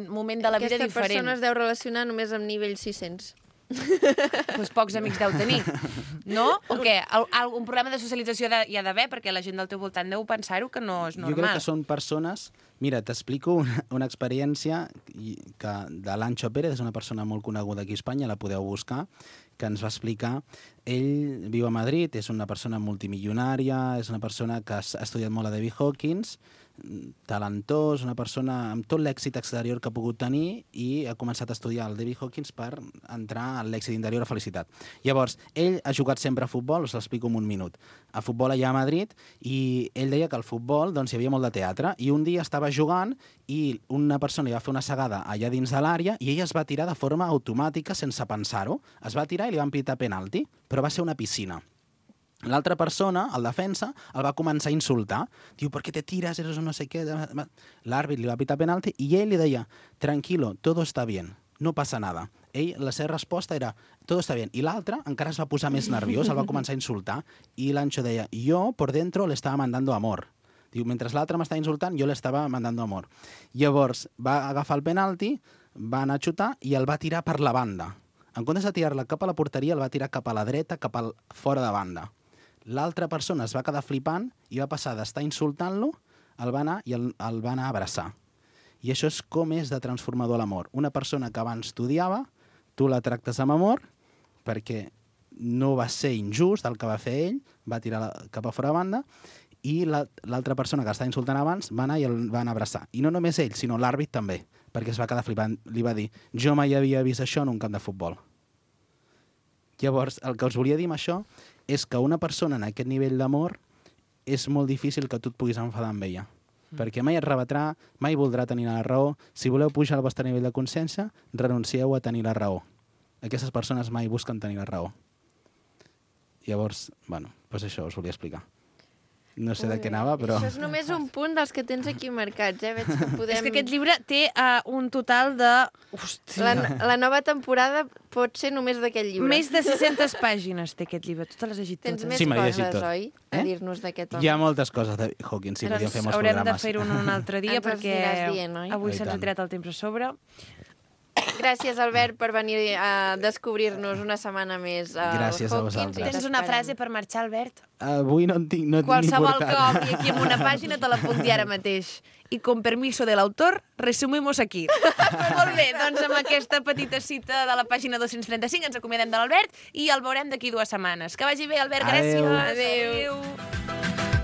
[SPEAKER 2] moment de la vida
[SPEAKER 1] Aquesta
[SPEAKER 2] diferent.
[SPEAKER 1] persona es deu relacionar només amb nivell 600.
[SPEAKER 2] Doncs pocs amics deu tenir, no? O què? Un problema de socialització hi ha d'haver, perquè la gent del teu voltant deu pensar-ho que no és normal.
[SPEAKER 7] Jo crec que són persones... Mira, t'explico una experiència de l'Ancho Pérez, és una persona molt coneguda aquí a Espanya, la podeu buscar, que ens va explicar. Ell viu a Madrid, és una persona multimilionària, és una persona que ha estudiat molt a David Hawkins, talentós, una persona amb tot l'èxit exterior que ha pogut tenir, i ha començat a estudiar el David Hawkins per entrar en l'èxit interior a felicitat. Llavors, ell ha jugat sempre a futbol, us l'explico en un minut. A futbol allà a Madrid, i ell deia que al futbol doncs, hi havia molt de teatre, i un dia estava jugant i una persona li va fer una segada allà dins de l'àrea i ell es va tirar de forma automàtica, sense pensar-ho. Es va tirar i li van pitar penalti, però va ser una piscina. L'altra persona, el defensa, el va començar a insultar. Diu, ¿por qué te tiras? Eres un no sé qué. L'àrbit li va pitar penalti i ell li deia, tranquilo, todo está bien, no passa nada. Ell, la seva resposta era, todo está bien. I l'altre encara es va posar més nerviós, el va començar a insultar, i l'Ancho deia, yo por dentro le estaba mandando amor. Diu, mentre l'altre m'estava insultant, jo le estava mandando amor. Llavors, va agafar el penalti, va anar a xutar i el va tirar per la banda. En comptes de tirar-la cap a la porteria, el va tirar cap a la dreta, cap al fora de banda. L'altra persona es va quedar flipant i va passar d'estar insultant-lo, el va anar i el va anar a abraçar. I això és com és de transformador l'amor. Una persona que abans t'odiava, tu la tractes amb amor, perquè no va ser injust el que va fer ell, va tirar cap a fora de banda, i l'altra persona que estava insultant abans va anar i el va anar a abraçar. I no només ell, sinó l'àrbit també, perquè es va quedar flipant. Li va dir, jo mai havia vist això en un camp de futbol. Llavors, el que us volia dir amb això és que una persona en aquest nivell d'amor és molt difícil que tu et puguis enfadar amb ella. Perquè mai et rebatrà, mai voldrà tenir la raó. Si voleu pujar al vostre nivell de consciència, renuncieu a tenir la raó. Aquestes persones mai busquen tenir la raó. Llavors, bueno, doncs això us volia explicar. No sé de què anava, però...
[SPEAKER 1] Això és només un punt dels que tens aquí marcats, Veig que podem...
[SPEAKER 2] És que aquest llibre té un total de... Hòstia.
[SPEAKER 1] La nova temporada pot ser només d'aquest llibre.
[SPEAKER 2] Més de 600 pàgines té aquest llibre. Tu te les has llegit
[SPEAKER 1] Tens
[SPEAKER 2] totes.
[SPEAKER 1] més
[SPEAKER 7] Sí, me l'he llegit
[SPEAKER 1] coses,
[SPEAKER 7] tot.
[SPEAKER 1] oi? A dir-nos d'aquest home.
[SPEAKER 7] Hi ha moltes coses de Hawkins, sí, podríem fer molts
[SPEAKER 2] Haurem de
[SPEAKER 7] programes.
[SPEAKER 2] fer-ho un altre dia,
[SPEAKER 1] Ens els
[SPEAKER 2] perquè
[SPEAKER 1] aniràs dient, oi?
[SPEAKER 2] avui
[SPEAKER 7] I
[SPEAKER 2] se'ns ha
[SPEAKER 7] tant.
[SPEAKER 2] tirat el temps a sobre.
[SPEAKER 1] Gràcies, Albert, per venir a descobrir-nos una setmana més
[SPEAKER 7] Gràcies a
[SPEAKER 1] Hawkins.
[SPEAKER 7] vosaltres.
[SPEAKER 2] Tens una frase per marxar, Albert?
[SPEAKER 7] Avui no en tinc, no
[SPEAKER 2] Qualsevol
[SPEAKER 7] ni
[SPEAKER 2] que
[SPEAKER 7] portat.
[SPEAKER 2] obri aquí en una pàgina te l'apunti ara mateix. I con permiso del autor, resumimos aquí. Molt bé, doncs amb aquesta petita cita de la pàgina 235 ens acomiadem de l'Albert i el veurem d'aquí 2 setmanes. Que vagi bé, Albert, gràcies.
[SPEAKER 7] Adéu.
[SPEAKER 2] Adéu.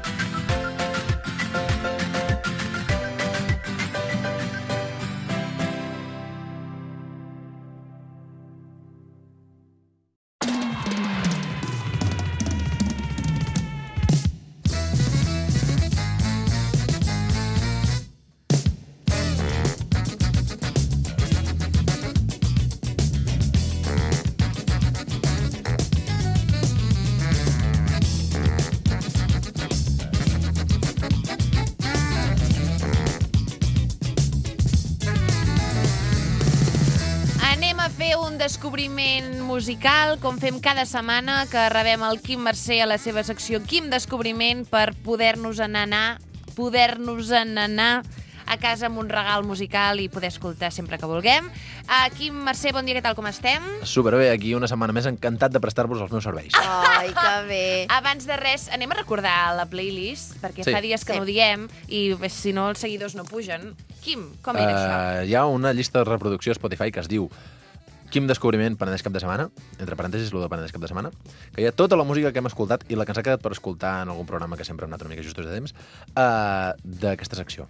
[SPEAKER 2] Descobriment musical, com fem cada setmana, que rebem el Quim Mercè a la seva secció Quim Descobriment per poder-nos anar a casa amb un regal musical i poder escoltar sempre que vulguem. Quim Mercè, bon dia, què tal, com estem?
[SPEAKER 8] Superbé, aquí una setmana més, encantat de prestar-vos els meus serveis.
[SPEAKER 1] Ai, que bé.
[SPEAKER 2] Abans de res, anem a recordar la playlist, perquè
[SPEAKER 8] Sí.
[SPEAKER 2] fa dies que no ho diem i si no els seguidors no pugen. Quim, com era això?
[SPEAKER 8] Hi ha una llista de reproducció a Spotify que es diu Quim Descobriment Penedès cap de setmana, entre parèntesis, lo de Penedès cap de setmana, que hi ha tota la música que hem escoltat i la que ens ha quedat per escoltar en algun programa que sempre hem anat una mica justos de temps, d'aquesta secció.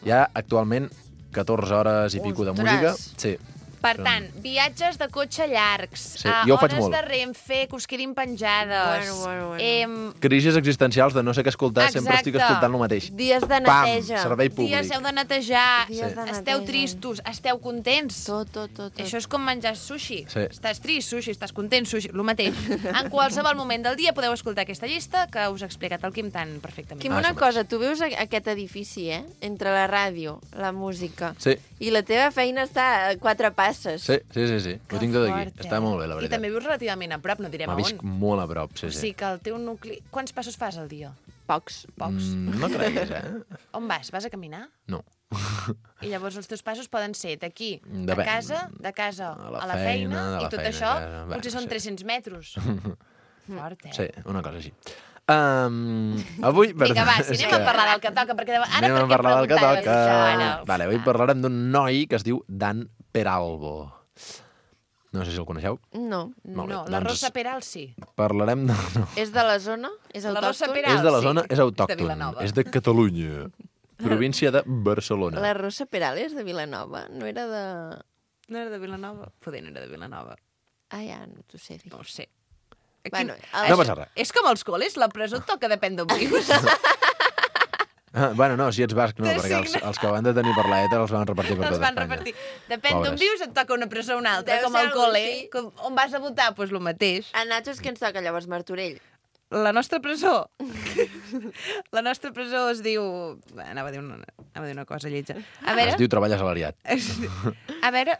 [SPEAKER 8] Hi ha actualment 14 hores i pico de
[SPEAKER 1] Ostres!
[SPEAKER 8] música. Sí.
[SPEAKER 2] Per tant, viatges de cotxe llargs,
[SPEAKER 8] Sí, jo ho faig
[SPEAKER 2] hores
[SPEAKER 8] molt.
[SPEAKER 2] de Renfe que us quedin penjades,
[SPEAKER 1] Bueno.
[SPEAKER 8] Crisis existencials de no sé què escoltar, sempre estic
[SPEAKER 2] Exacte.
[SPEAKER 8] escoltant el mateix.
[SPEAKER 1] Dies de
[SPEAKER 8] Pam!
[SPEAKER 1] neteja.
[SPEAKER 8] Servei públic.
[SPEAKER 2] dies heu de netejar,
[SPEAKER 1] Dies de
[SPEAKER 2] esteu
[SPEAKER 1] neteja.
[SPEAKER 2] tristos, esteu contents.
[SPEAKER 1] Tot.
[SPEAKER 2] Això és com menjar sushi.
[SPEAKER 8] Sí.
[SPEAKER 2] Estàs trist, sushi, estàs content, sushi, el mateix. En qualsevol moment del dia podeu escoltar aquesta llista que us ha explicat el Quim tan perfectament.
[SPEAKER 1] Quim,
[SPEAKER 8] Ah,
[SPEAKER 1] una
[SPEAKER 8] sí.
[SPEAKER 1] cosa, tu veus aquest edifici, entre la ràdio, la música,
[SPEAKER 8] Sí,
[SPEAKER 1] i la teva feina està a 4 passes.
[SPEAKER 8] sí. Ho tinc tot aquí.
[SPEAKER 2] fort,
[SPEAKER 8] Està molt bé, la
[SPEAKER 2] I
[SPEAKER 8] veritat.
[SPEAKER 2] també vius relativament a prop, no direm a
[SPEAKER 8] Visc
[SPEAKER 2] on.
[SPEAKER 8] molt a prop, sí,
[SPEAKER 2] O
[SPEAKER 8] sí.
[SPEAKER 2] sigui que el teu nucli... Quants passos fas al dia?
[SPEAKER 1] Pocs.
[SPEAKER 2] Pocs.
[SPEAKER 8] No creguis,
[SPEAKER 2] On vas? Vas a caminar?
[SPEAKER 8] No.
[SPEAKER 2] I llavors els teus passos poden ser d'aquí a
[SPEAKER 8] Depèn.
[SPEAKER 2] casa, de casa a la feina,
[SPEAKER 8] de la
[SPEAKER 2] i tot
[SPEAKER 8] feina a
[SPEAKER 2] això
[SPEAKER 8] casa. Bé,
[SPEAKER 2] potser són
[SPEAKER 8] sí.
[SPEAKER 2] 300 metres. Fort,
[SPEAKER 8] Sí, una cosa així. Avui...
[SPEAKER 2] Vinga, va, si
[SPEAKER 8] és
[SPEAKER 2] anem a parlar del que toca, perquè ara
[SPEAKER 8] Anem
[SPEAKER 2] per
[SPEAKER 8] a
[SPEAKER 2] què
[SPEAKER 8] parlar del que
[SPEAKER 2] preguntaves
[SPEAKER 8] toca.
[SPEAKER 2] això, ara?
[SPEAKER 8] Vale, avui parlarem d'un noi que es diu Dan Peralbo. No sé si el coneixeu.
[SPEAKER 1] No.
[SPEAKER 8] Molt bé,
[SPEAKER 2] No, la
[SPEAKER 8] doncs-
[SPEAKER 2] Rosa Peral sí.
[SPEAKER 8] Parlarem de... No.
[SPEAKER 1] És de la zona? És
[SPEAKER 2] La Rosa
[SPEAKER 1] autòcton?
[SPEAKER 2] Peral.
[SPEAKER 8] És de la
[SPEAKER 2] sí.
[SPEAKER 8] zona, és
[SPEAKER 2] És de
[SPEAKER 8] autòcton.
[SPEAKER 2] Vilanova.
[SPEAKER 8] És de Catalunya. Província de Barcelona.
[SPEAKER 1] La Rosa Peral és de Vilanova, no era de...
[SPEAKER 2] No era de Vilanova? Poder no era de Vilanova.
[SPEAKER 1] Ah, ja, no t'ho sé dir.
[SPEAKER 2] No ho sé.
[SPEAKER 1] Bueno,
[SPEAKER 8] No passa res.
[SPEAKER 2] És com els col·les, la presó et toca depèn d'on vius.
[SPEAKER 8] Bueno, no, si ets basc no,
[SPEAKER 2] Te
[SPEAKER 8] perquè
[SPEAKER 2] signa.
[SPEAKER 8] els que van detenir per la ETA els van repartir per
[SPEAKER 2] Els
[SPEAKER 8] tot
[SPEAKER 2] van
[SPEAKER 8] Espanya.
[SPEAKER 2] repartir. Depèn d'on
[SPEAKER 8] Pobres.
[SPEAKER 2] vius, et toca una presó o una altra,
[SPEAKER 1] Deu
[SPEAKER 2] com
[SPEAKER 1] ser
[SPEAKER 2] al
[SPEAKER 1] algo
[SPEAKER 2] col·le.
[SPEAKER 1] així.
[SPEAKER 2] On vas a votar, doncs el mateix.
[SPEAKER 1] A nosaltres què ens toca llavors, Martorell?
[SPEAKER 2] La nostra presó... La nostra presó es diu... Anava a dir una cosa lletja. A veure...
[SPEAKER 8] Es diu treball assalariat.
[SPEAKER 2] A veure,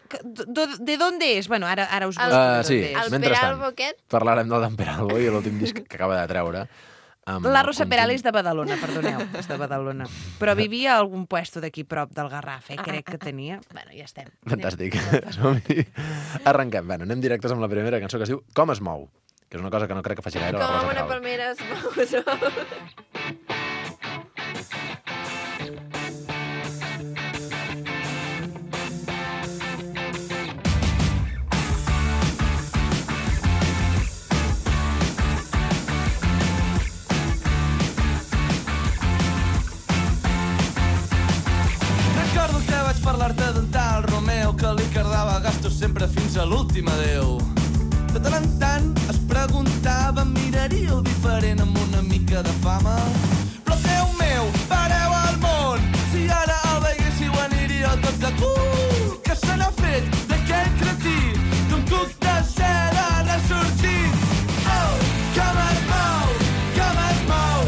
[SPEAKER 2] ¿de dónde és? Bueno, ara us busco.
[SPEAKER 8] Sí,
[SPEAKER 1] El
[SPEAKER 8] mentrestant,
[SPEAKER 1] Peralbo aquest?
[SPEAKER 8] parlarem del Dan Peralbo i l'últim disc que acaba de treure.
[SPEAKER 2] La Rosa Peral és de Badalona, perdoneu, és de Badalona. Però vivia a algun puesto d'aquí prop del Garraf, crec que tenia. Bueno, ja estem.
[SPEAKER 8] Fantàstic. Som-hi. Arrenquem. Bueno, anem directes amb la primera cançó que es diu Com es mou, que és una cosa que no crec que faci gaire la
[SPEAKER 1] Com
[SPEAKER 8] Rosa
[SPEAKER 1] una
[SPEAKER 8] Peral.
[SPEAKER 1] palmera es mou.
[SPEAKER 9] Recordo que vaig parlar-te d'un tal Romeo que li cardava gastos sempre fins a l'últim adeu. De tant en tant es preguntava, miraria el diferent amb una mica de fama. Però Déu meu, pareu al món, si ara el veiéssiu aniríeu tots de cul. Que se n'ha fet d'aquell cretí, d'un cuc de seda ressorgit. Oh, com es mou, com es mou.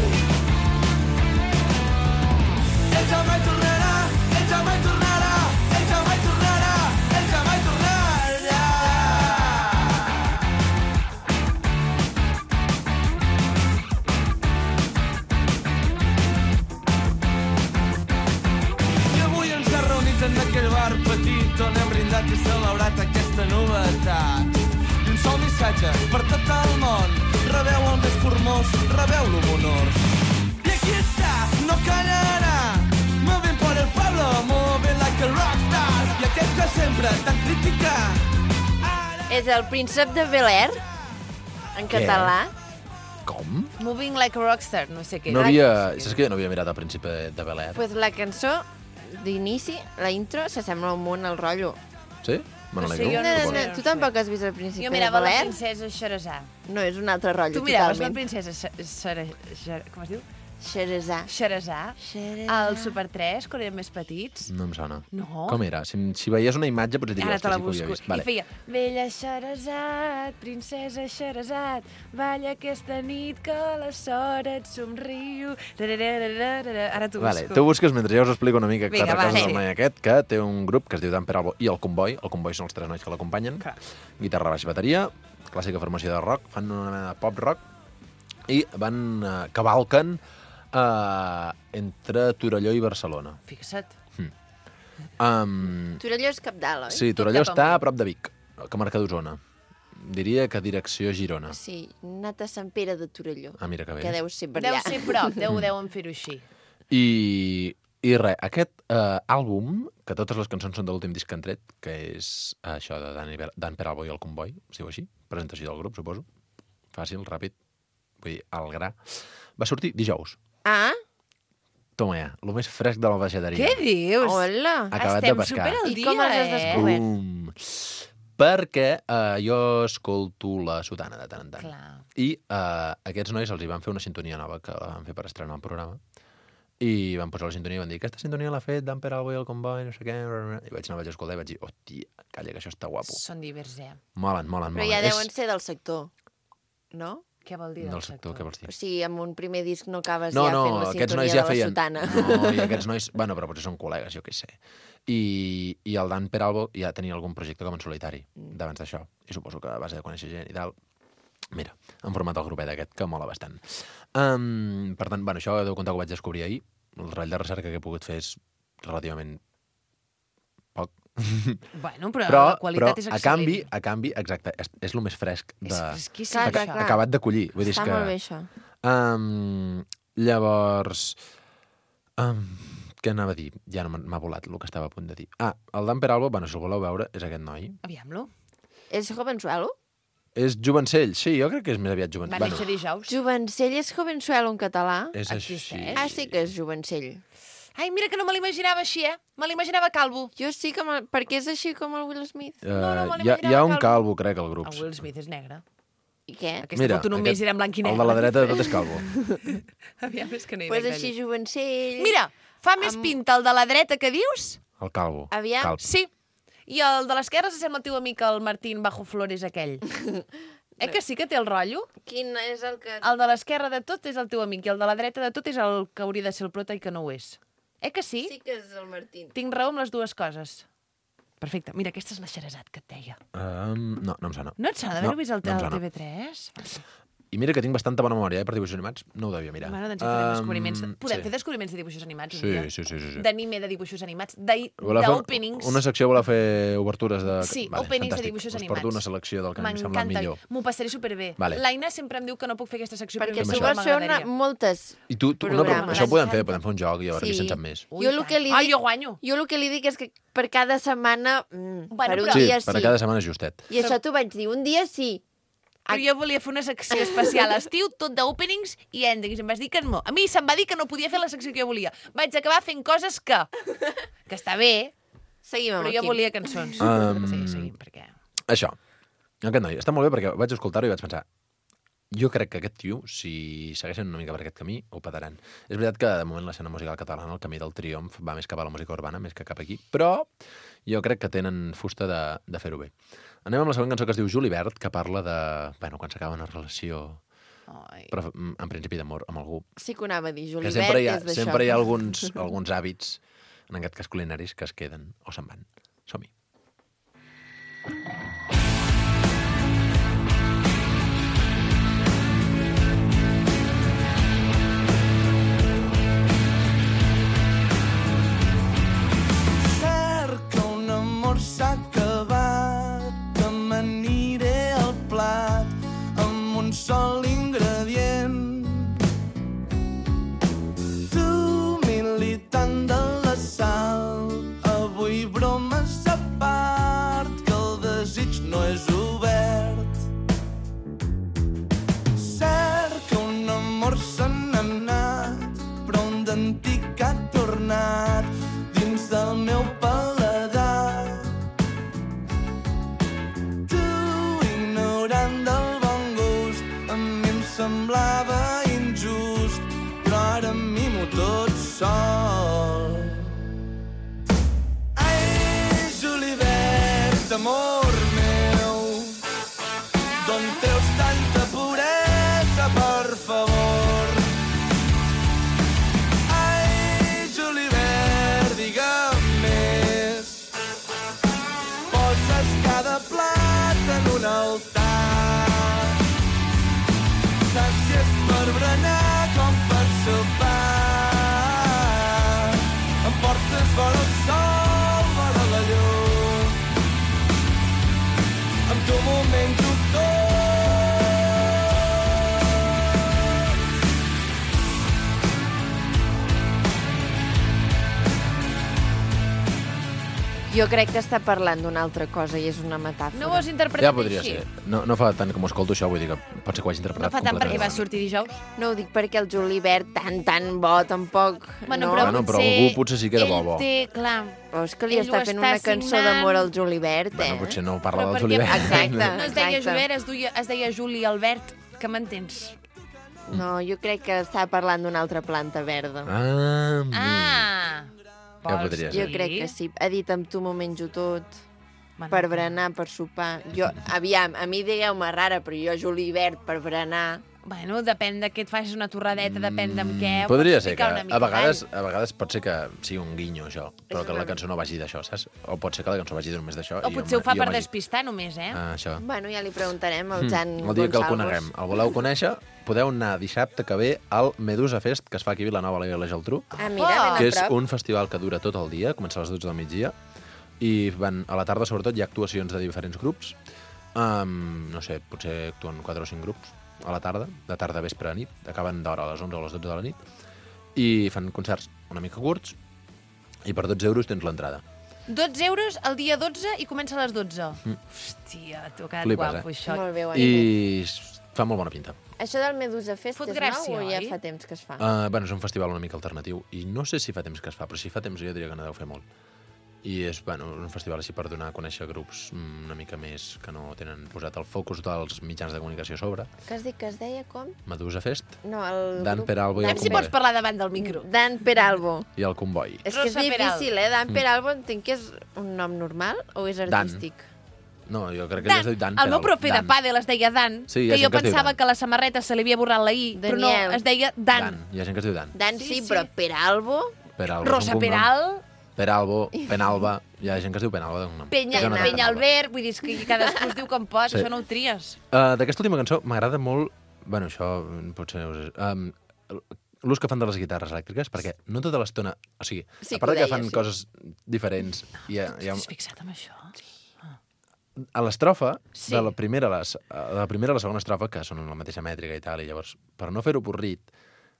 [SPEAKER 9] Ell ja mai tornarà, ell ja mai tornarà, ell ja mai tornarà, ell ja mai tornarà. I avui ens ha reunit en aquell bar petit on hem brindat i celebrat aquesta novetat. I un sol missatge per tot el món, rebeu el més formós, rebeu-lo amb honors. I aquí està, no callarà, moving por el pueblo, moving like a rockstar. I aquest que sempre t'han criticat.
[SPEAKER 1] És el príncep de Bel-Air, en català.
[SPEAKER 8] Com?
[SPEAKER 2] Moving like a rockstar, no sé què.
[SPEAKER 8] No havia... Saps que jo no havia mirat el príncipe de Bel-Air?
[SPEAKER 1] Pues la cançó d'inici, la intro, s'assembla un munt al rotllo.
[SPEAKER 8] Sí? Me
[SPEAKER 2] No sé,
[SPEAKER 8] n'alegro.
[SPEAKER 2] jo no
[SPEAKER 8] suposo.
[SPEAKER 2] sé.
[SPEAKER 1] Tu tampoc has vist el príncipe
[SPEAKER 2] Jo
[SPEAKER 1] de
[SPEAKER 2] mirava la
[SPEAKER 1] Bel-Air?
[SPEAKER 2] princesa Xerazà.
[SPEAKER 1] No, és un altre rotllo,
[SPEAKER 2] Tu miraves la
[SPEAKER 1] totalment.
[SPEAKER 2] princesa com es diu?
[SPEAKER 1] Xerazà.
[SPEAKER 2] Xerazà. Al Super 3, quan érem més petits.
[SPEAKER 8] No em sona.
[SPEAKER 2] No.
[SPEAKER 8] Com era? Si veies una imatge, potser diries
[SPEAKER 2] Ara te la
[SPEAKER 8] que sí que ho havia
[SPEAKER 2] busco.
[SPEAKER 8] vist. Vale.
[SPEAKER 2] I feia, vella Xerazat, princesa Xerazat, balla aquesta nit que la sort et somriu. Ara t'ho
[SPEAKER 8] Vale,
[SPEAKER 2] busco.
[SPEAKER 8] tu busques mentre jo us explico una mica
[SPEAKER 2] Vinga,
[SPEAKER 8] quatre
[SPEAKER 2] va,
[SPEAKER 8] coses
[SPEAKER 2] sí.
[SPEAKER 8] del noi aquest, que té un grup que es diu Dan Peralbo i el Comboi. El Comboi són els tres nois que l'acompanyen. Guitarra, baix, bateria, clàssica formació de rock, fan una mena de pop-rock i van cavalquen entre Torelló i Barcelona.
[SPEAKER 2] Fixa't.
[SPEAKER 1] Torelló és Capdalt, oi?
[SPEAKER 8] Sí, Torelló
[SPEAKER 2] cap
[SPEAKER 8] està
[SPEAKER 2] amunt.
[SPEAKER 8] a prop de Vic, que marca d'Osona. Diria que direcció Girona.
[SPEAKER 1] Sí, anat a Sant Pere de Torelló.
[SPEAKER 8] Ah, mira que bé.
[SPEAKER 1] Que deu ser per
[SPEAKER 2] Deu
[SPEAKER 1] allà.
[SPEAKER 2] ser prop, deuen fer-ho així.
[SPEAKER 8] I res, aquest àlbum, que totes les cançons són de l'últim disc que han tret, que és això de Dan Peralbo i el Comboi, es diu així, presentació del grup, suposo. Fàcil, ràpid, vull dir, al gra. Va sortir dijous.
[SPEAKER 1] Ah,
[SPEAKER 8] Toma ja, el més fresc de la baixateria.
[SPEAKER 2] Què dius?
[SPEAKER 1] hola.
[SPEAKER 8] Acabat de
[SPEAKER 2] Estem
[SPEAKER 8] pescar.
[SPEAKER 2] super al
[SPEAKER 1] I
[SPEAKER 2] dia,
[SPEAKER 1] com els has descobert?
[SPEAKER 8] Perquè jo escolto la sotana de tant en tant.
[SPEAKER 2] Clar.
[SPEAKER 8] I aquests nois els hi van fer una sintonia nova, que la van fer per estrenar el programa, i van posar la sintonia i van dir aquesta sintonia l'ha fet Dan Peralbo i el Comboi, no sé què... I vaig anar a escoltar i vaig dir, hòstia, calla, que això està guapo.
[SPEAKER 2] Són divers,
[SPEAKER 8] Molen.
[SPEAKER 1] Però ja deuen ser del sector, no?
[SPEAKER 2] Què vol dir
[SPEAKER 8] Del sector, què vols dir?
[SPEAKER 1] O sigui, amb un primer disc no acabes
[SPEAKER 8] No,
[SPEAKER 1] ja fent la
[SPEAKER 8] aquests
[SPEAKER 1] sintonia
[SPEAKER 8] nois
[SPEAKER 1] de
[SPEAKER 8] ja
[SPEAKER 1] la
[SPEAKER 8] feien...
[SPEAKER 1] sotana.
[SPEAKER 8] No, i aquests nois... Bueno, però potser són col·legues, jo què sé. I el Dan Peralbo ja tenia algun projecte com en solitari, d'abans d'això. I suposo que a base de conèixer gent i tal... Mira, han format el grupet aquest, que mola bastant. Per tant, bueno, això deu comptar que ho vaig descobrir ahir. El ratll de recerca que he pogut fer és relativament poc.
[SPEAKER 2] Bueno, però la qualitat és
[SPEAKER 8] a
[SPEAKER 2] excel·lent.
[SPEAKER 8] canvi, exacte, és el més fresc de...
[SPEAKER 2] És fresquíssim,
[SPEAKER 1] Clar,
[SPEAKER 2] això.
[SPEAKER 8] acabat de collir. Vull dir, és
[SPEAKER 1] Està
[SPEAKER 8] que...
[SPEAKER 1] molt bé, això.
[SPEAKER 8] Llavors... què anava a dir? Ja no m'ha volat el que estava a punt de dir. El Dan Peralbo, bueno, si el voleu veure, és aquest noi.
[SPEAKER 2] Aviam-lo.
[SPEAKER 1] És Jovensuelo?
[SPEAKER 8] És jovencell, sí, jo crec que és més aviat
[SPEAKER 2] Va
[SPEAKER 8] jovencell.
[SPEAKER 2] néixer dijous.
[SPEAKER 1] Jovencell és Jovensuelo en català?
[SPEAKER 8] és així.
[SPEAKER 2] Existeix?
[SPEAKER 1] Ah, sí que és Jovencell.
[SPEAKER 2] Ai, mira que no me l'imaginava així, Me l'imaginava calvo.
[SPEAKER 1] Jo sí que... Perquè és així com el Will Smith.
[SPEAKER 2] no, me
[SPEAKER 8] hi ha
[SPEAKER 2] l'imaginava
[SPEAKER 8] un calvo, crec, al grup.
[SPEAKER 2] El Will Smith és negre.
[SPEAKER 1] I què?
[SPEAKER 2] Aquesta foto només era en blanc i negre.
[SPEAKER 8] El de la dreta de tot és calvo.
[SPEAKER 2] Aviam, és que no hi
[SPEAKER 1] Pues
[SPEAKER 2] veig
[SPEAKER 1] així
[SPEAKER 2] gaire.
[SPEAKER 1] Jovencell...
[SPEAKER 2] Mira, fa més pinta el de la dreta que dius?
[SPEAKER 8] El calvo.
[SPEAKER 1] Aviam.
[SPEAKER 8] Calb.
[SPEAKER 2] Sí. I el de l'esquerra s'assembla al teu amic, el Martín Bajo Flores aquell. Que sí que té el rotllo?
[SPEAKER 1] Quin és el que...
[SPEAKER 2] El de l'esquerra de tot és el teu amic i el de la dreta de tot és el que hauria de ser el prota i que no ho és. Que sí?
[SPEAKER 1] Sí que és el Martín.
[SPEAKER 2] Tinc raó amb les dues coses. Perfecte. Mira, aquesta és la Xerezat que et deia.
[SPEAKER 8] No em sona.
[SPEAKER 2] No et sona d'haver-ho vist al TV3?
[SPEAKER 8] I mira que tinc bastanta bona memòria, per dibuixos animats. No ho devia mirar.
[SPEAKER 2] Bueno, doncs ja farem descobriments. Podem fer descobriments de dibuixos animats un dia?
[SPEAKER 8] Sí.
[SPEAKER 2] D'anime de dibuixos animats, d'openings.
[SPEAKER 8] Una secció voleu fer obertures de...
[SPEAKER 2] Sí, openings de dibuixos animats.
[SPEAKER 8] Us porto una selecció del que em sembla millor.
[SPEAKER 2] M'ho passaré superbé. L'Aina sempre em diu que no puc fer aquesta secció
[SPEAKER 1] perquè tu vols fer moltes programes.
[SPEAKER 8] Això ho podem fer un joc i a veure qui se'n sap més.
[SPEAKER 2] Jo guanyo.
[SPEAKER 1] Jo el que li dic és que per cada setmana, per un dia sí.
[SPEAKER 8] Per cada setmana justet.
[SPEAKER 1] I això t'ho vaig dir, un dia sí.
[SPEAKER 2] Però jo volia fer una secció especial a estiu, tot d'openings i endings. Em vas dir que no. A mi se'm va dir que no podia fer la secció que jo volia. Vaig acabar fent coses que està bé,
[SPEAKER 1] seguim
[SPEAKER 2] però jo volia cançons. Sí, seguim, perquè...
[SPEAKER 8] Això. Aquest noi està molt bé perquè vaig escoltar-ho i vaig pensar jo crec que aquest tio, si segueixen una mica per aquest camí, ho petaran. És veritat que de moment l'escena musical catalana, el camí del triomf, va més cap a la música urbana, més que cap aquí, però jo crec que tenen fusta de fer-ho bé. Anem amb la següent cançó que es diu Julivert, que parla de... Bueno, quan s'acaba una relació... Però en principi d'amor amb algú.
[SPEAKER 1] Sí que ho anava a dir, Julivert és d'això.
[SPEAKER 8] Sempre hi ha alguns hàbits, en aquest cas culinaris, que es queden o se'n van. Som-hi.
[SPEAKER 9] Cerca un amor s'ha acabat, que m'aniré al plat amb un sol ingredient. Tu, militant de la sal, avui bromes a part, que el desig no és obert. Cerca un amor se n'ha anat, però un d'antic ha tornat dins del meu paladar. Tu, ignorant del bon gust, a mi em semblava injust, però ara mimo tot sol. Ai, Julivert, amor meu, d'on treus tanta puresa, per favor? Ai, Julivert, digue'm més. Poses cada plat en un altar. Saps si és per berenar com per sopar. Em portes vora el sol, vora la llum. Amb tu m'ho menjo tot.
[SPEAKER 1] Jo crec que està parlant d'una altra cosa i és una metàfora.
[SPEAKER 2] No ho has interpretat
[SPEAKER 8] Ja podria
[SPEAKER 2] així?
[SPEAKER 8] ser. No fa tant com ho escolto això, vull dir que pot ser que ho hagi
[SPEAKER 2] No
[SPEAKER 8] interpretat
[SPEAKER 2] fa tant perquè va
[SPEAKER 8] completament.
[SPEAKER 2] sortir dijous?
[SPEAKER 1] No ho dic perquè el Julivert tan bo, tampoc...
[SPEAKER 2] Bueno,
[SPEAKER 1] no?
[SPEAKER 8] Bueno, però algú potser sí que era bo.
[SPEAKER 2] Ell té, clar...
[SPEAKER 1] Però és que li
[SPEAKER 2] ell
[SPEAKER 1] està
[SPEAKER 2] ho
[SPEAKER 1] fent
[SPEAKER 2] està
[SPEAKER 1] una cançó
[SPEAKER 2] signant.
[SPEAKER 1] d'amor al Julivert,
[SPEAKER 8] Bueno, potser no parla
[SPEAKER 2] Però
[SPEAKER 8] del
[SPEAKER 2] perquè-
[SPEAKER 8] Julivert.
[SPEAKER 1] Exacte.
[SPEAKER 2] No es deia
[SPEAKER 1] exacte.
[SPEAKER 2] Julivert, es deia Juli Albert, que m'entens?
[SPEAKER 1] No, jo crec que està parlant d'una altra planta verda.
[SPEAKER 8] Ja podria
[SPEAKER 1] Jo
[SPEAKER 8] ser.
[SPEAKER 1] crec que sí. Ha dit amb tu m'ho menjo tot,
[SPEAKER 2] Bueno,
[SPEAKER 1] per berenar, per sopar. Jo, aviam, a mi digueu-me rara, però jo Julivert per berenar...
[SPEAKER 2] Bueno, depèn de què et facis una torradeta, depèn d'amb què. ho
[SPEAKER 8] Podria
[SPEAKER 2] pots
[SPEAKER 8] ser que
[SPEAKER 2] explicar una mica.
[SPEAKER 8] a vegades pot ser que sigui un guinyo, això, però que la cançó no vagi d'això, saps? O pot ser que la cançó vagi només d'això.
[SPEAKER 2] O potser ho fa per despistar només, eh?
[SPEAKER 8] Això.
[SPEAKER 1] Bueno, ja li preguntarem al Jan
[SPEAKER 8] El dia que el
[SPEAKER 1] Gonçalves.
[SPEAKER 8] coneguem. El voleu conèixer? Podeu anar dissabte que ve al Medusa Fest, que es fa aquí a Vilanova, a la Geltrú,
[SPEAKER 1] Ah, mira, ben
[SPEAKER 8] que
[SPEAKER 1] a
[SPEAKER 8] és
[SPEAKER 1] prop.
[SPEAKER 8] un festival que dura tot el dia, comença a les 12 del migdia, i a la tarda, sobretot, hi ha actuacions de diferents grups. No sé, potser actuen 4 o 5 grups a la tarda, de tarda, vespre a nit, acaben d'hora a les 11 o a les 12 de la nit, i fan concerts una mica curts, i per 12 euros tens l'entrada.
[SPEAKER 2] 12 euros el dia 12 i comença a les 12. Hòstia, t'ho ha quedat
[SPEAKER 8] Flipes,
[SPEAKER 2] guapo, això.
[SPEAKER 1] Molt bé, ho has dit.
[SPEAKER 8] I fa molt bona pinta.
[SPEAKER 1] Això del Medusa Fest
[SPEAKER 2] Fot
[SPEAKER 1] és
[SPEAKER 2] gràcia,
[SPEAKER 1] nou o ja
[SPEAKER 2] oi?
[SPEAKER 1] fa temps que es fa?
[SPEAKER 8] Bueno, és un festival una mica alternatiu, i no sé si fa temps que es fa, però si fa temps jo diria que no deu fer molt. I és un festival així per donar a conèixer grups una mica més que no tenen posat el focus dels mitjans de comunicació a sobre.
[SPEAKER 1] Que has dit que es deia com?
[SPEAKER 8] Medusa Fest,
[SPEAKER 1] No, el
[SPEAKER 8] Dan
[SPEAKER 1] grup...
[SPEAKER 8] Peralbo i el
[SPEAKER 2] Aviam si pots
[SPEAKER 8] Comboi.
[SPEAKER 2] parlar davant del micro.
[SPEAKER 1] Dan Peralbo.
[SPEAKER 8] I el Comboi.
[SPEAKER 1] És que és
[SPEAKER 2] Rosa
[SPEAKER 1] difícil,
[SPEAKER 2] Peralbo.
[SPEAKER 1] Dan Peralbo entenc que és un nom normal o és artístic?
[SPEAKER 8] No, jo crec que ja es diu Dan.
[SPEAKER 2] El meu profe de pàdel es deia Dan,
[SPEAKER 8] Sí,
[SPEAKER 2] que jo pensava que a la samarreta se li havia borrat la I, però no,
[SPEAKER 1] Daniel.
[SPEAKER 2] es deia Dan.
[SPEAKER 8] Hi ha gent que es diu Dan.
[SPEAKER 1] Dan
[SPEAKER 2] Sí,
[SPEAKER 1] sí,
[SPEAKER 2] sí.
[SPEAKER 1] però Peralbo...
[SPEAKER 8] Peralbo és un
[SPEAKER 2] Rosa
[SPEAKER 8] cognom.
[SPEAKER 2] Peral,
[SPEAKER 8] Peralbo, Penalba... Hi ha gent que es diu Penalba de cognom.
[SPEAKER 2] Penyalbert, vull dir, és que cadascú es diu com pot,
[SPEAKER 8] Sí.
[SPEAKER 2] això no ho tries.
[SPEAKER 8] D'aquesta última cançó m'agrada molt... Bueno, això potser... L'ús que fan de les guitarres elèctriques, perquè no tota l'estona... O sigui,
[SPEAKER 1] Sí
[SPEAKER 8] a part
[SPEAKER 1] que ho
[SPEAKER 8] que
[SPEAKER 1] deia,
[SPEAKER 8] fan
[SPEAKER 1] sí.
[SPEAKER 8] coses diferents...
[SPEAKER 2] T'has fixat en això?
[SPEAKER 8] A l'estrofa,
[SPEAKER 2] Sí.
[SPEAKER 8] de la primera a la segona estrofa, que són la mateixa mètrica i tal, i llavors, per no fer-ho porrit,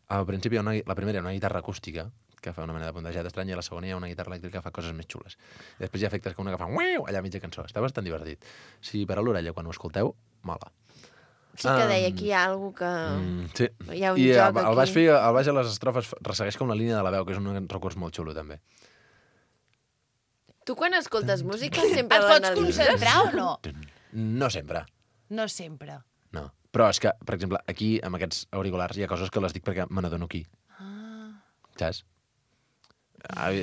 [SPEAKER 8] al principi la primera hi ha una guitarra acústica, que fa una mena de puntejat estrany, i a la segona hi ha una guitarra elèctrica que fa coses més xules. I després hi ha efectes com una que fa uiu allà a mitja cançó. Està bastant divertit. Si per a l'orella, quan ho escolteu, mola.
[SPEAKER 1] Sí que deia que hi ha alguna que...
[SPEAKER 8] Sí.
[SPEAKER 1] Hi ha un
[SPEAKER 8] I
[SPEAKER 1] joc
[SPEAKER 8] el baix,
[SPEAKER 1] aquí.
[SPEAKER 8] el baix a les estrofes ressegueix com la línia de la veu, que és un recurs molt xulo, també.
[SPEAKER 1] Tu quan escoltes música sempre
[SPEAKER 2] Et pots
[SPEAKER 1] l'analitzes?
[SPEAKER 2] concentrar o no?
[SPEAKER 8] No sempre.
[SPEAKER 2] No sempre.
[SPEAKER 8] No. Però és que, per exemple, aquí, amb aquests auriculars, hi ha coses que les dic perquè me n'adono aquí. Saps?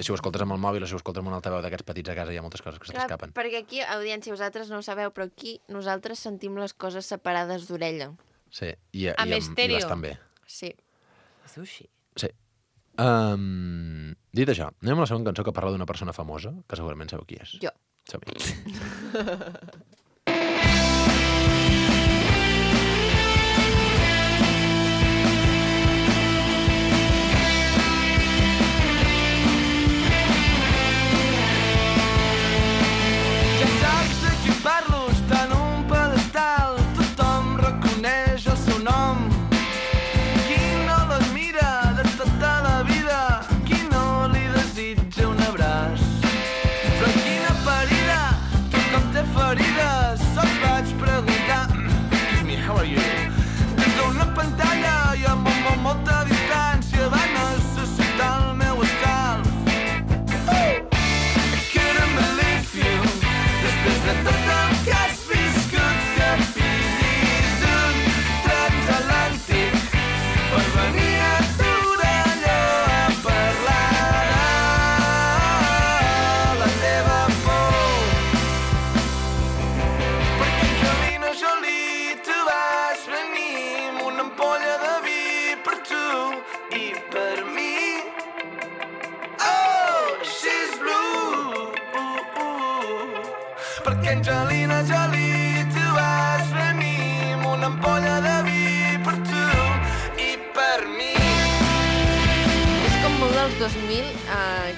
[SPEAKER 8] Si ho escoltes amb el mòbil o si ho escoltes amb un altaveu d'aquests petits a casa, hi ha moltes coses que se
[SPEAKER 1] Clar,
[SPEAKER 8] t'escapen.
[SPEAKER 1] perquè aquí, audiència, vosaltres no ho sabeu, però aquí nosaltres sentim les coses separades d'orella.
[SPEAKER 8] Sí, i
[SPEAKER 2] Amb estèreo.
[SPEAKER 8] bastant bé.
[SPEAKER 1] Sí.
[SPEAKER 2] Es diu així.
[SPEAKER 8] Sí. Dit això, anem a la segona cançó que parla d'una persona famosa, que segurament sabeu qui és.
[SPEAKER 1] Jo.
[SPEAKER 8] Som-hi.
[SPEAKER 9] Ja saps de qui parlo, està en un pedestal, tothom reconeix el seu nom. Qui no l'admira de tota la vida, qui no li desitja un abraç. Però quina ferida, tothom té ferides, se'ls vaig preguntar. Excuse me, how are you? Des d'una pantalla i amb molta distància va necessitar el meu escalf. Couldn't believe you. Després de tot el que has viscut, que pillis un transatlàntic per venir a Torelló a parlar de la teva por. Perquè Angelina Jolie, tu vas venir amb una ampolla de vi per tu i per mi. Oh, she's blue. Perquè Angelina Jolie, tu vas venir amb una ampolla de vi per tu i per mi.
[SPEAKER 1] És com molt dels 2000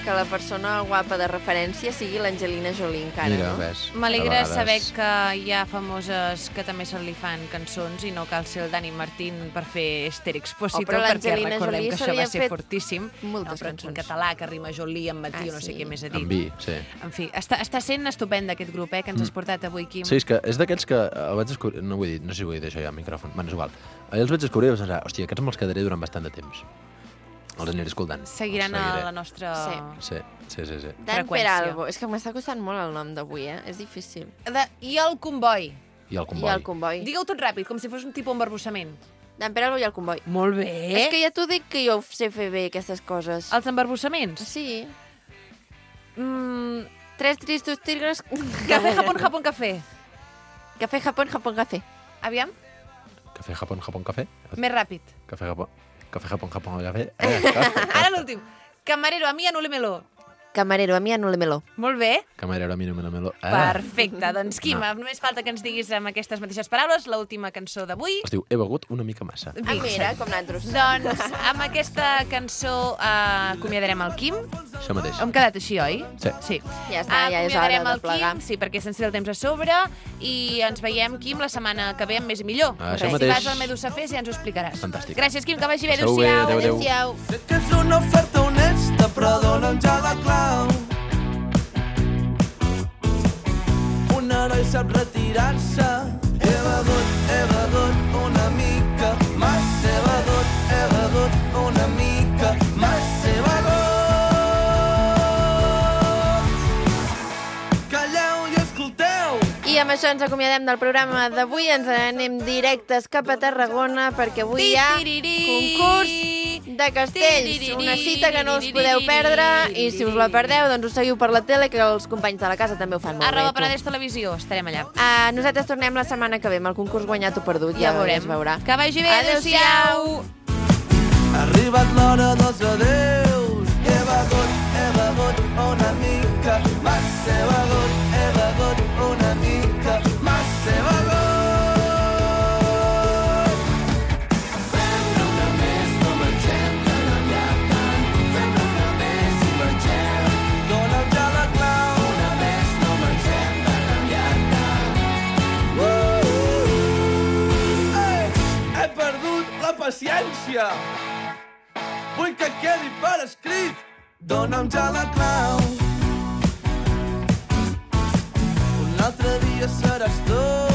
[SPEAKER 1] que la persona guapa de referència sigui l'Angelina Jolie encara,
[SPEAKER 8] Mira,
[SPEAKER 1] no?
[SPEAKER 8] ves.
[SPEAKER 2] M'alegra
[SPEAKER 8] A vegades-
[SPEAKER 2] saber que hi ha famoses que també se li fan cançons i no cal ser el Dani Martín per fer Estèrix-Pocito,
[SPEAKER 1] però
[SPEAKER 2] perquè
[SPEAKER 1] l'Angelina
[SPEAKER 2] recordem
[SPEAKER 1] Jolie
[SPEAKER 2] que
[SPEAKER 1] se
[SPEAKER 2] això
[SPEAKER 1] li
[SPEAKER 2] va
[SPEAKER 1] ha
[SPEAKER 2] ser
[SPEAKER 1] fet
[SPEAKER 2] fortíssim.
[SPEAKER 1] moltes
[SPEAKER 2] però en
[SPEAKER 1] cançons.
[SPEAKER 2] català, que rima Jolie amb matí o no sé
[SPEAKER 1] sí.
[SPEAKER 2] què més ha
[SPEAKER 8] Amb
[SPEAKER 2] dit.
[SPEAKER 8] vi, sí.
[SPEAKER 2] En fi, està sent estupend aquest grup, que ens has portat avui, Quim.
[SPEAKER 8] Sí, és que és d'aquells que el vaig descobrir... No vull dir, no sé si vull dir això ja al micròfon. Bueno, és igual. Allà els vaig descobrir i vaig pensar, hòstia, aquests me'ls quedaré durant bastant de temps. Els aniré escoltant.
[SPEAKER 2] Seguiran
[SPEAKER 8] Els
[SPEAKER 2] a
[SPEAKER 8] seguiré.
[SPEAKER 2] la nostra...
[SPEAKER 1] Sí.
[SPEAKER 8] Sí.
[SPEAKER 1] Dan
[SPEAKER 2] freqüència.
[SPEAKER 1] Peralbo. És que m'està costant molt el nom d'avui, És difícil.
[SPEAKER 2] I el comboi.
[SPEAKER 8] I el
[SPEAKER 1] I
[SPEAKER 8] comboi.
[SPEAKER 1] el comboi.
[SPEAKER 2] Digueu tot ràpid, com si fos un tipus embarbussament.
[SPEAKER 1] Dan Peralbo i el comboi.
[SPEAKER 2] Molt bé.
[SPEAKER 1] És que ja t'ho dic que jo sé fer bé, aquestes coses.
[SPEAKER 2] Els embarbussaments?
[SPEAKER 1] Sí.
[SPEAKER 2] Mm,
[SPEAKER 1] Tres tristos tigres...
[SPEAKER 2] café, Japón, Japón, café.
[SPEAKER 1] Café, Japón, Japón, café.
[SPEAKER 2] Aviam,
[SPEAKER 8] Café, Japón, Japón, café.
[SPEAKER 2] més ràpid.
[SPEAKER 8] Café, Japón, Japón, café.
[SPEAKER 2] Ara l'últim. Camarero, a mi no le meló.
[SPEAKER 1] Camarero, a mi anúlemelo.
[SPEAKER 2] Molt bé.
[SPEAKER 8] Camarero, a mi no me lo melo.
[SPEAKER 2] Perfecte. Doncs, Quim,
[SPEAKER 8] No.
[SPEAKER 2] només falta que ens diguis amb aquestes mateixes paraules l'última cançó d'avui.
[SPEAKER 8] Es diu He begut una mica massa.
[SPEAKER 1] Ah, mira, com nosaltres.
[SPEAKER 2] Doncs amb aquesta cançó acomiadarem el Quim.
[SPEAKER 8] Això mateix.
[SPEAKER 2] Hem quedat així, oi?
[SPEAKER 8] Sí.
[SPEAKER 2] Sí.
[SPEAKER 1] Ja està, ja és hora
[SPEAKER 2] Acomiadarem
[SPEAKER 1] de
[SPEAKER 2] el
[SPEAKER 1] plegar.
[SPEAKER 2] Quim, sí, perquè se'ns tira el temps a sobre, i ens veiem, Quim, la setmana que ve amb més i millor.
[SPEAKER 8] Això
[SPEAKER 2] Si
[SPEAKER 8] mateix.
[SPEAKER 2] vas al Medusa Fest ja ens ho explicaràs.
[SPEAKER 8] Fantàstic.
[SPEAKER 2] Gràcies, Quim, que vagi bé.
[SPEAKER 8] Passeu bé,
[SPEAKER 2] Adéu-siau.
[SPEAKER 8] adéu, adéu.
[SPEAKER 1] Adéu-siau.
[SPEAKER 9] Sé que és una oferta honesta, però dona'm ja la clau. Un heroi sap retirar-se. He begut una mica massa. He begut una mica massa. He begut. Calleu i escolteu.
[SPEAKER 1] I amb això ens acomiadem del programa d'avui. Ens anem directes cap a Tarragona perquè avui hi ha concurs de Castells. Una cita que no us podeu perdre i si us la perdeu, doncs us seguiu per la tele, que els companys de la casa també ho fan molt bé.
[SPEAKER 2] @Penedès Televisió, estarem allà.
[SPEAKER 1] Nosaltres tornem la setmana que ve amb el concurs Guanyat o Perdut.
[SPEAKER 2] Ja veurem.
[SPEAKER 1] Es veurà.
[SPEAKER 2] Que vagi bé, adéu-siau.
[SPEAKER 9] Ha arribat l'hora dels adeus. He begut una mica, massa he begut una mica, massa he begut. Fem-ne una més, no mengem, que no n'hi ha tant. Fem-ne una més i mengem. Dona'm ja la clau. Una més, no mengem, que no n'hi ha tant. He perdut la paciència. Vull que quedi per escrit. Dona'm ja la clau. Un altre dia seràs tu.